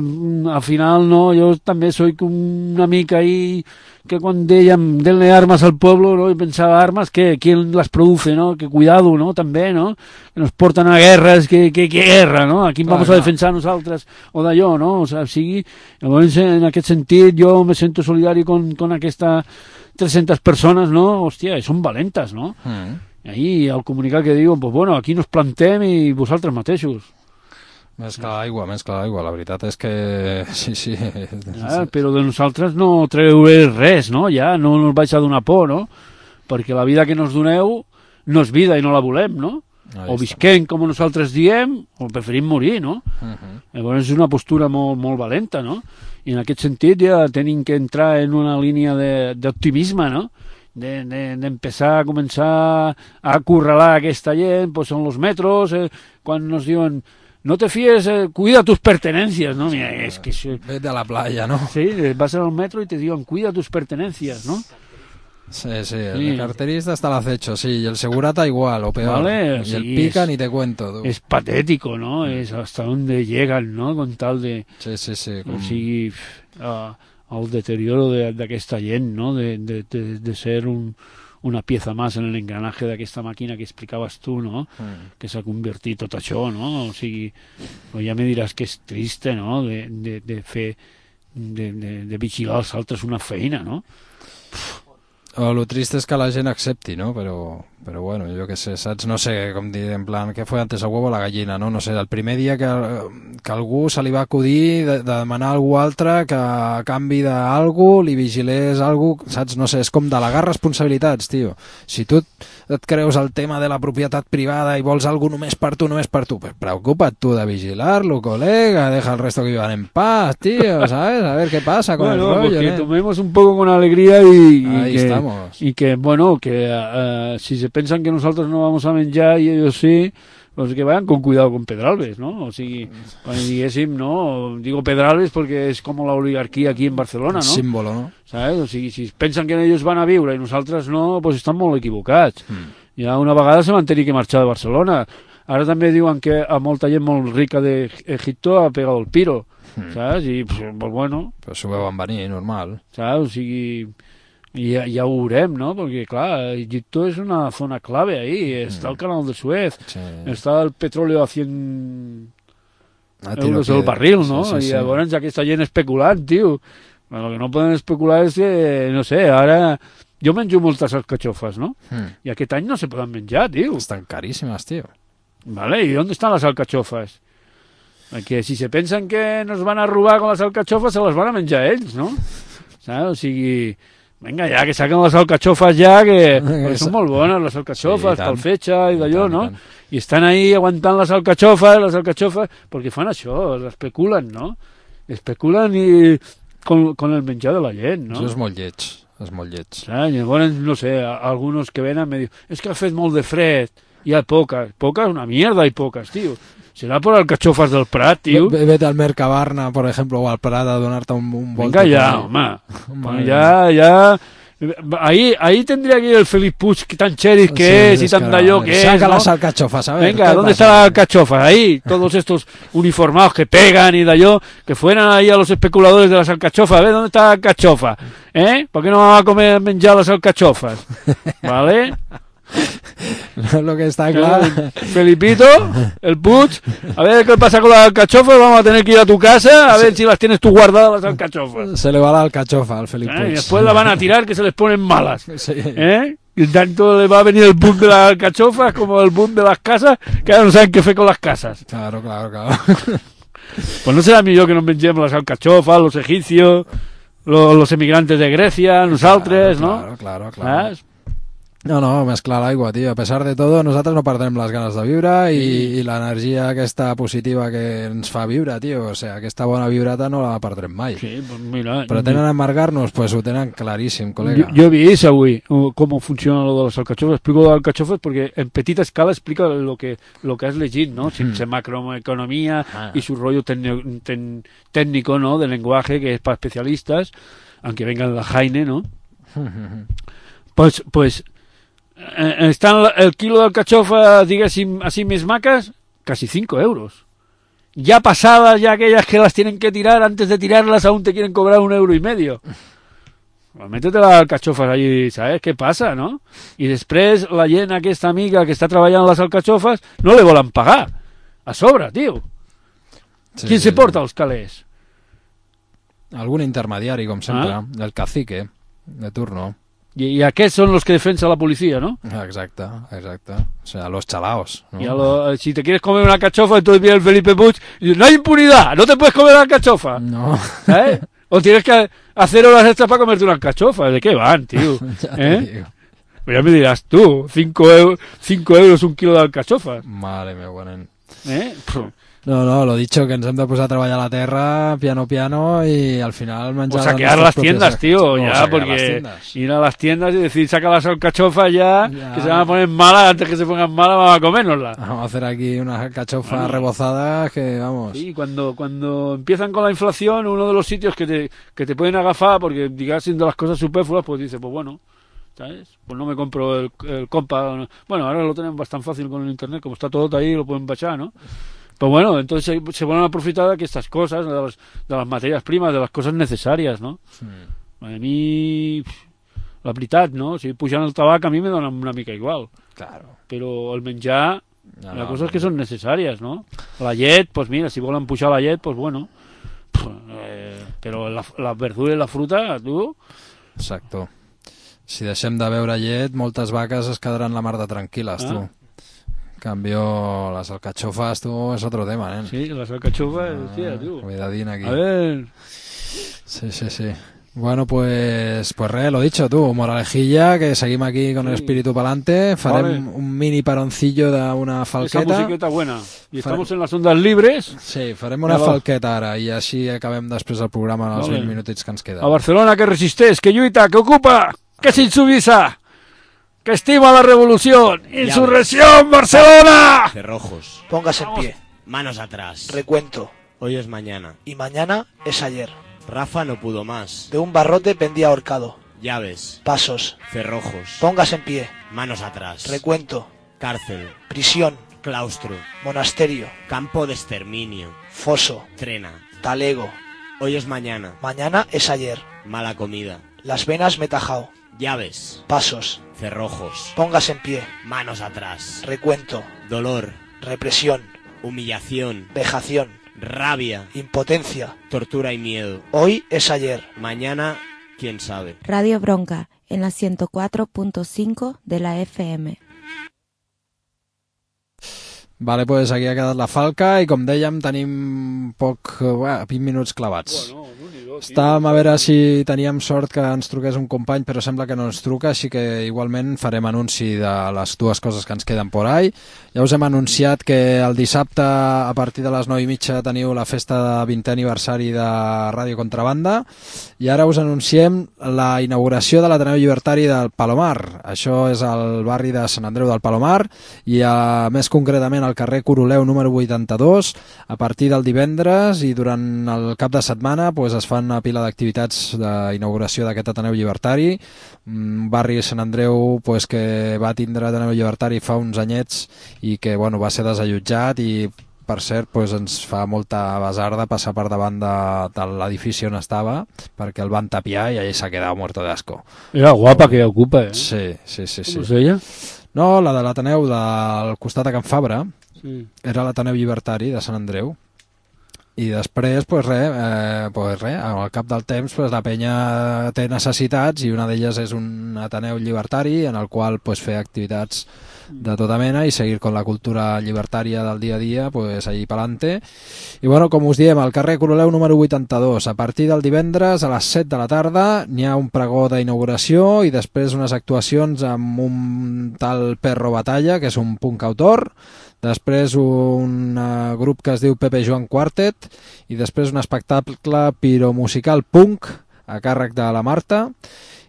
al final, no, yo también soy una mica ahí que cuando dèiem denle armas al pueblo, no, y pensaba armas, que ¿quién las produce, no? Que cuidado, no, també, no? Que nos porten a guerres, que, que, que guerra, no? A qui Clar, vamos clar. a defensar nosaltres o d'allò, no? O sea, sigui, llavors, en aquest sentit, jo me sento solidari con, con aquesta tres-centes persones, no? Hòstia, són valentes, no? Mm. I ahí, al comunicat que diuen, pues bueno, aquí nos plantem i vosaltres mateixos. Més que l'aigua, més que l'aigua. La veritat és que... Sí, sí. Ah, però de nosaltres no treure res, no? Ja no ens vaig a donar por, no? Perquè la vida que nos doneu no és vida i no la volem, no? Ahí O està. visquem com nosaltres diem, o preferim morir, no? Uh -huh. Llavors és una postura molt, molt valenta, no? I en aquest sentit ja tenim que entrar en una línia de- d'optimisme, no? De, de, d'empezar a començar a acorralar aquesta gent, pues són los metros, eh, quan nos diuen no te fíes, eh, cuida tus pertenencias, ¿no? Mira, es que... eso- Vete a la playa, no? Sí, vas al metro y te digan, cuida tus pertenencias, ¿no? Sí, sí, el Sí. carterista está al acecho, sí, y el segurata igual, o peor. Vale, y sí, el pica es- ni te cuento, tú. Es patético, ¿no? Es hasta dónde llegan, ¿no? Con tal de... Sí, sí, sí. O Com... sigui, uh, el deterioro de- d'aquesta gent, no? De, de, de, de ser un, una pieza más en el engranaje d'aquesta màquina que explicaves tu, no? Mm. Que s'ha convertit tot això, no? O sigui, però ja me diràs que és triste, no? De, de, de fer, de, de, de vigilar els altres una feina, no? O lo triste és que la gent accepti, no? Però, però bueno, jo què sé, saps? No sé, com dir, en plan, què fue antes el huevo o la gallina, no? No sé, el primer dia que, que algú se li va acudir de, de demanar a algú altre que a canvi d'algú li vigilés algú, saps? No sé, és com delegar responsabilitats, tio. Si tu et creus el tema de la propietat privada i vols algú només per tu, només per tu, pues preocupa't tu de vigilar-lo, colega, deja el resto que vivan en paz, tío, ¿sabes? A ver qué pasa con Bueno, el rollo, pues que ¿eh? tomemos un poco con alegría y, y Ahí que, estamos. y que, bueno, que uh, si se pensan que nosotros no vamos a menjar y ellos sí, pues que vayan con cuidado con Pedralbes, ¿no? O sigui, quan diguéssim, no, digo Pedralbes porque es como la oligarquía aquí en Barcelona, ¿no? Símbolo, no? ¿Sabes? O sigui, si pensen que ells van a viure i nosaltres no, pues estan molt equivocats. Mm. Ja una vegada se van tenir que marxar de Barcelona. Ara també diuen que a molta gent molt rica d'Egipto ha pegat el piro, Mm. saps? I, pues, pues bueno, Però s'ho veuen venir, normal. saps? O sigui, ja, ja ho veurem, no? Perquè, clar, Egipto és una zona clave ahí. Està el canal de Suez, Sí. està el petróleo a cien Ah, tiro euros que- el barril, no? Sí, sí, I sí. llavors aquesta gent especulant, tio. Bueno, el que no poden especular és que, no sé, ara... Jo menjo moltes alcachofes, no? Mm. I aquest any no se poden menjar, tio. Estan caríssimes, tio. Vale, ¿y dónde están las alcachofas? Que si se pensan que nos van a robar con las alcachofas, se las van a menjar ells, no? Saps? O sigui, Vinga, ja, que saquen les alcachofes ja, que, que són molt bones, les alcachofes, sí, pel fetge i d'allò, tant, no? i tant. I estan ahí aguantant les alcachofes, les alcachofes, perquè fan això, especulen, no? Especulen i con, con el menjar de la gent, no? Això és molt lleig, és molt lleig. Ah, llavors, no sé, algunos que venen me diuen, és que ha fet molt de fred, hi ha poques, poques, una mierda hay poques, tio. Serà por alcachofas del Prat, tio. V vete al Mercabarna, por ejemplo, o al Prat a donarte un, un volto. Venga ya, home. Pues ya, ya... Ahí, ahí tendría que ir el Felip Puig, que tan cheris que sí, es y tan daño que saca es, ¿no? las alcachofas, a ver. Venga, ¿dónde están las alcachofas? Ahí, todos estos uniformados que pegan y daño, que fueran ahí a los especuladores de las alcachofas. A ver, ¿dónde está la alcachofa? ¿Eh? ¿Por qué no vamos a comer menjar las alcachofas? ¿Vale? Lo que está claro. Felipito, el Puig, a ver qué pasa con las alcachofas, vamos a tener que ir a tu casa a ver si las tienes tú guardadas las alcachofas. Se le va la alcachofa al Felip Puig. ¿Eh? Y después la van a tirar que se les ponen malas. Sí. ¿Eh? Y tanto le va a venir el boom de las alcachofas como el boom de las casas, que ahora no saben qué fue con las casas. Claro, claro, claro. Pues no será millor que nos mengemos las alcachofas, los egipcios, los, los emigrantes de Grecia, nosaltres, claro, ¿no? Claro, claro, claro. ¿Ah? No, no, mezclar l'aigua, tio. A pesar de todo, nosaltres no perdem les ganes de viure i, i l'energia aquesta positiva que ens fa viure, tio. O sigui, aquesta bona vibrata no la perdrem mai. Sí, pues mira... Pero tenen a amargar-nos, pues ho tenen claríssim, col·lega. Yo, yo he visto avui cómo funciona lo de las alcachofas. Explico lo de las alcachofas porque en petita escala explica lo que lo que has leído, ¿no? Sin mm. macroeconomía ah. y su rollo ten, ten, técnico, ¿no? De lenguaje que es para especialistas, aunque vengan la Jaine, ¿no? pues, pues eh, están el kilo de alcachofas, diguéssim, así mis macas, casi cinco euros. Ya pasadas, ya aquellas que las tienen que tirar, antes de tirarlas aún te quieren cobrar un euro y medio. Pues métete las alcachofas allí, ¿sabes qué pasa, no? I després la gent aquesta amiga que està treballant les alcachofas no le volen pagar. A sobre, tio. Sí, Qui sí, se porta els calés? Algun intermediari, com sempre. Ah? El cacique, de turno. Y, y aquests son los que defensa la policía, ¿no? Exacte, exacte. O sea, los chalaos, ¿no? Y a lo, si te quieres comer una alcachofa, entonces viene el Felipe Puig y dice, no hay impunidad, no te puedes comer una alcachofa. No. ¿Eh? O tienes que hacer horas extras para comerte una alcachofa. ¿De qué van, tío? ¿Eh? Pues ya me dirás tú, cinco euros, cinco euros un kilo de alcachofas. Madre mía, bueno. ¿Eh? No, no, lo dicho, que ens hem de posar a treballar a la terra, piano, piano, y al final menjar... O saquear las tiendas, tío, no, ya, porque ir a las tiendas y decir, saca las alcachofas ya, ya, que se van a poner malas, antes que se pongan malas, vamos a comérnoslas. Vamos a hacer aquí unas alcachofas bueno. rebozadas que, vamos... Sí, cuando, cuando empiezan con la inflación, uno de los sitios que te, que te pueden agafar, porque digas siendo las cosas superfluas, pues dice, pues bueno... ¿sabes? Pues no me compro el, el compa. Bueno, ahora lo tenemos bastante fácil con el internet, como está todo ahí, lo pueden bachar, ¿no? Pues bueno, entonces se, se van a aprovechar de estas cosas, de las, de las materias primas, de las cosas necesarias, ¿no? Sí. A mi, la veritat, no? Si pujan el tabac a mi me dona una mica igual. Claro. Però el menjar, no, la no, cosa no. és que són necessàries, no? La llet, pues mira, si volen pujar la llet, pues bueno. Eh, però la, la verdura i la fruta, tu... Exacto. Si deixem de beure llet, moltes vaques es quedaran la mar de tranquil·les, ah. tu. En cambio, las alcachofas, tú, es otro tema, ¿eh? Sí, las alcachofas, ah, tía, tú. Cuidadín aquí. A ver. Sí, sí, sí. Bueno, pues, pues re, lo dicho, tú, moralejilla, que seguimos aquí con sí. el espíritu pa'lante, farem vale. un mini paroncillo d'una falqueta. Esa musiqueta buena. Y estamos Farem... en las ondas libres. Sí, farem una vale. falqueta ara, i així acabem després el programa en els vale. vint minutets que ens queden. A Barcelona, que resisteix, que lluita, que ocupa, que s'insubisa, que estima la revolución. ¡Insurrección, Barcelona! Cerrojos. Póngase en pie. Manos atrás. Recuento. Hoy es mañana. Y mañana es ayer. Rafa no pudo más. De un barrote pendía ahorcado. Llaves. Pasos. Cerrojos. Póngase en pie. Manos atrás. Recuento. Cárcel. Prisión. Claustro. Monasterio. Campo de exterminio. Foso. Trena. Talego. Hoy es mañana. Mañana es ayer. Mala comida. Las venas me tajao. Llaves. Pasos. Cerrojos. Póngase en pie. Manos atrás. Recuento. Dolor. Represión. Humillación. Vejación. Rabia. Impotencia. Tortura y miedo. Hoy es ayer. Mañana, quién sabe. Radio Bronca, en la ciento cuatro punto cinco de la F M. Vale, pues aquí ha quedat la falca i com dèiem tenim poc, uh, vint minuts clavats. Bueno, un i dos. Estàvem a veure si teníem sort que ens truqués un company, però sembla que no ens truca, així que igualment farem anunci de les dues coses que ens queden por ahí. Ja us hem anunciat que el dissabte a partir de les nou i mitja teniu la festa de vintè aniversari de Ràdio Contrabanda i ara us anunciem la inauguració de l'Ateneu Llibertari del Palomar. Això és al barri de Sant Andreu del Palomar i a, més concretament al carrer Coroleu número vuitanta-dos. A partir del divendres i durant el cap de setmana pues, es fan una pila d'activitats d'inauguració d'aquest Ateneu Llibertari, un barri de Sant Andreu pues, que va tindre Ateneu Llibertari fa uns anyets i que bueno, va ser desallotjat i per cert pues, ens fa molta basarda passar per davant de, de l'edifici on estava perquè el van tapiar i allà s'ha quedat muerto de asco. Era guapa que ocupa, eh? Sí, sí, sí. sí. Com es deia? No, la de l'Ateneu del costat de Can Fabra, sí. Era l'Ateneu Llibertari de Sant Andreu. I després, pues res, eh, pues res, al cap del temps pues, la penya té necessitats i una d'elles és un Ateneu Llibertari en el qual pues, fer activitats de tota mena i seguir con la cultura llibertària del dia a dia pues, allí pelante. I bueno, com us diem, al carrer Coroleu número vuitanta-dos, a partir del divendres a les set de la tarda n'hi ha un pregó d'inauguració i després unes actuacions amb un tal Perro Batalla, que és un punk autor, després un uh, grup que es diu Pepe Joan Quartet i després un espectacle piromusical punk a càrrec de la Marta.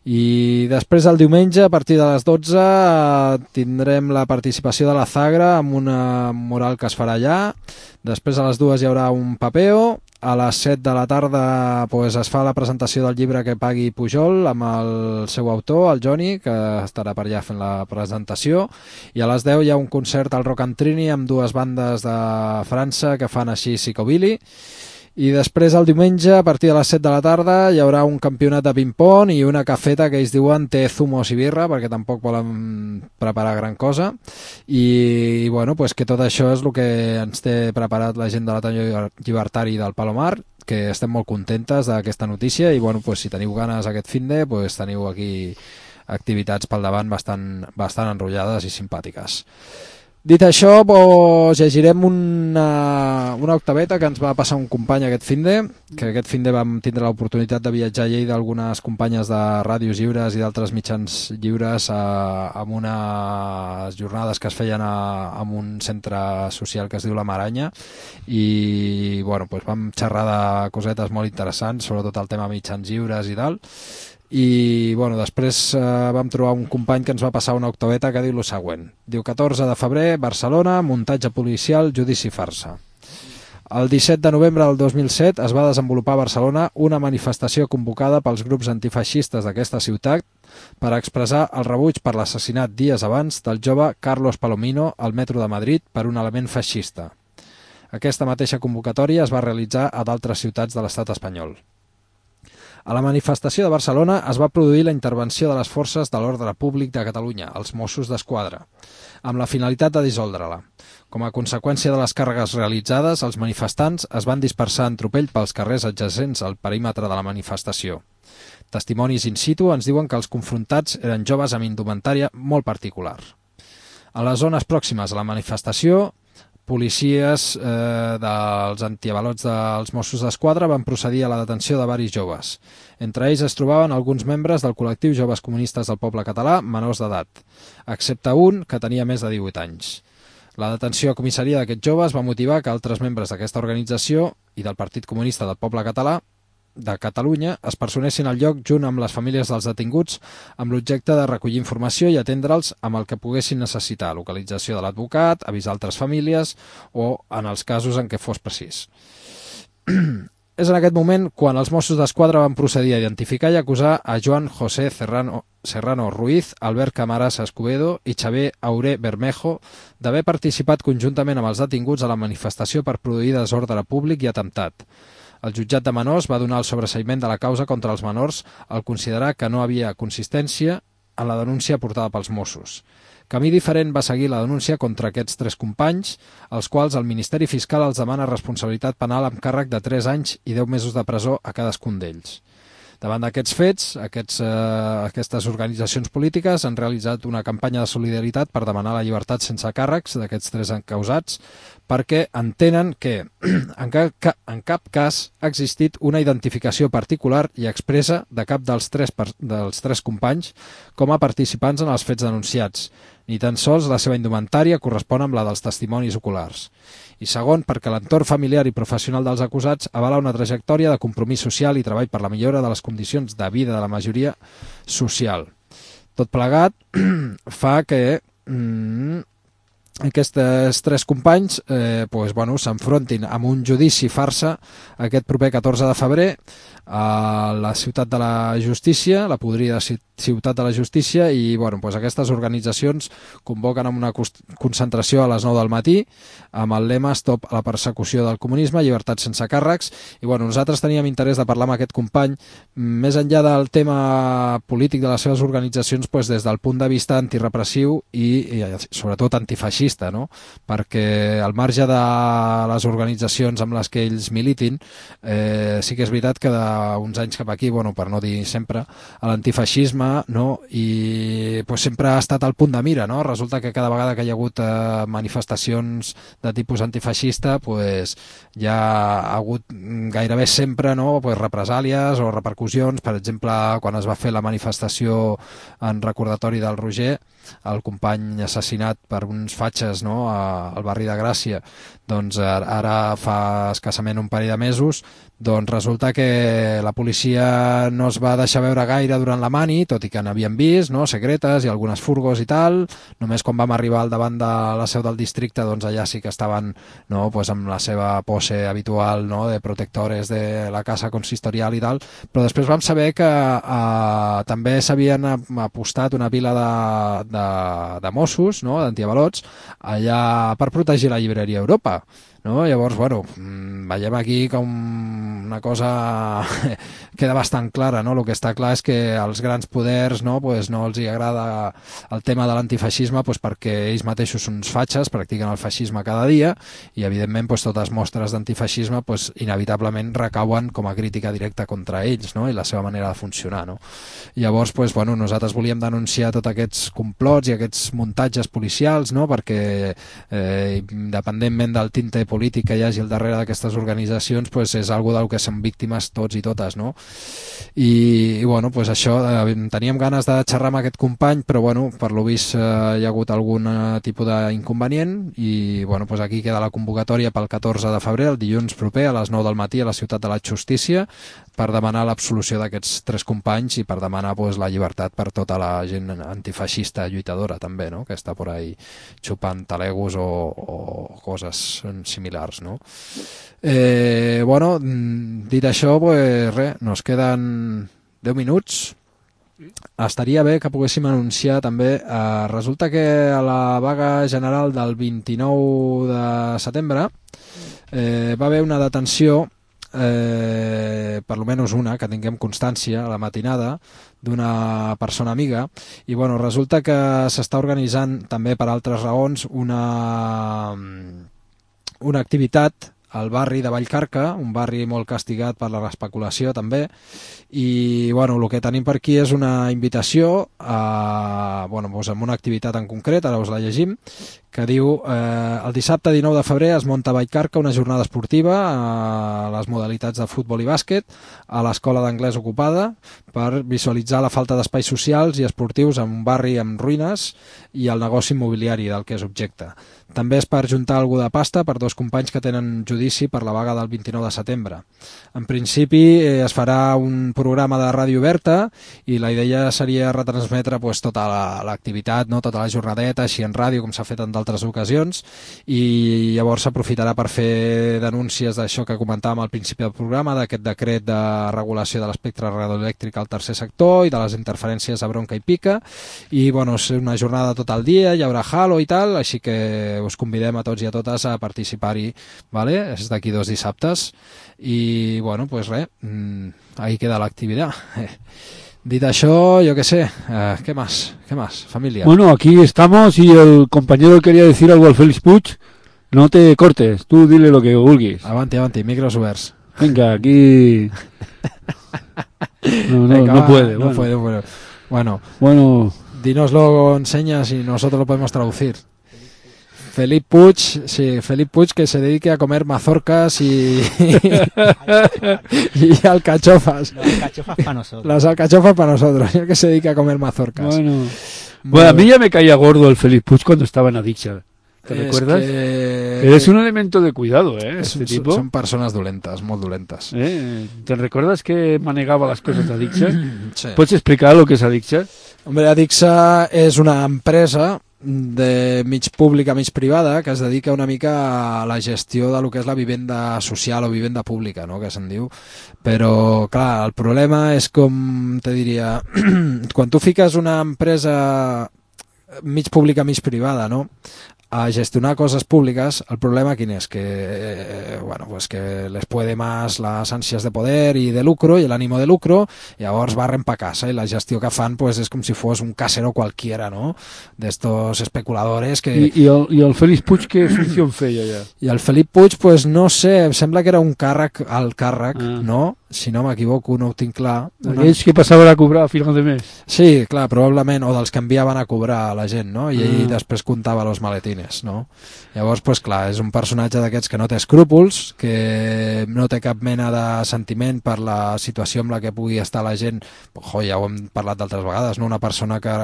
I després el diumenge a partir de les dotze eh, tindrem la participació de la Zagra amb una mural que es farà allà. Després a les dues hi haurà un papeo. A les set de la tarda pues, es fa la presentació del llibre que pagui Pujol amb el seu autor, el Joni, que estarà per allà fent la presentació. I a les deu hi ha un concert al Rock and Trini amb dues bandes de França que fan així psicobilly. I després el diumenge a partir de les set de la tarda hi haurà un campionat de ping-pong i una cafeta que ells diuen té zumos i birra perquè tampoc volen preparar gran cosa i, i bueno, pues que tot això és el que ens té preparat la gent de l'Ateneu Llibertari del Palomar, que estem molt contentes d'aquesta notícia i bueno, pues, si teniu ganes aquest finde pues, teniu aquí activitats pel davant bastant, bastant enrotllades i simpàtiques. Dit això, pues, llegirem una, una octaveta que ens va passar un company aquest finde, que aquest finde vam tindre l'oportunitat de viatjar a Lleida d'algunes companyes de ràdios lliures i d'altres mitjans lliures a, amb unes jornades que es feien a, en un centre social que es diu La Maranya i bueno, pues, vam xerrar de cosetes molt interessants, sobretot el tema mitjans lliures i tal. I bueno, després eh, vam trobar un company que ens va passar una octaveta que diu el següent. Diu catorze de febrer, Barcelona, muntatge policial, judici farsa. El disset de novembre del dos mil set es va desenvolupar a Barcelona una manifestació convocada pels grups antifeixistes d'aquesta ciutat per expressar el rebuig per l'assassinat dies abans del jove Carlos Palomino al metro de Madrid per un element feixista. Aquesta mateixa convocatòria es va realitzar a d'altres ciutats de l'estat espanyol. A la manifestació de Barcelona es va produir la intervenció de les forces de l'ordre públic de Catalunya, els Mossos d'Esquadra, amb la finalitat de dissoldre-la. Com a conseqüència de les càrregues realitzades, els manifestants es van dispersar en tropell pels carrers adjacents al perímetre de la manifestació. Testimonis in situ ens diuen que els confrontats eren joves amb indumentària molt particular. A les zones pròximes a la manifestació, policies eh, dels antiavalots dels Mossos d'Esquadra van procedir a la detenció de varis joves. Entre ells es trobaven alguns membres del col·lectiu Joves Comunistes del Poble Català menors d'edat, excepte un que tenia més de divuit anys. La detenció a comissaria d'aquests joves va motivar que altres membres d'aquesta organització i del Partit Comunista del Poble Català de Catalunya es personessin al lloc junt amb les famílies dels detinguts amb l'objecte de recollir informació i atendre'ls amb el que poguessin necessitar, localització de l'advocat, avisar altres famílies o en els casos en què fos precís. És en aquest moment quan els Mossos d'Esquadra van procedir a identificar i acusar a Joan José Serrano, Serrano Ruiz, Albert Camarasa Escobedo i Xavier Auré Bermejo d'haver participat conjuntament amb els detinguts a la manifestació per produir desordre públic i atemptat. El jutjat de menors va donar el sobreseïment de la causa contra els menors al considerar que no havia consistència en la denúncia portada pels Mossos. Camí diferent va seguir la denúncia contra aquests tres companys, als quals el Ministeri Fiscal els demana responsabilitat penal amb càrrec de tres anys i deu mesos de presó a cadascun d'ells. Davant d'aquests fets, aquests, eh, aquestes organitzacions polítiques han realitzat una campanya de solidaritat per demanar la llibertat sense càrrecs d'aquests tres encausats, perquè entenen que en cap, en cap cas ha existit una identificació particular i expressa de cap dels tres, dels tres companys com a participants en els fets denunciats, ni tan sols la seva indumentària correspon amb la dels testimonis oculars. I segon, perquè l'entorn familiar i professional dels acusats avala una trajectòria de compromís social i treball per la millora de les condicions de vida de la majoria social. Tot plegat fa que mm, aquests tres companys eh, pues, bueno, s'enfrontin amb un judici farsa aquest proper catorze de febrer a la Ciutat de la Justícia, la podrida Ciutat de la Justícia, i bueno, pues aquestes organitzacions convoquen amb una concentració a les nou del matí amb el lema Stop a la persecució del comunisme, llibertat sense càrrecs. I bueno, nosaltres teníem interès de parlar amb aquest company més enllà del tema polític de les seves organitzacions, pues, des del punt de vista antirepressiu i, i sobretot antifeixista, no? Perquè al marge de les organitzacions amb les que ells militin, eh, sí que és veritat que d'uns anys cap aquí, bueno, per no dir sempre, l'antifeixisme, no? I pues, sempre ha estat al punt de mira, no? Resulta que cada vegada que hi ha hagut eh, manifestacions de tipus antifeixista, pues, hi ha hagut gairebé sempre, no? Pues, represàlies o repercussions. Per exemple, quan es va fer la manifestació en recordatori del Roger, el company assassinat per uns fatxes, no? A, al barri de Gràcia, doncs ara fa escassament un parell de mesos, doncs resulta que la policia no es va deixar veure gaire durant la mani, tot i que n'havien vist, no? Secretes i algunes furgos i tal. Només quan vam arribar al davant de la seu del districte, doncs allà sí que estaven, no? Pues amb la seva pose habitual, no? De protectores de la casa consistorial i tal, però després vam saber que eh, també s'havien apostat una pila de, de, de Mossos, no? D'antiavalots, allà per protegir la llibreria Europa. No? Llavors, bueno, veiem aquí com una cosa queda bastant clara, no? El que està clar és que als grans poders, no, pues no els hi agrada el tema de l'antifeixisme, pues perquè ells mateixos són uns fatxes, practiquen el feixisme cada dia i, evidentment, pues, totes mostres d'antifeixisme pues, inevitablement recauen com a crítica directa contra ells, no? I la seva manera de funcionar. No? Llavors, pues, bueno, nosaltres volíem denunciar tots aquests complots i aquests muntatges policials, no? Perquè, eh, independentment del tinte polític que hi hagi al darrere d'aquestes organitzacions, pues és algo del que som víctimes tots i totes, no? I, i bueno, pues això, eh, teníem ganes de xerrar amb aquest company, però bueno, per lo vist eh, hi ha hagut algun eh, tipus d'inconvenient i bueno, pues aquí queda la convocatòria pel catorze de febrer, el dilluns proper a les nou del matí a la Ciutat de la Justícia, per demanar l'absolució d'aquests tres companys i per demanar pues, la llibertat per tota la gent antifeixista lluitadora també, no? Que està por ahí xupant talegos o, o coses similars, no? Eh, bueno, dit això, pues res, nos queden deu minuts. Estaria bé que poguéssim anunciar també, eh, resulta que a la vaga general del vint-i-nou de setembre eh, va haver una detenció, eh, per almenys una, que tinguem constància, a la matinada, d'una persona amiga, i bueno, resulta que s'està organitzant també per altres raons una, una activitat al barri de Vallcarca, un barri molt castigat per la especulació també, i bueno, el que tenim per aquí és una invitació a, bueno, doncs amb una activitat en concret, ara us la llegim, que diu eh, el dissabte dinou de febrer es munta a Vallcarca una jornada esportiva a les modalitats de futbol i bàsquet a l'escola d'anglès ocupada per visualitzar la falta d'espais socials i esportius en un barri amb ruïnes i el negoci immobiliari del que és objecte. També és per juntar algú de pasta per dos companys que tenen judici per la vaga del vint-i-nou de setembre. En principi eh, es farà un programa de ràdio oberta i la idea seria retransmetre pues, tota l'activitat, no? Tota la jornadeta, així en ràdio, com s'ha fet en d'altres ocasions, i llavors s'aprofitarà per fer denúncies d'això que comentàvem al principi del programa, d'aquest decret de regulació de l'espectre radioelèctric al tercer sector i de les interferències a bronca i pica, i bueno, és una jornada tot el dia, hi haurà halo i tal, així que us convidem a tots i a totes a participar-hi, ¿vale? És d'aquí dos dissabtes, i bueno, pues res, ahí queda l'activitat. Dit això, yo qué sé, eh, ¿qué más? ¿Qué más, familia? Bueno, aquí estamos y el compañero quería decir algo al Félix Puig. No te cortes, tú dile lo que vulguis. Avanti, avanti, micros oberts. Venga, aquí... No, no, Venga, no va, puede. no bueno. puede, bueno. Bueno, Bueno, dínoslo en señas y nosotros lo podemos traducir. Felipe Puig, sí, Felipe Puig que se dedique a comer mazorcas y, y alcachofas. Las alcachofas para nosotros. Las alcachofas para nosotros, y el que se dedique a comer mazorcas. bueno. Muy Bueno, a mí bien. ya me caía gordo el Felipe Puig cuando estaba en Adicta. ¿Te Es recuerdas? que- Es un elemento de cuidado, ¿eh? Es- Este tipo. Son persones dolentes, molt dolentes. ¿Eh? ¿Te recuerdas que manejaba las cosas de Adicta? Sí. ¿Puedes explicar lo que es Adicta? Hombre, Adixa és una empresa de mig pública, mig privada, que es dedica una mica a la gestió de lo que és la vivenda social o vivenda pública, no?, que se'n diu. Però, clar, el problema és com, te diria, quan tu fiques una empresa mig pública, mig privada, no?, a gestionar cosas públicas, el problema quin és? Que, eh, bueno, pues que les puede más las ansias de poder y de lucro y el ánimo de lucro, i llavors barren pa casa i la gestió que fan pues és com si fos un casero cualquiera, no?, d'estos especuladores que... I, i, el, I el Félix Puig què funció feia ja? I el Felip Puig, pues no sé, em sembla que era un càrrec al càrrec, Ah. no? Si no m'equivoco, no ho tinc clar. Una- Aquells que passaven a cobrar a final de mes. Sí, clar, probablement, o dels que enviaven a cobrar a la gent, no? I ell Ah. després comptava los maletines, no? Llavors, pues clar, és un personatge d'aquests que no té escrúpols, que no té cap mena de sentiment per la situació amb la que pugui estar la gent. Jo, ja ho hem parlat d'altres vegades, no? Una persona que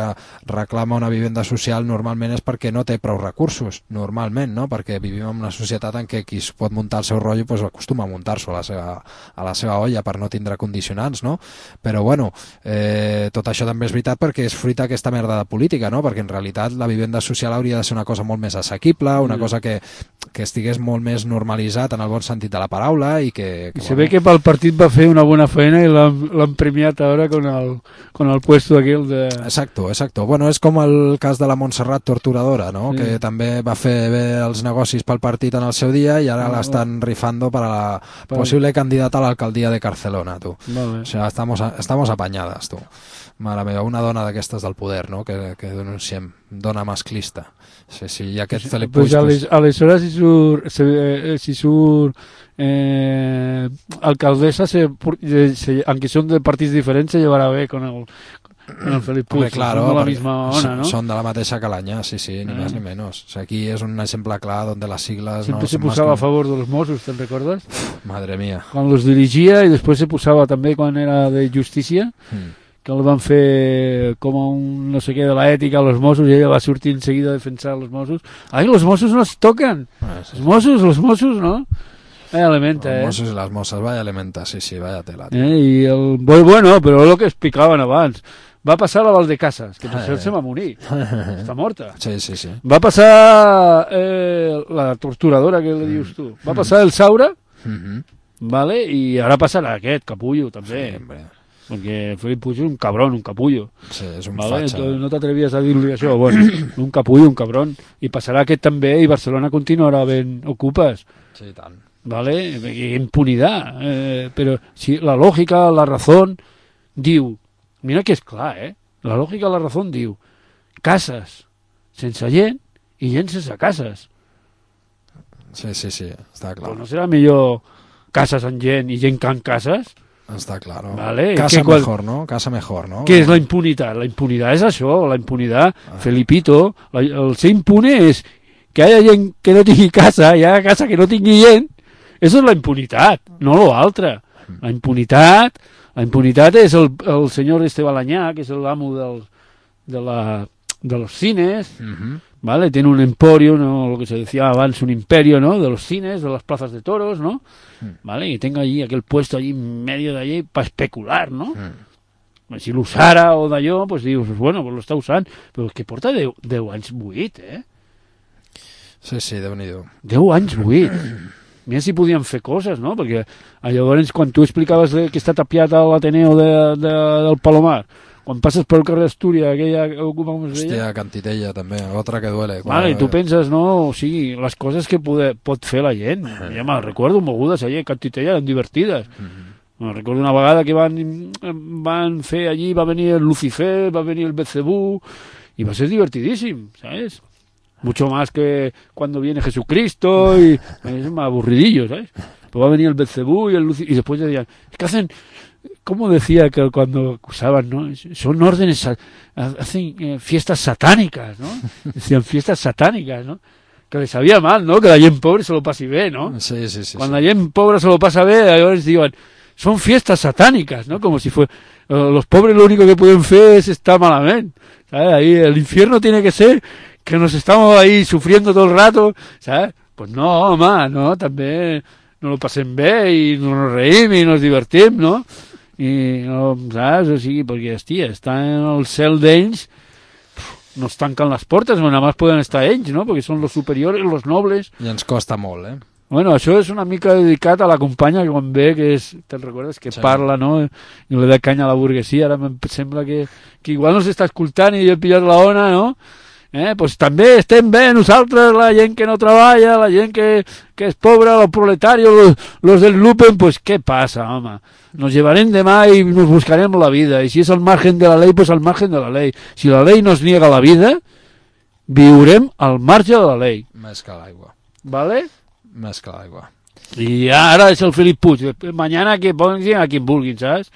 reclama una vivenda social normalment és perquè no té prou recursos, normalment, no? Perquè vivim en una societat en què qui es pot muntar el seu rotllo pues, acostuma a muntar-s'ho a, la seva, a la seva olla per no tindre condicionants, no? Però bueno, eh, tot això també és veritat perquè és fruit d'aquesta merda de política, no? Perquè en realitat la vivenda social hauria de ser una cosa molt més assequible, una Mm. cosa que, que estigués molt més normalitzat en el bon sentit de la paraula i que... que I se ve que pel partit va fer una bona feina i l'han l'han premiat ara con el, con el puesto aquell de... Exacto, exacto. Bueno, és com el cas de la Montserrat Torturadora, no? Sí. Que també va fer bé els negocis pel partit en el seu dia i ara Ah, l'estan rifando para la Per- posible candidata a l'alcaldia de Barcelona, tu. Vale. O sea, estamos, a- estamos apañadas, tu. Mare meva, una dona d'aquestes del poder, no?, que, que denunciem. Dona masclista. Sí, sí, i aquest Felip Pues, Puig... ales, aleshores si surt, se, eh, si surt eh, alcaldessa, se, se, aunque son de partits diferents, se llevará bé con el, con el Felip Puig. Hombre, claro, Son de la porque misma ona, son, ¿no? son de la mateixa calaña, sí, sí, ni Eh. más ni menos. O sea, aquí es un ejemplo claro donde las siglas... Siempre no se son más posaba que- a favor de los Mossos, ¿te recuerdas? Madre mía. Quan los dirigia i després se posava també quan era de justícia, Mm. que el van fer com a un no sé què de la ètica a los Mossos i ella va sortir enseguida a defensar los Mossos. Ai, los Mossos no es toquen! Ah, sí. Los Mossos, los Mossos, no? Vaya elementa, Los eh? mossos y las mosas, vaya elementa, sí, sí, vaya tela. tío. eh? I el... Bueno, bueno, però el que explicaven abans. Va passar a Valdecasas, que per Eh. cert se va morir. Està morta. Sí, sí, sí. Va passar eh, la torturadora que li dius tu. Va passar el Saura, Mhm. vale? I ara passarà aquest, capullo, també. Sí, hombre. Perquè Felip Puig és un cabrón, un capullo. Sí, és un Vale? fatxa. Entonces, no t'atrevies a dir-li això. Bueno, un capullo, un cabrón. I passarà aquest també i Barcelona continuarà ben ocupes. Sí, i tant. ¿Vale? Y impunidad. Eh, pero si la lógica, la razón, diu, mira que és clar, eh? La lògica, la razón diu, cases sense gent i gent sense cases. Sí, sí, sí, està clar. Però no serà millor cases amb gent i gent que en cases? Està clar. No? Vale, Casa que quan- mejor, no? Casa mejor, no? Què és la impunitat? La impunitat és això, la impunitat, Felipito, la, el ser impune és que hi ha gent que no tingui casa, hi ha casa que no tingui gent, això és la impunitat, no lo altre. La impunitat, la impunitat és el, el senyor este Balanyà, que és l'amo del, de, la, de los cines, Mhm. ¿vale? Tiene un emporio, ¿no? Lo que se decía antes, un imperio, ¿no? De los cines, de las plazas de toros, ¿no? ¿Vale? Y tenga allí aquel puesto allí en medio de allí para especular, ¿no? Mm. Si l'usara o d'allò, pues dius, bueno, pues lo està usant, però és que porta deu, deu anys buit, eh? Sí, sí, Déu-n'hi-do. deu anys buit. Mira si podien fer coses, no? Perquè a llavors, quan tu explicaves que està tapiat a l'Ateneo de, de, del Palomar, quan passes pel carrer Astúria, aquella, com es deia? Hòstia, Cantitella, també, otra que duele. Vale, i tu penses, no, o sigui, les coses que pode, pot fer la gent. Ja me'n recordo mogudes allà, a Cantitella, eren divertides. Me'n recordo una vegada que van, van fer allí, va venir el Lucifer, va venir el Belcebú, i va ser divertidíssim, ¿sabes? Mucho más que cuando viene Jesucristo, y es más aburridillo, ¿sabes? luego va a venir el Belcebú y el Luci- y después decían, es que hacen, ¿cómo decía que cuando acusaban, no? Son órdenes, sa- hacen eh, fiestas satánicas, ¿no? Decían fiestas satánicas, ¿no? Que les sabía mal, ¿no? Que la gent pobre se lo passi bé, ¿no? Sí, sí, sí. Cuando sí. la gent pobre se lo pasa bé, ellos digan, son fiestas satánicas, ¿no? Como si fue, los pobres lo único que pueden hacer es estar malamente, ¿sabes? Ahí el infierno tiene que ser que nos estamos ahí sufriendo todo el rato, ¿sabes? Pues no, home, no, també nos lo passem bé i nos reïm i nos divertim, no? I, no, saps? O sigui, perquè, hòstia, estar en el cel d'ells, no es tanquen les portes, no, nada más poden estar ells, no? Perquè són los superiores, los nobles. I ens costa molt, eh? Bueno, això és una mica dedicat a la companya que quan ve, que és, te'n recordes, que Sí. parla, no? I le da canya a la burguesia, ara em sembla que, que igual no s'està escoltant i jo he pillat la ona, no? Eh? Pues també estem bé nosaltres, la gent que no treballa, la gent que, que és pobra, los proletarios, los, los del Lupen, pues què passa, home? Nos llevarem demà i nos buscarem la vida, i si és al margen de la ley, pues al margen de la ley. Si la ley nos niega la vida, viurem al marge de la ley. Més que l'aigua. ¿Vale? Més que l'aigua. Y ahora es el Felip Puig, mañana que pongan a quien vulguin, ¿sabes?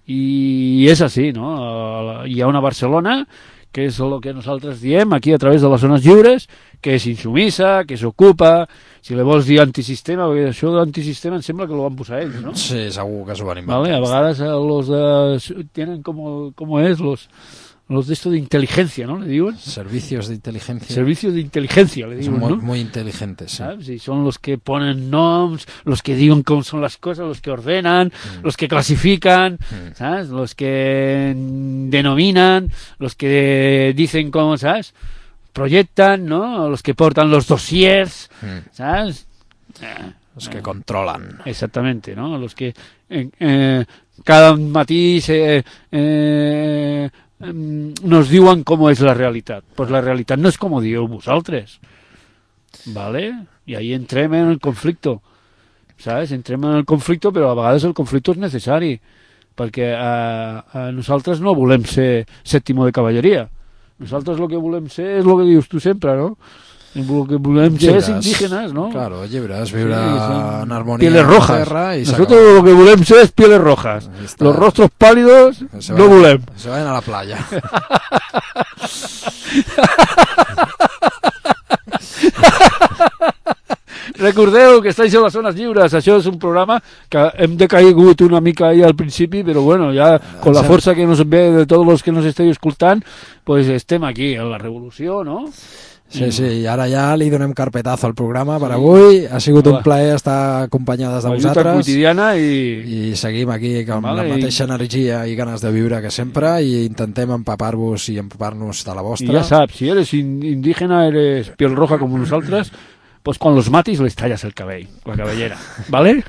Y es así, ¿no? Hi ha una Barcelona que és el que nosaltres diem aquí a través de les zones lliures, que és insumissa, que s'ocupa, si li vols dir antisistema, perquè això d'antisistema em sembla que lo van posar ells, no? Sí, segur que s'ho van inventar. Vale, a vegades eh, los de, tienen como, como es, los, los de esto de inteligencia, ¿no? Le diuen. Servicios de inteligencia. Servicios de inteligencia, le diuen, Son muy, ¿no? muy inteligentes, sí. ¿Sabes? Y son los que ponen noms, los que digan cómo son las cosas, los que ordenan, mm. los que clasifican, mm. ¿sabes? Los que denominan, los que dicen cómo, ¿sabes? Proyectan, ¿no? Los que portan los dossiers, mm. ¿sabes? Eh, los que eh, controlan. Exactamente, ¿no? Los que eh, eh, cada matí se... Eh, nos diuen com és la realitat. Pues la realitat no és com ho dieu vosaltres, ¿vale? I ahí entrem en el conflicte, ¿sabes? Entrem en el conflicte, però a vegades el conflicte és necessari, perquè a, a nosaltres no volem ser sèptimo de cavalleria. Nosaltres el que volem ser és el que dius tu sempre, no? El que volem ser és indígenes, ¿no? Claro, llibres, viure sí, en harmonia pieles rojas. Con la tierra y nosotros lo que volem ser es pieles rojas. Los rostros pálidos se no volem. Se vayan a la playa. Recordeu que estáis en les zones lliures. Això és un programa que hem decaigut una mica ahí al principi, però bueno, ja con la força que nos ve de tots els que nos esteu escoltant, pues estem aquí en la revolució, no? Sí, sí, i ara ja li donem carpetazo al programa per avui. Ha sigut un plaer estar acompanyades de vosaltres. Quotidiana i... I seguim aquí amb vale, la mateixa i... energia i ganes de viure que sempre i intentem empapar-vos i empapar-nos de la vostra. I ja saps, si eres indígena, eres piel roja com nosaltres, pues con los matis les talles el cabell, la cabellera, ¿vale?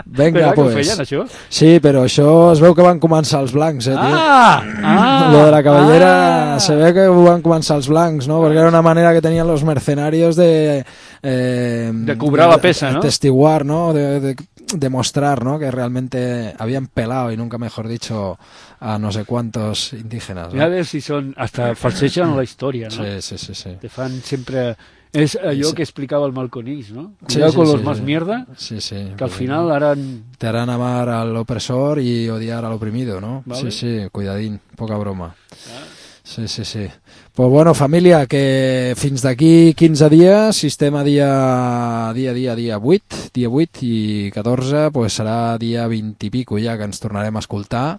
Vinga, pues. Feien, això? Sí, però això es veu que van començar els blancs, eh, tio? Ah! ah Lo de la cabellera ah, se ve que ho van començar els blancs, no? Perquè era una manera que tenien los mercenarios de... Eh, de cobrar la pesa, de, ¿no? Testiguar, ¿no? De, de, demostrar, ¿no? Que realmente habían pelado, y nunca mejor dicho, a no sé cuántos indígenas, ¿no? A ver si son... Hasta falseixen la història, no? Sí, sí, sí, sí. Te fan sempre... És allò sí. que explicava el Malconís, ¿no? Sí, Cuidado sí, con sí, los sí, más sí. mierda, sí, sí, que al final harán... Te harán amar al opresor y odiar al oprimido, ¿no? Vale. Sí, sí, cuidadín, poca broma. Ah. Sí, sí, sí. Pues bueno, família, que fins d'aquí quinze dies, sistema dia, dia, dia, dia vuit, dia vuit i catorze, pues serà dia vint i pico ja que ens tornarem a escoltar.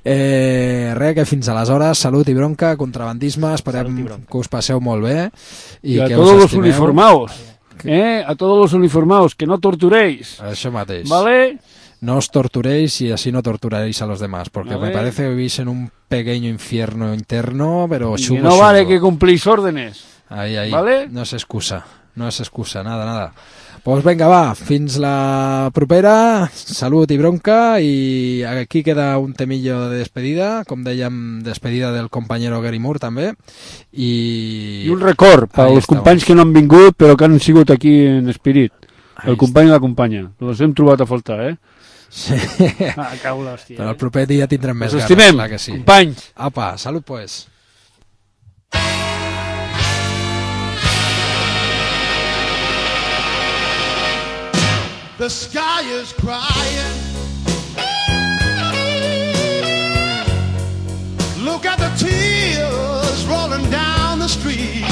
eh, res, que fins aleshores, salut i bronca, contrabandisme, esperem que us passeu molt bé. I, I a que tots us los uniformados, eh, a tots los uniformados, que no torturéis. Això mateix. ¿Vale? No os torturéis y así no torturaréis a los demás, porque vale. me parece que vivís en un pequeño infierno interno, pero y chungo, que no chungo. vale que cumplís órdenes. Ahí, ahí. ¿Vale? No es excusa, no es excusa, nada, nada. Pues venga, va, fins la propera, salut i bronca, i aquí queda un temillo de despedida, com dèiem, despedida del compañero Gary Moore també, i... I un record per als companys que no han vingut però que han sigut aquí en espirit. El company i la companya. Els hem trobat a faltar, eh? Sí. Ah, cau l'hòstia. Però el proper dia tindrem més ganes. Us estimem, clar que sí. companys. Apa, salut pues. the sky is crying. Look at the tears rolling down the street.